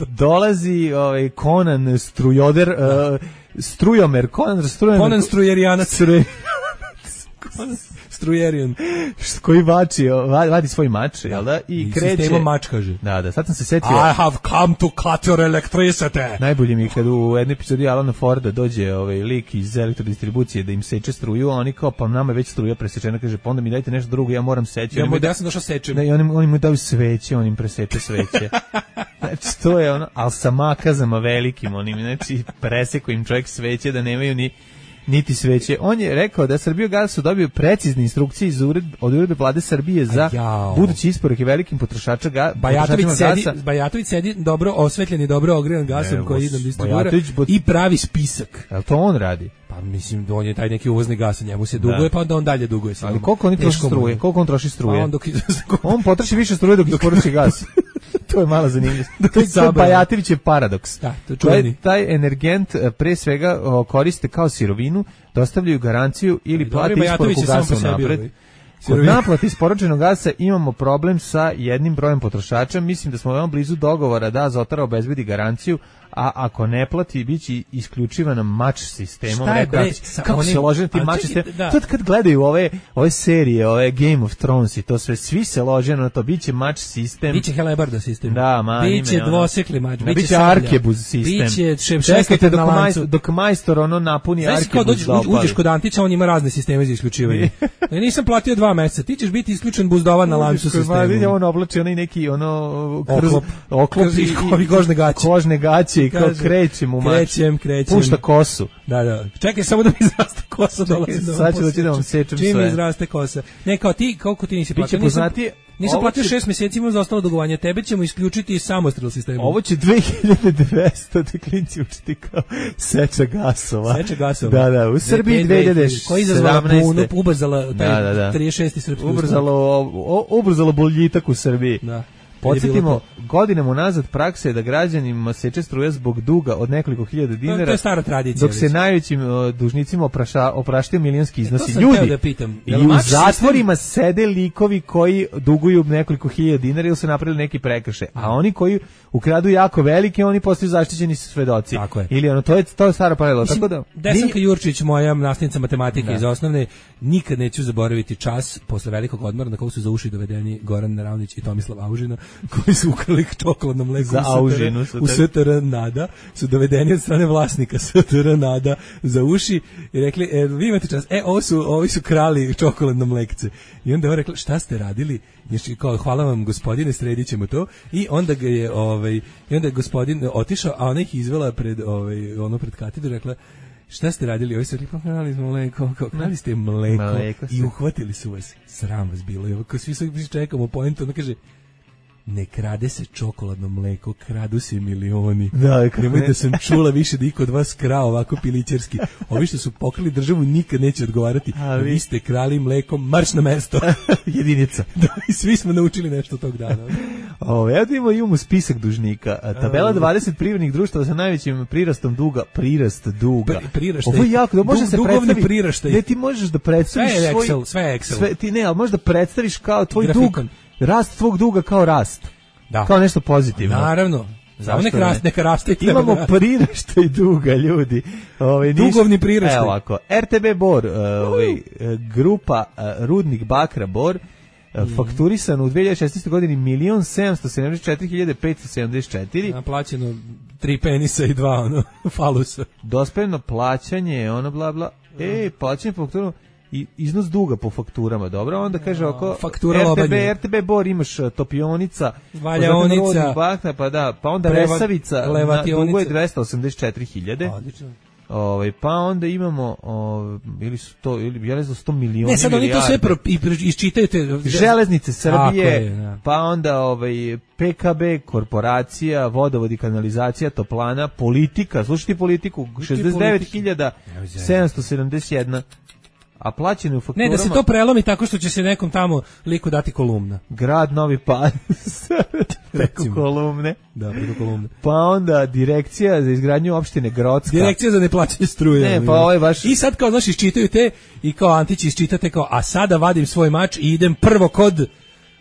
dolazi ovaj Conan Strujoder, uh, Strujomer, Conan Strujomer. Conan Strujerijanac. Struje... Conan Strujerion, koji vači, vadi svoj mač, jel da? I, I kreće. Sistemom mač, kaže. Da, da, sad sam se setio. I have come to cut your electricity. Najbolje mi je kad u jednoj epizodi Alana Forda dođe ovaj lik iz elektrodistribucije da im seče struju, a oni kao, pa nama je već struja presečena, kaže, pa onda mi dajte nešto drugo, ja moram seći. Ja, mu, da, ja sam došao sečem. Da, i oni, oni mu daju sveće, on im preseče sveće. Znači, to je ono, ali sa makazama velikim, onim, znači, preseko im čovjek sveće da nemaju ni niti sveće. On je rekao da Srbijogas su dobio precizne instrukcije iz ured, od uredbe vlade Srbije za Ajao. budući isporuke velikim potrošača ga, Bajatović sedi, gasa. Bajatović sedi dobro osvetljen i dobro ogrejan gasom koji idem distribuira i pravi spisak. Jel to on radi? Pa Pa mislim, on je taj neki uvozni gas, njemu se duguje, da. Pa onda on dalje duguje. Ali koliko on troši struje? Koliko on troši struje? On, dok... on potroši više struje dok isporuči gas. To je mala zanimljivost. To je Bajatovićev paradoks. Da, to čuveni. Taj energent pre svega koriste kao sirovinu, dostavljaju garanciju ili plate isporuku gasa unapred. Kod naplate isporučenog gasa imamo problem sa jednim brojem potrošača. Mislim da smo veoma blizu dogovora da Azotara obezbedi garanciju, a ako ne plati, biće isključivana mač sistemom. Šta je bre? Kako se lože na ti mač sistem? Da. To kad gledaju ove, ove serije, ove Game of Thrones i to sve, svi se lože na to, biće mač sistem. Biće Helebarda sistem. Da, manime. Biće dvosekli mač, da, biće arkebuz sistem. Biće šesnaest dok, majstor, dok majstor ono napuni arkebuz. Znaš kao dođeš, uđeš kod Antića, on ima razne sisteme za isključivanje. Ja nisam platio dva meseca, ti ćeš biti isključen buzdovan na lancu sistemu. Vidi, on oblači onaj neki ono oklop, oklop i kožne gaće. Kožne gaće i kao krećem u mač. Krećem, krećem. Pušta kosu. Da, da. Čekaj samo da mi izraste kosa dolazi. Sad ću da ti da vam sečem sve. Čim mi izraste kosa. Ne, kao ti, kako ti nisi platio? Nisam, nisam platio šest mjeseci, imam za ostalo dugovanje. Tebe ćemo isključiti iz samostrel sistema. Ovo će dve hiljade dvesta da klinci učiti kao seča gasova. Seča gasova. Da, da. U Srbiji dve hiljade sedamnaeste. Koji izazvala bunu, ubrzala taj da, da, da. trideset šesti srpski ubrzalo, ubrzalo boljitak u Srbiji. Da. Podsjetimo, godinama unazad praksa je da građanima seče struja zbog duga od nekoliko hiljada dinara. To je stara tradicija. Dok se najvećim uh, dužnicima opraša, opraštaju milijonski iznosi. Ljudi, da pitam, i u zatvorima sistem... sede likovi koji duguju nekoliko hiljada dinara ili su napravili neki prekršaj. A oni koji ukradu jako velike, oni postaju zaštićeni svedoci. Tako je. Ili ono, to je, to je stara pravila. Tako da, Desanka ni... Jurčić, moja nastavnica matematike da. iz osnovne, nikad neću zaboraviti čas posle velikog odmora na kog su za uši dovedeni Goran Naravnić i Tomislav Aužina, koji su ukrali čokoladno mleko za Aužinu u S T R Nada, su dovedeni od strane vlasnika S T R Nada za uši i rekli, e, vi imate čas, e, ovo su, ovi su krali čokoladno mlekce. I onda je on rekla, šta ste radili? Znači, kao, hvala vam gospodine, sredit ćemo to. I onda ga je, ovaj, i onda je gospodin otišao, a ona ih izvela pred, ovaj, ono pred katedru, rekla, šta ste radili? Ovi su rekli, pa krali smo mleko, kao krali ste mleko, mleko i uhvatili su vas. Sram vas bilo. I ako svi su čekamo pointu, ona kaže, ne krade se čokoladno mleko, kradu se milioni. Da, nemoj da sam čula više da iko od vas krao ovako pilićerski. Ovi što su pokrali državu nikad neće odgovarati. A vi, vi ste krali mleko, marš na mesto. Jedinica. Da, i svi smo naučili nešto tog dana. O, evo da imamo, imamo spisak dužnika. Tabela dvadeset privrednih društava sa najvećim prirastom duga. Prirast duga. Pri, priraštaj. Ovo je jako, da može du, se predstavi. Priraštaj. Ne, ti možeš da predstaviš sve je svoj... Excel, sve je Excel. Sve, ti ne, ali možeš da predstaviš kao tvoj grafikon. Dug. Rast tvog duga kao rast. Da. Kao nešto pozitivno. Naravno. Zašto neka raste, neka raste. Imamo priraštaj duga, ljudi. Ovaj dugovni priraštaj. Evo ovako. R T B Bor, ovaj grupa Rudnik Bakra Bor, mm. fakturisan u dve hiljade šesnaestoj godini milion sedamsto sedamdeset četiri hiljade petsto sedamdeset četiri. Naplaćeno tri penisa i dva ono falusa. Dospevno plaćanje, ono bla bla. Mm. E, plaćanje fakturu i iznos duga po fakturama, dobro, onda kaže oko faktura R T B, R T B Bor imaš Topionica, Valjaonica, Bakna, pa da, pa onda Preva, Resavica, dugo je dvesta osamdeset četiri hiljade. Odlično. Ovaj pa onda imamo o, ili su to ili ja ne znam sto miliona. Ne, sad oni to sve pro, i isčitaju te Železnice Srbije, je, pa onda ovaj P K B korporacija, vodovod i kanalizacija, toplana, politika, slušajte politiku, šezdeset devet hiljada sedamsto sedamdeset jedan. A plaćeno u fakturama... Ne, da se to prelomi tako što će se nekom tamo liku dati kolumna. Grad Novi Pad, preko kolumne. Da, preko kolumne. Pa onda direkcija za izgradnju opštine Grocka. Direkcija za neplaćanje struje. Ne, pa ovo je baš... I sad kao, znaš, iščitaju te i kao Antić iščitate kao, a sada vadim svoj mač i idem prvo kod...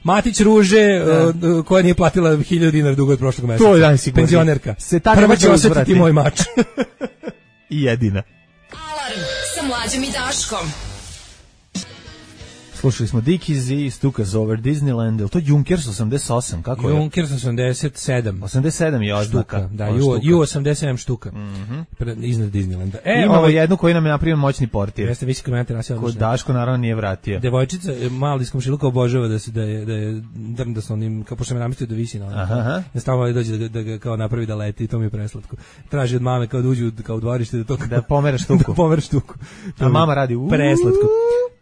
Matić Ruže, uh, koja nije platila hiljadu dinara dugo od prošlog meseca. To je dan sigurno. Penzionerka. Prva će osjetiti moj mač. I jedina. Alarm sa Mlađom i Daškom. Slušali smo Dickies i Stukas Over Disneyland, je to Junkers osamdeset osam, kako je? Junkers osamdeset sedam. osamdeset sedam je oznaka. Da, Ju osamdeset sedam štuka. Mm-hmm. Iznad Disneylanda. E, imamo ovaj, jednu koju nam je napravio moćni portir. Jeste visi komentar, ja se odlično. Kod Daško naravno nije vratio. Devojčica, mali iz komšiluka obožava da se da je da je drnda sa onim, kao pošto me namistio da visi na onom. Aha. Da stalno dođe da, da ga kao napravi da leti, to mi je preslatko. Traži od mame kao da uđe kao u dvorište da to da pomera štuku. Da pomera štuku. A mama radi u preslatko.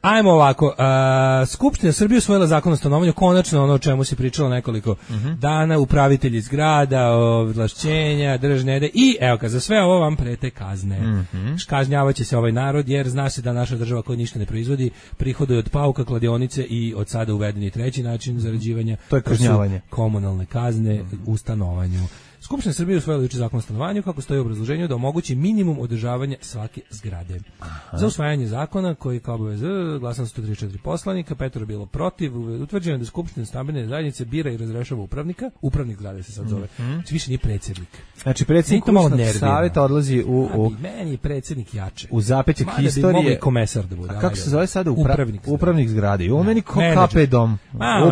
Ajmo ovako, A, Skupština Srbije usvojila zakon o stanovanju, konačno ono o čemu se pričalo nekoliko uh-huh. dana, upravitelji zgrada, ovlašćenja, državne ede i evo ka, za sve ovo vam prete kazne. Uh-huh. Kažnjavaće se ovaj narod jer zna se da naša država koja ništa ne proizvodi prihoduje od pauka, kladionice i od sada uvedeni treći način zarađivanja. To je kažnjavanje. Komunalne kazne u stanovanju. Skupština Srbije usvojila juče zakon o stanovanju kako stoji u obrazloženju da omogući minimum održavanja svake zgrade. Aha. Za usvajanje zakona koji kao obavez glasalo sto trideset četiri poslanika, petoro bilo protiv, utvrđeno da Skupština stambene zajednice bira i razrešava upravnika, upravnik zgrade se sad zove. Mm-hmm. Znači više nije predsjednik. Znači predsjednik kućnog savjeta odlazi u u A, meni je predsjednik jače. U zapećak historije. Bi komesar da bude. A kako se zove sada upra, upravnik, upravnik zgrade? I on meni ko kape dom.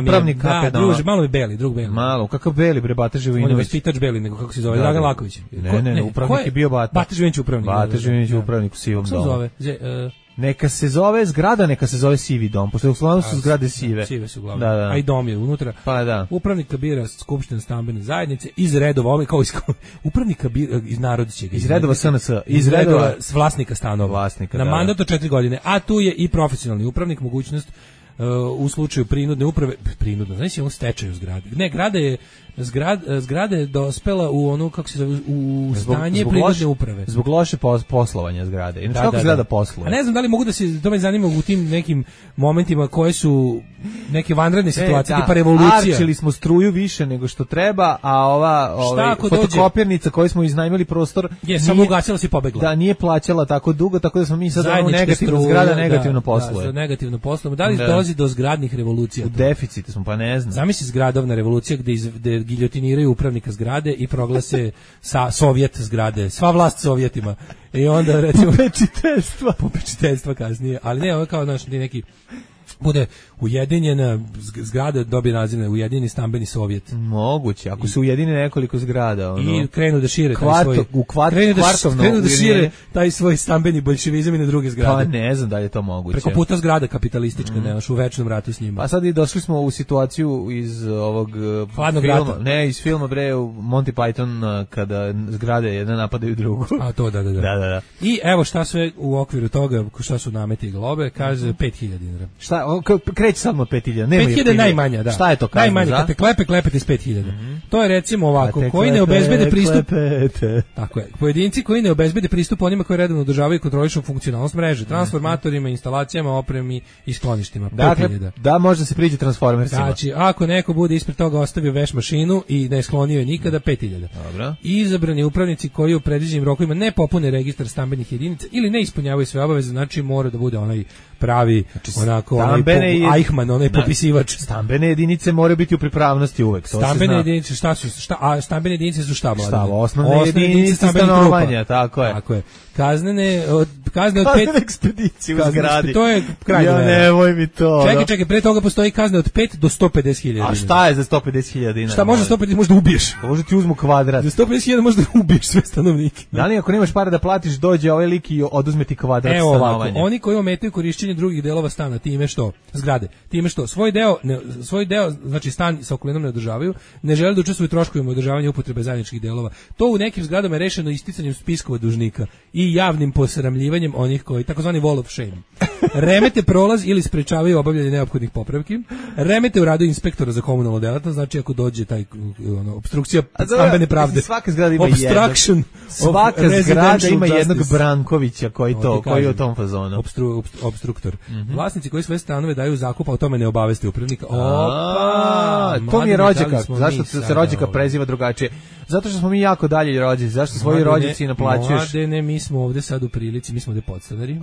Upravnik kape dom. Druže, malo mi beli, drug beli. Malo, kakav beli bre Bata Živojinović. On je vaspitač beli, nego kako se zove, da, Dragan Laković. Ne, ne, ne, ne, upravnik je, je bio Bata. Bata Živojinović upravnik. Bata Živojinović upravnik u sivom domu. Kako se zove? Zje, uh, Neka se zove zgrada, neka se zove sivi dom, pošto uglavnom su zgrade sive. Sive su uglavnom, da, da. A i dom je unutra. Pa da. Upravnika bira Skupština stambene zajednice iz redova, ovaj kao iz upravnika bira iz naroda će ga. Iz redova S N S, iz, iz redova, redova vlasnika stanova. Vlasnika, na da, mandat od četiri godine, a tu je i profesionalni upravnik, mogućnost uh, u slučaju prinudne uprave, prinudno, znači on stečaju zgrade. Ne, grada je Zgrad, zgrada je dospela u onu, kako se zove, u stanje prinudne uprave. Zbog loše poslovanja zgrade. Inače, kako da, zgrada da. posluje? A ne znam da li mogu da se, to me zanima u tim nekim momentima koje su neke vanredne situacije, e, da. tipa revolucija. Arčili smo struju više nego što treba, a ova ovaj, fotokopirnica koju smo iznajmili prostor je samo ugasila se i pobegla. Da, nije plaćala tako dugo, tako da smo mi sad ono negativno, zgrada negativno da, posluje. Da, negativno posluje. Da li da. dolazi do zgradnih revolucija? U deficitu smo, pa ne znam. Zamisli zgradovna revolucija gde, iz, gde giljotiniraju upravnika zgrade i proglase sa sovjet zgrade, sva vlast sovjetima. I onda recimo popečiteljstva, popečiteljstva kasnije, ali ne, ovo kao naš neki bude ujedinjena zgrada, dobije naziv Ujedinjeni stambeni sovjet. Moguće, ako se ujedine nekoliko zgrada, ono. I krenu da šire Kvarto, taj svoj u kvart, krenu da, kvartovno krenu da šire taj svoj stambeni boljševizam i na druge zgrade. Pa ne znam da li je to moguće. Preko puta zgrada kapitalistička, mm. nemaš u večnom ratu s njima. A sad i došli smo u situaciju iz ovog Hladnog filma, rata. Ne, iz filma bre Monty Python kada zgrade jedna napadaju drugu. A to da, da, da. da, da, da. I evo šta sve u okviru toga, šta su nameti i globe, kaže pet hiljada dinara. Šta, kreće samo pet hiljada. pet hiljada najmanja, da. Šta je to kazna? Najmanje, kad te klepe, klepete s pet hiljada. Mm-hmm. To je recimo ovako, koji ne obezbede pristup. Klepete. Tako je. Pojedinci koji ne obezbede pristup onima koji redovno održavaju i kontrolišu funkcionalnost mreže, transformatorima, instalacijama, opremi i skloništima. Dakle, da može se priđe transformersima. Znači, ako neko bude ispred toga ostavio veš mašinu i ne sklonio je nikada, pet hiljada. Dobro. Izabrani upravnici koji u predviđenim rokovima ne popune registar stambenih jedinica ili ne ispunjavaju sve obaveze, znači mora da bude onaj pravi, znači, onako, onaj po, Eichmann, onaj da, popisivač. Stambene jedinice moraju biti u pripravnosti uvek. To stambene jedinice, šta su? Šta, a stambene jedinice su šta, mladine? Šta, osnovne, osnovne jedinice stanovanja, tako je. Tako je. Kaznene, od, kazne od kaznene pet... ekspedicije u zgradi. To je krajnje. Ja, nemoj mi to. Čekaj, čekaj, pre toga postoji kazne od pet do sto pedeset hiljada. A šta je za sto pedeset hiljada dinara? Šta može sto pedeset, možda ubiješ. Može ti uzmu kvadrat. Za sto pedeset hiljada možda ubiješ sve stanovnike. Da li ako nemaš para da platiš, dođe ovaj lik i oduzme ti kvadrat Evo stanovanja? Ovako, oni koji ometaju korišćenje drugih delova stana, time što, zgrade, time što svoj deo, ne, svoj deo, znači stan sa okolinom ne održavaju, ne žele da učestvuju u troškovima održavanja upotrebe zajedničkih delova. To u nekim zgradama je rešeno isticanjem spiskova dužnika i javnim posramljivanjem onih koji, takozvani wall of shame. Remete prolaz ili sprečavaju obavljanje neophodnih popravki, remete u radu inspektora za komunalnu delatnost, znači ako dođe taj ono, obstrukcija stambene pravde. Svaka zgrada ima Obstruction. Svaka zgrada ima jednog Brankovića koji to, koji je u tom fazonu. Obstru, obstruktor. Mm -hmm. Vlasnici koji svoje stanove daju u zakup, a o tome ne obaveste upravnika. Opa! To mi je rođaka. Zašto se rođaka preziva drugačije? Zato što smo mi jako dalje rođaci. Zašto svoji rođaci naplaćuješ? Mladene, mi smo ovde sad u prilici, mi smo ovde podstanari.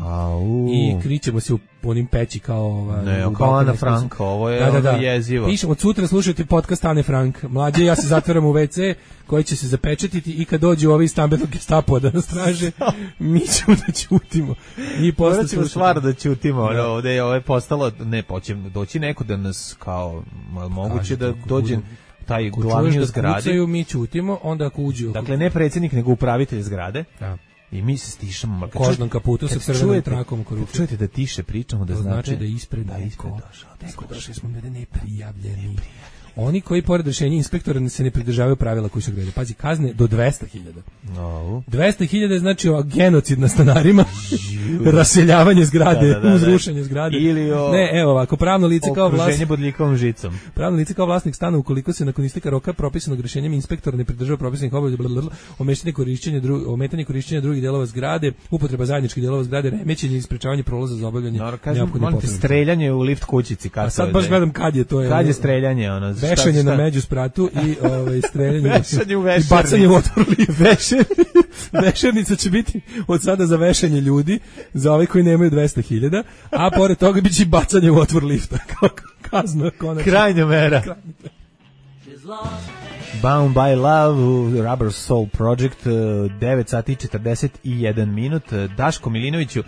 I kričemo se u onim peći kao ova, ne, kao Ana Frank, ovo je da, da, da. jezivo. Pišemo, od sutra slušajte podcast Ane Frank. Mlađe, ja se zatvaram u ve ce koji će se zapečatiti i kad dođu ovi stambenog gestapo da nas traže, mi ćemo da ćutimo. I posle ćemo stvar da ćutimo. Da. Ovde je ovo je postalo, ne, počem doći neko da nas kao, moguće da dođe taj glavni u zgradi. Kucaju, mi ćutimo, onda ako uđu. Dakle, ne predsjednik, nego upravitelj zgrade. Da. I mi se stišamo. Kožnom kaputu sa crvenom trakom oko ruke. Čujete da tiše pričamo, da to znači da ispred da ispred došao. Neko došli smo ljudi neprijavljeni. Oni koji pored rješenja inspektora se ne pridržavaju pravila koji su odredili. Pazi, kazne do dvesta hiljada. No. dvesta hiljada znači o, genocid na stanarima, raseljavanje zgrade, da, da, da, uzrušenje zgrade. Ili o... Ne, evo ovako, pravno lice kao vlasnik... Okruženje bodljikovom žicom. Pravno lice kao vlasnik stana ukoliko se nakon isteka roka propisanog rješenjem inspektora ne pridržava propisanih obaveza, ometanje korišćenja, dru, ometanje korišćenja drugih delova zgrade, upotreba zajedničkih delova zgrade, remećenje i sprečavanje prolaza za obavljanje neophodnih potreba. Streljanje u lift kućici. A sad baš gledam kad je to. Je, kad je streljanje? Ono, vešanje šta, šta? Na među spratu i ovaj, streljanje vešanje u vešernicu. I bacanje u otvor lift. Vešernica će biti od sada za vešanje ljudi, za ove koji nemaju dvesta hiljada, a pored toga biće i bacanje u otvor lifta. Kao kazna. Konačno. Krajnja mera. Bound by Love, Rubber Soul Project, devet sati i četrdeset jedan minut. Daško Milinoviću,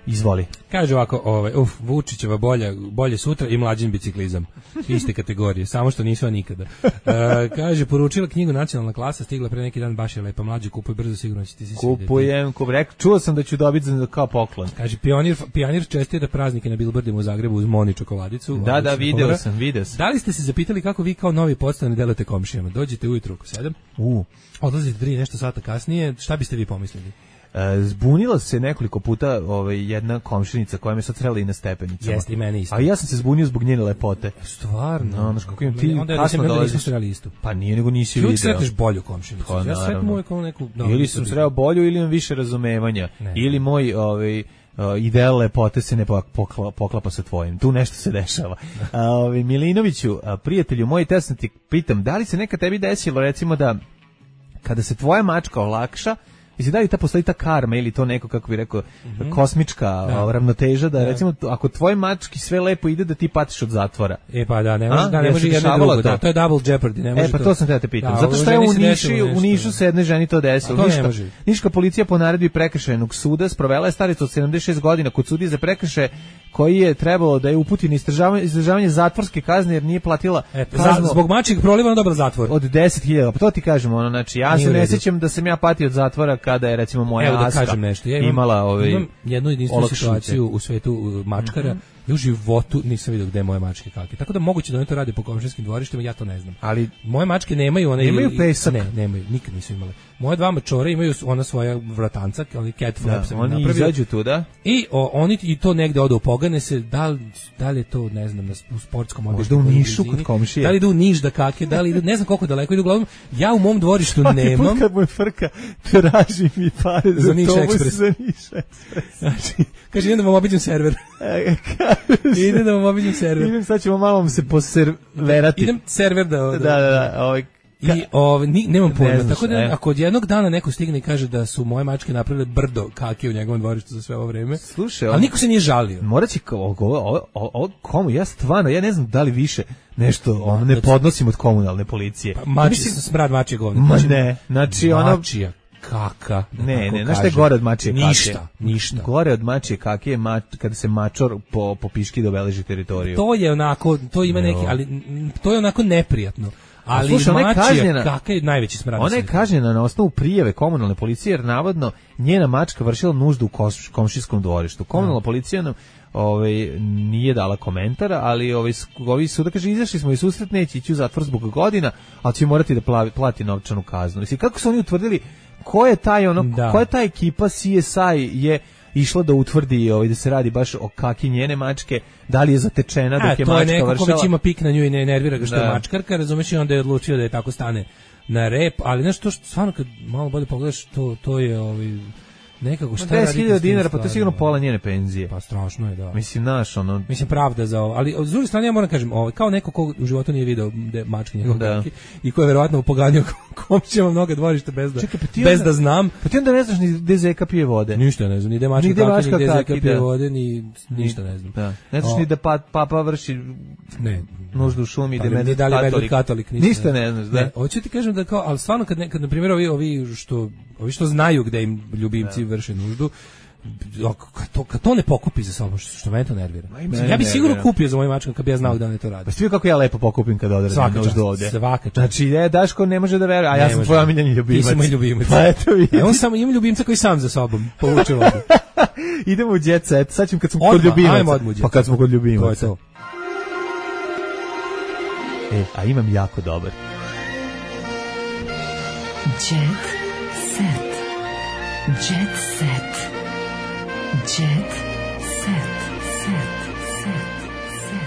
izvoli. Kaže ovako, ovaj, uf, Vučićeva bolja, bolje sutra i mlađin biciklizam. Iste kategorije, samo što nisu nikada. E, kaže, poručila knjigu Nacionalna klasa, stigla pre neki dan, baš je lepa, mlađe, kupuj brzo, sigurno će ti se svidjeti. Kupujem, kupujem, čuo sam da ću dobiti kao poklon. Kaže, pionir, pionir čestira praznike na Bilbordima u Zagrebu uz Moni čokoladicu. Da, da, video sam, video sam. Da li ste se zapitali kako vi kao novi podstani delate komšijama? Dođete ujutru oko sedam, uh. odlazite tri nešto sata kasnije, šta biste vi pomislili? E, zbunila se nekoliko puta ovaj, jedna komšinica koja me sad srela i na stepenicama. Jeste i mene isto. A ja sam se zbunio zbog njene lepote. Stvarno? No, znaš kako im ti onda kasno dolaziš. Nisam sreli istu. Pa nije, nego nisi video. Ti uvijek sretneš bolju komšinicu. Pa, ja sretnu uvijek ono neku... No, ili sam sreo bolju ili imam više razumevanja. Ne. Ili moj... Ovaj, Uh, ideal lepote se ne pokla, poklapa sa tvojim. Tu nešto se dešava. Uh, ovaj, Milinoviću, uh, prijatelju moj, te sam ti pitam, da li se neka tebi desilo, recimo da kada se tvoja mačka olakša, mislim, da li ta postoji ta karma ili to neko, kako bi rekao, mm-hmm. kosmička da. ravnoteža, da, da recimo, ako tvoj mački sve lepo ide, da ti patiš od zatvora. E pa da, ne može, da, ne može jedno drugo, da, to je double jeopardy. Ne može e pa to, to sam te da te pitam. Da, zato što je u Nišu, u Nišu se jednoj ženi to desilo. Niška, Niška policija po naredbi prekršajnog suda sprovela je staricu od sedamdeset šest godina kod sudije za prekršaje koji je trebalo da je uputi na izdržavanje, izdržavanje zatvorske kazne jer nije platila e, kaznu. Zbog mačjeg proliva ona dobila zatvor. Od deset hiljada. Pa to ti kažemo, ono, znači, ja nije se ne sjećam da sam ja patio od zatvora kada je, recimo, moja Evo da Aska kažem nešto. Ja imam, imala ovaj, imam jednu jedinstvenu situaciju u svetu mačkara. Mm-hmm. Ja u životu nisam vidio gde je moje mačke kake. Tako da moguće da oni to rade po komšinskim dvorištima, ja to ne znam. Ali moje mačke nemaju one nemaju pesak. Ne, nemaju, nikad nisu imale. Moje dva mačore imaju ona svoja vratanca, oni cat flaps da, oni napravio. Izađu tu, da? I o, oni i to negde odu pogane se, da li, da li je to, ne znam, na, u sportskom objektu. Možda u Nišu kod komšije. Da li idu u Niš da kake, da li idu, ne znam koliko daleko idu, uglavnom, ja u mom dvorištu svaki nemam. Put kad moj frka, traži mi pare za, za Niš Ekspres. Za Niš Ekspres. Znači, kaže, idem da vam obiđem server. Idem da vam obiđem server. Idem, sad ćemo malo se poserverati. Idem server da... Da, da, da, ovaj... I ovaj ni, nemam pojma, ne tako da e. ako od jednog dana neko stigne i kaže da su moje mačke napravile brdo kake u njegovom dvorištu za sve ovo vreme. Slušaj, ali niko se nije žalio. Moraće kao komu ja stvarno ja ne znam da li više nešto on ne podnosim od komunalne policije. Pa, mači se smrad mačje govno. Ma ne, znači ona mačija kaka. Ne, ne, znaš šta je gore od mačije kake? Ništa, ništa. Gore od mačije kake je mač, kada se mačor po, po piški dobeleži teritoriju. To je onako, to ima neki, ali to je onako neprijatno. Ali slušaj, ona je kažnjena, kaka je najveći smrad. Ona je kažnjena na osnovu prijave komunalne policije jer navodno njena mačka vršila nuždu u komšijskom dvorištu. Komunalna policija nam ovaj, nije dala komentara, ali ovaj, ovi su da kaže izašli smo i susret, neće ići u zatvor zbog godina, ali će morati da plavi, plati novčanu kaznu. Mislim, kako su oni utvrdili ko je taj ono, da. Ko je ta ekipa C S I je išla da utvrdi ovaj, da se radi baš o kaki njene mačke, da li je zatečena dok je mačka vršala. A, to je neko ko već ima pik na nju i ne nervira ga što da. Je mačkarka, razumeš, i onda je odlučio da je tako stane na rep, ali znaš to što stvarno kad malo bolje pogledaš, to, to je ovaj, nekako šta radi. deset hiljada dinara, pa to je sigurno pola njene penzije. Pa strašno je, da. Mislim, naš, ono... Mislim, pravda za ovo. Ali, s druge strane, ja moram kažem, ovaj, kao neko ko u životu nije video mačke njegov kaki i ko je verovatno upoganio komšijama mnoga dvorišta bez da, Čekaj, pa bez onda, da znam. Pa ti onda ne znaš ni gde zeka pije vode. Ništa ne znam, ni gde mačka kaki, ni gde zeka pije vode, ni ništa ne znam. Da. Ne znaš o, ni da pa, papa vrši ne, nuždu u šumi, pa, da medved katolik. katolik ništa, ništa ne znaš, da. Ne, hoću ti kažem da kao, ali stvarno kad, ne, kad na primjer ovi, ovi, što, ovi što znaju gde im ljubimci da. Vrše nuždu, kad to, kad to ne pokupi za sobom, što, što mene to nervira. Mislim, ja bih sigurno nervira. Kupio za moju mačku kad bi ja znao da ne to radi. Pa svi kako ja lepo pokupim kad odredem nuždu ovdje. Svaka čast. Znači, je, Daško ne može da veruje, a ja ne sam tvoj omiljeni ljubimac. Ti si moj ljubimac. Pa eto vidi. E, on samo ima ljubimca koji sam za sobom povuče vodu. Idemo u jet set, sad ćemo kad smo odmah, kod ljubimaca. Pa kad smo kod ljubimaca. To je to. E, a imam jako dobar. Jet set. Jet set. Jet set. Set. Set.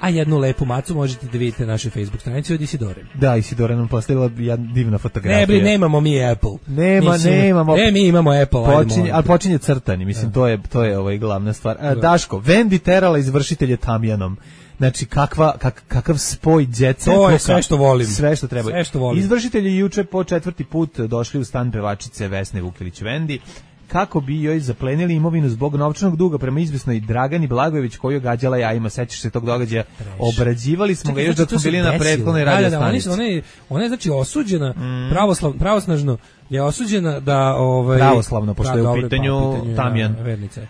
A jednu lepu macu možete da vidite na našoj Facebook stranici od Isidore. Da, Isidora nam postavila jedna divna fotografija. Ne, bri, nemamo mi Apple. Nema, Mislim, nemamo. Ne, mi imamo Apple. Počinje, ali počinje crtani, mislim, to je, to je ovaj glavna stvar. A, Daško, Vendi terala izvršitelje tamjanom. Znači, kakva, kak, kakav spoj djece. To je sve što volim. Sve što treba. Sve što volim. Izvršitelji juče po četvrti put došli u stan pevačice Vesne Vukilić Vendi, kako bi joj zaplenili imovinu zbog novčanog duga prema izvesnoj Dragani Blagojević koju je gađala jajima. Sećaš se tog događaja? Obrađivali smo ga još dok smo bili na prethodnoj radio stanici. Ona je, ona je znači osuđena, mm. pravoslav, pravosnažno je osuđena da ovaj pravoslavno pošto je u pitanju, pa, pitanju tamjan.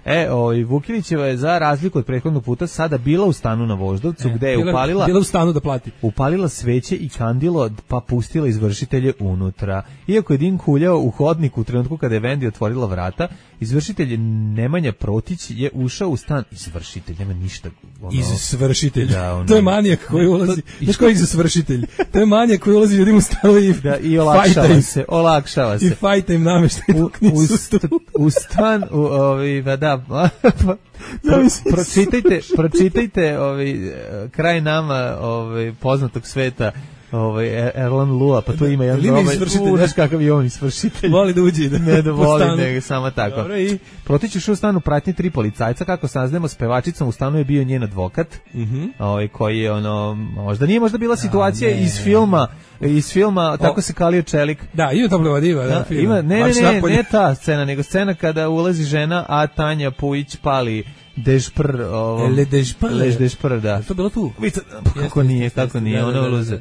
E, ovaj Vukilićeva je za razliku od prethodnog puta sada bila u stanu na Voždovcu, e, gde je bila, upalila bila u stanu da plati. Upalila sveće i kandilo, pa pustila izvršitelje unutra. Iako je dim kuljao u hodniku u trenutku kada je Vendi otvorila vrata, izvršitelj Nemanja Protić je ušao u stan. Izvršitelj, nema ništa. Ono, izvršitelj. Da, ono, to je manijak koji ulazi. Znaš koji je izvršitelj? To je manijak koji ulazi ljudima u stanu i, da, i olakšava se. Olakšava se. I fajta im nameštaj dok nisu u, u stan, u, ovi, da, Pro, pročitajte, pročitajte ovi, kraj nama ovi, poznatog sveta ovaj Erlan Lua, pa tu ima jedan dobar izvršitelj, znaš kakav je on izvršitelj. Voli da uđe da. Ne da voli, nego samo tako. Dobro, i Protić je u stanu pratnji tri policajca, kako saznajemo, s pevačicom u stanu je bio njen advokat. Mhm. Mm ovaj koji je ono, možda nije možda bila situacija A, iz filma, iz filma o, tako se kalio čelik. Da, ima to blevadiva, da, da ima, ne, ne, ne, ne, ne ta scena, nego scena kada ulazi žena, a Tanja Pujić pali Dešpr, ovo. Le Dešpr. Le Dešpr, da. To bilo tu. Kako nije, kako nije, ono uluze.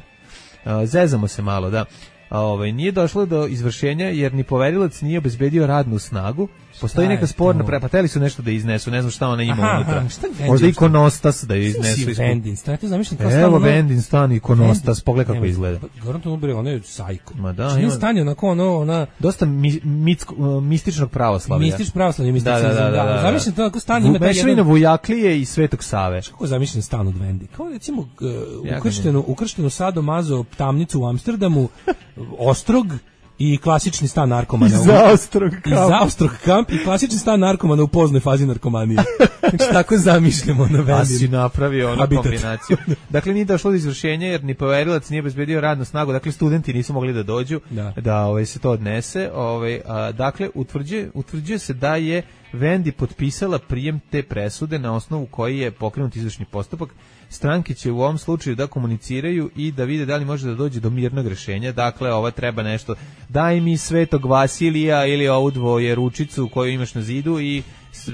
Zezamo se malo, da. Ovaj nije došlo do izvršenja jer ni poverilac nije obezbedio radnu snagu. Postoji neka sporna pre, pa teli su nešto da iznesu, ne znam šta ona ima aha, unutra. Aha, možda ikonostas da iznesu iz Vendin stan, to zamišljam kao stan. Evo Vendin stan ikonostas, pogledaj kako izgleda. Garantujem ubre, ona je sajko. Ma da, ima stan onako ono, ona dosta mi, mitsko, mističnog pravoslavlja. Mistično pravoslavlje, mistično. Da, da, da, da, da. Zamišljam to kako stan ima taj jedan. Mešavina Vujaklije i Svetog Save. Kako zamišljam stan od Vendi? Kao recimo uh, ukrštenu, ukrštenu Sado Mazo tamnicu u Amsterdamu, Ostrog i klasični stan narkomana. I zaostrog kamp. I zaostrog kamp i klasični stan narkomana u poznoj fazi narkomanije. Znači tako zamišljamo na Vendin. A si napravio onu kombinaciju. Dakle, nije došlo do izvršenja jer ni poverilac nije obezbedio radnu snagu, dakle studenti nisu mogli da dođu, da, da ovaj, se to odnese. Ovaj, a, dakle, utvrđuje, utvrđuje se da je Vendi potpisala prijem te presude na osnovu koji je pokrenut izvršni postupak. Stranke će u ovom slučaju da komuniciraju i da vide da li može da dođe do mirnog rješenja. Dakle, ova treba nešto, daj mi Svetog Vasilija ili ovu dvoje ručicu koju imaš na zidu i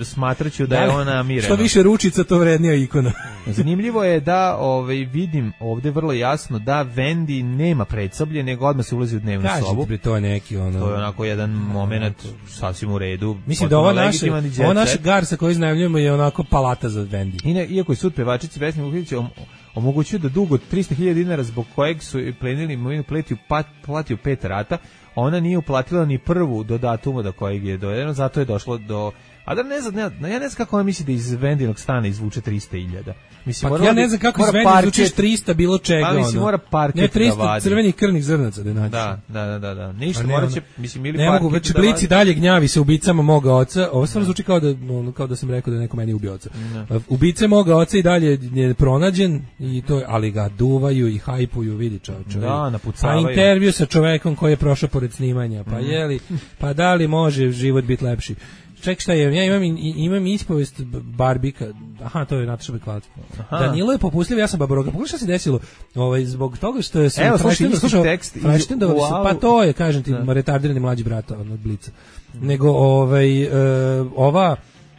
smatraću da je ona mirena. Što više ručica, to vrednija ikona. Zanimljivo je da ovaj, vidim ovde vrlo jasno da Vendi nema predsoblje, nego odmah se ulazi u dnevnu Kažete, sobu. Bre, to je neki ono... To je onako jedan moment sasvim u redu. Mislim da ova naša, ova naša garsa koju iznajmljujemo je onako palata za Vendi. I ne, iako je sud pevačici Vesni Vukilić omogućio da dug od trista hiljada dinara zbog kojeg su plenili imovinu platio, platio pet rata, ona nije uplatila ni prvu do datuma do kojeg je dovedeno, zato je došlo do... A da ne znam, ne, ja ne znam kako ona misli da iz Vendinog stana izvuče trista hiljada. Mislim, pa ja ne znam kako iz Vendina izvučeš trista bilo čega. Pa mislim, mora parket ne, trista da vadi. Crvenih krvnih zrnaca da naći. Da, da, da, da, da. Ništa, mora će, mislim, ili ne parket mogu, već da Blici dalje gnjavi se ubicama moga oca. Ovo stvarno zvuči kao da, kao da sam rekao da neko meni ubio oca. Ne. Ubice moga oca i dalje je pronađen, i to, ali ga duvaju i hajpuju, vidi čovječe. Da, napucavaju. Pa intervju sa čovekom koji je prošao pored snimanja, pa mm. jeli, pa da li može život biti lepši. Ček, šta je, ja imam, imam ispovest Barbika, aha, to je Nataša Bekvalac. Danilo je popustljiv, ja sam babaroga. Pogledaj šta se desilo, ovaj, zbog toga što se... Evo, slušaj, slušao tekst. Wow. Pa to je, kažem ti, da. Retardirani mlađi brata od Blica. Mm. Nego, ovaj, uh, ova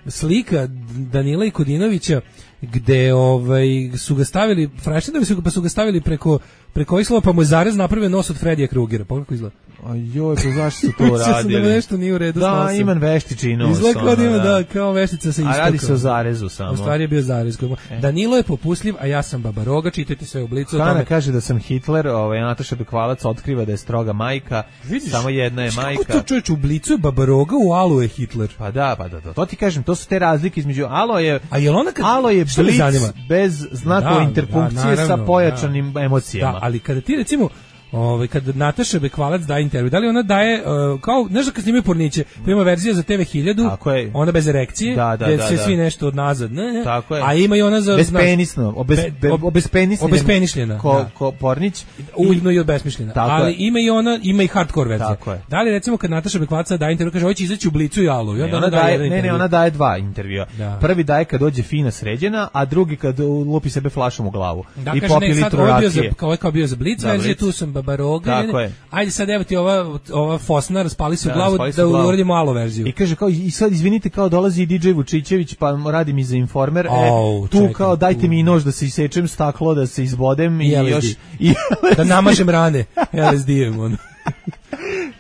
slika Danila i Kodinovića, gde ovaj, su ga stavili, Frajštendovi su, pa su ga stavili preko, preko ovih slova, pa mu je zarez napravio nos od Fredija Krugera. Pogledaj kako izgleda. A joj, pa zašto su to radili? Da nešto nije u redu. Da, imam veštiči nos. Izgleda kao da ima, da, kao veštica sa istoka. A radi se o zarezu samo. U stvari je bio zarez. E. Danilo je popustljiv, a ja sam babaroga, čitajte sve u Blicu. Kana tome... kaže da sam Hitler, ovaj, Nataša Bekvalac otkriva da je stroga majka, vidiš, samo jedna je majka. Kako to čovječ, u Blicu je babaroga, u Alu je Hitler. Pa da, pa da, da, to ti kažem, to su te razlike između Alo je... A je ona kad... Alo je blic bez znakova interpunkcije da, sa pojačanim da. emocijama. Da, ali kada ti recimo Ovaj kad Nataša Bekvalac daje intervju, da li ona daje uh, kao znaš da kad snimaju porniće, pa ima verzija za te ve hiljadu, ona bez erekcije, da, da, gde da, se da. svi nešto od nazad, ne, ne. Tako je. A ima i ona za bespenisno, obez, be, obezpenisljena, obezpenišljena, ko, da. ko pornić, uljno i obesmišljena. Ali je. Ima i ona, ima i hardcore verzija. Da li recimo kad Nataša Bekvalac daje intervju, kaže hoće izaći u Blicu i Alu, i onda ne, ona, ona daje, daje, ne, ne, ona daje dva intervjua. Da. Prvi daje kad dođe fina sređena, a drugi kad lupi sebe flašom u glavu da, i kaže, popi ne, litru rakije. Kao je kao bio za Blic verziju, tu sam babaroga. Ajde sad evo ti ova ova Fosna raspali se u glavu da, da uradimo alo verziju. I kaže kao i sad izvinite kao dolazi D J Vučićević pa radi mi za Informer. Oh, e, tu čekaj, kao dajte tu. mi nož da se isečem staklo, da se izbodem i, i još i da namažem rane L S D-em on.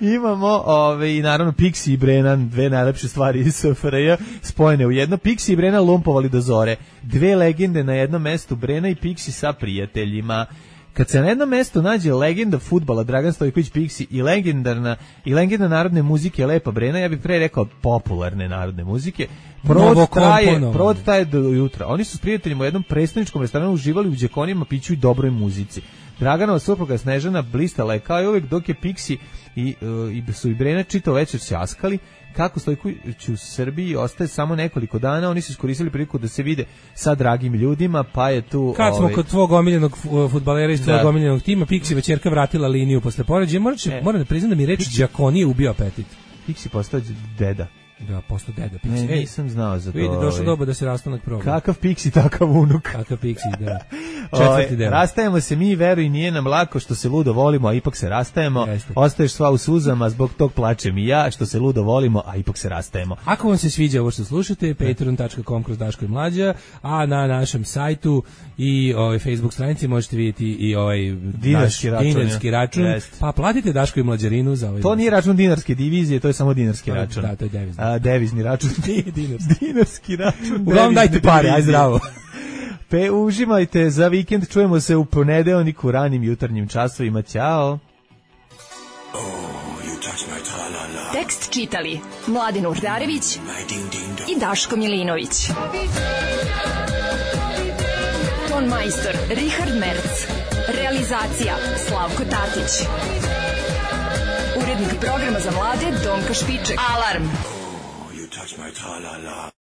Imamo ove, i naravno Pixi i Brennan, dve najlepše stvari iz S F R J spojene u jedno. Pixi i Brennan lumpovali do zore. Dve legende na jednom mestu, Brenna i Pixi sa prijateljima. Kad se na jednom mjestu nađe legenda fudbala Dragan Stojković Pixi i legendarna i legenda narodne muzike Lepa Brena, ja bih pre rekao popularne narodne muzike, provod traje, provod traje do jutra. Oni su s prijateljima u jednom predstavničkom restoranu uživali u đekonima, piću i dobroj muzici. Draganova supruga Snežana blistala je kao i uvek, dok je Pixi i, uh, i su i Brena čitao večer ćaskali. Kako Stojković u Srbiji ostaje samo nekoliko dana, oni su iskoristili priliku da se vide sa dragim ljudima, pa je tu... Kad smo ovaj... kod tvog omiljenog fudbalera iz tvog omiljenog tima, Pixi večerka vratila liniju posle poređaja, moram, e. moram da priznam da mi reč đakonije ubio apetit. Pixi postao deda. Da, postao deda Pixi. Ne, nisam znao za to. Vidi, došlo doba da se rastanak proba. Kakav Pixi, takav unuk. Kakav Pixi, da. Četvrti deo. Rastajemo se mi, veruj, nije nam lako što se ludo volimo, a ipak se rastajemo. Jeste. Ostaješ sva u suzama, zbog tog plačem i ja, što se ludo volimo, a ipak se rastajemo. Ako vam se sviđa ovo što slušate, patreon dot com kroz Daško i Mlađa, a na našem sajtu i ovaj Facebook stranici možete vidjeti i ovaj dinarski račun, dinarski račun pa platite Daško i Mlađarinu za ovaj. To nije račun dinarske divizije, to je samo dinarski to, račun. Da, to je devizni. A, devizni račun. Nije dinarski. Dinarski račun. Uglavnom dajte pare, aj zdravo. Pe uživajte za vikend, čujemo se u ponedeljnik u ranim jutarnjim časovima. Ćao. Oh, tekst čitali Mladen Urdarević i Daško Milinović. Ton majstor Richard Merc. Realizacija Slavko Tatić. Urednik programa za mlade Donka Špiček. Alarm! Oh, you touch my tra-la-la.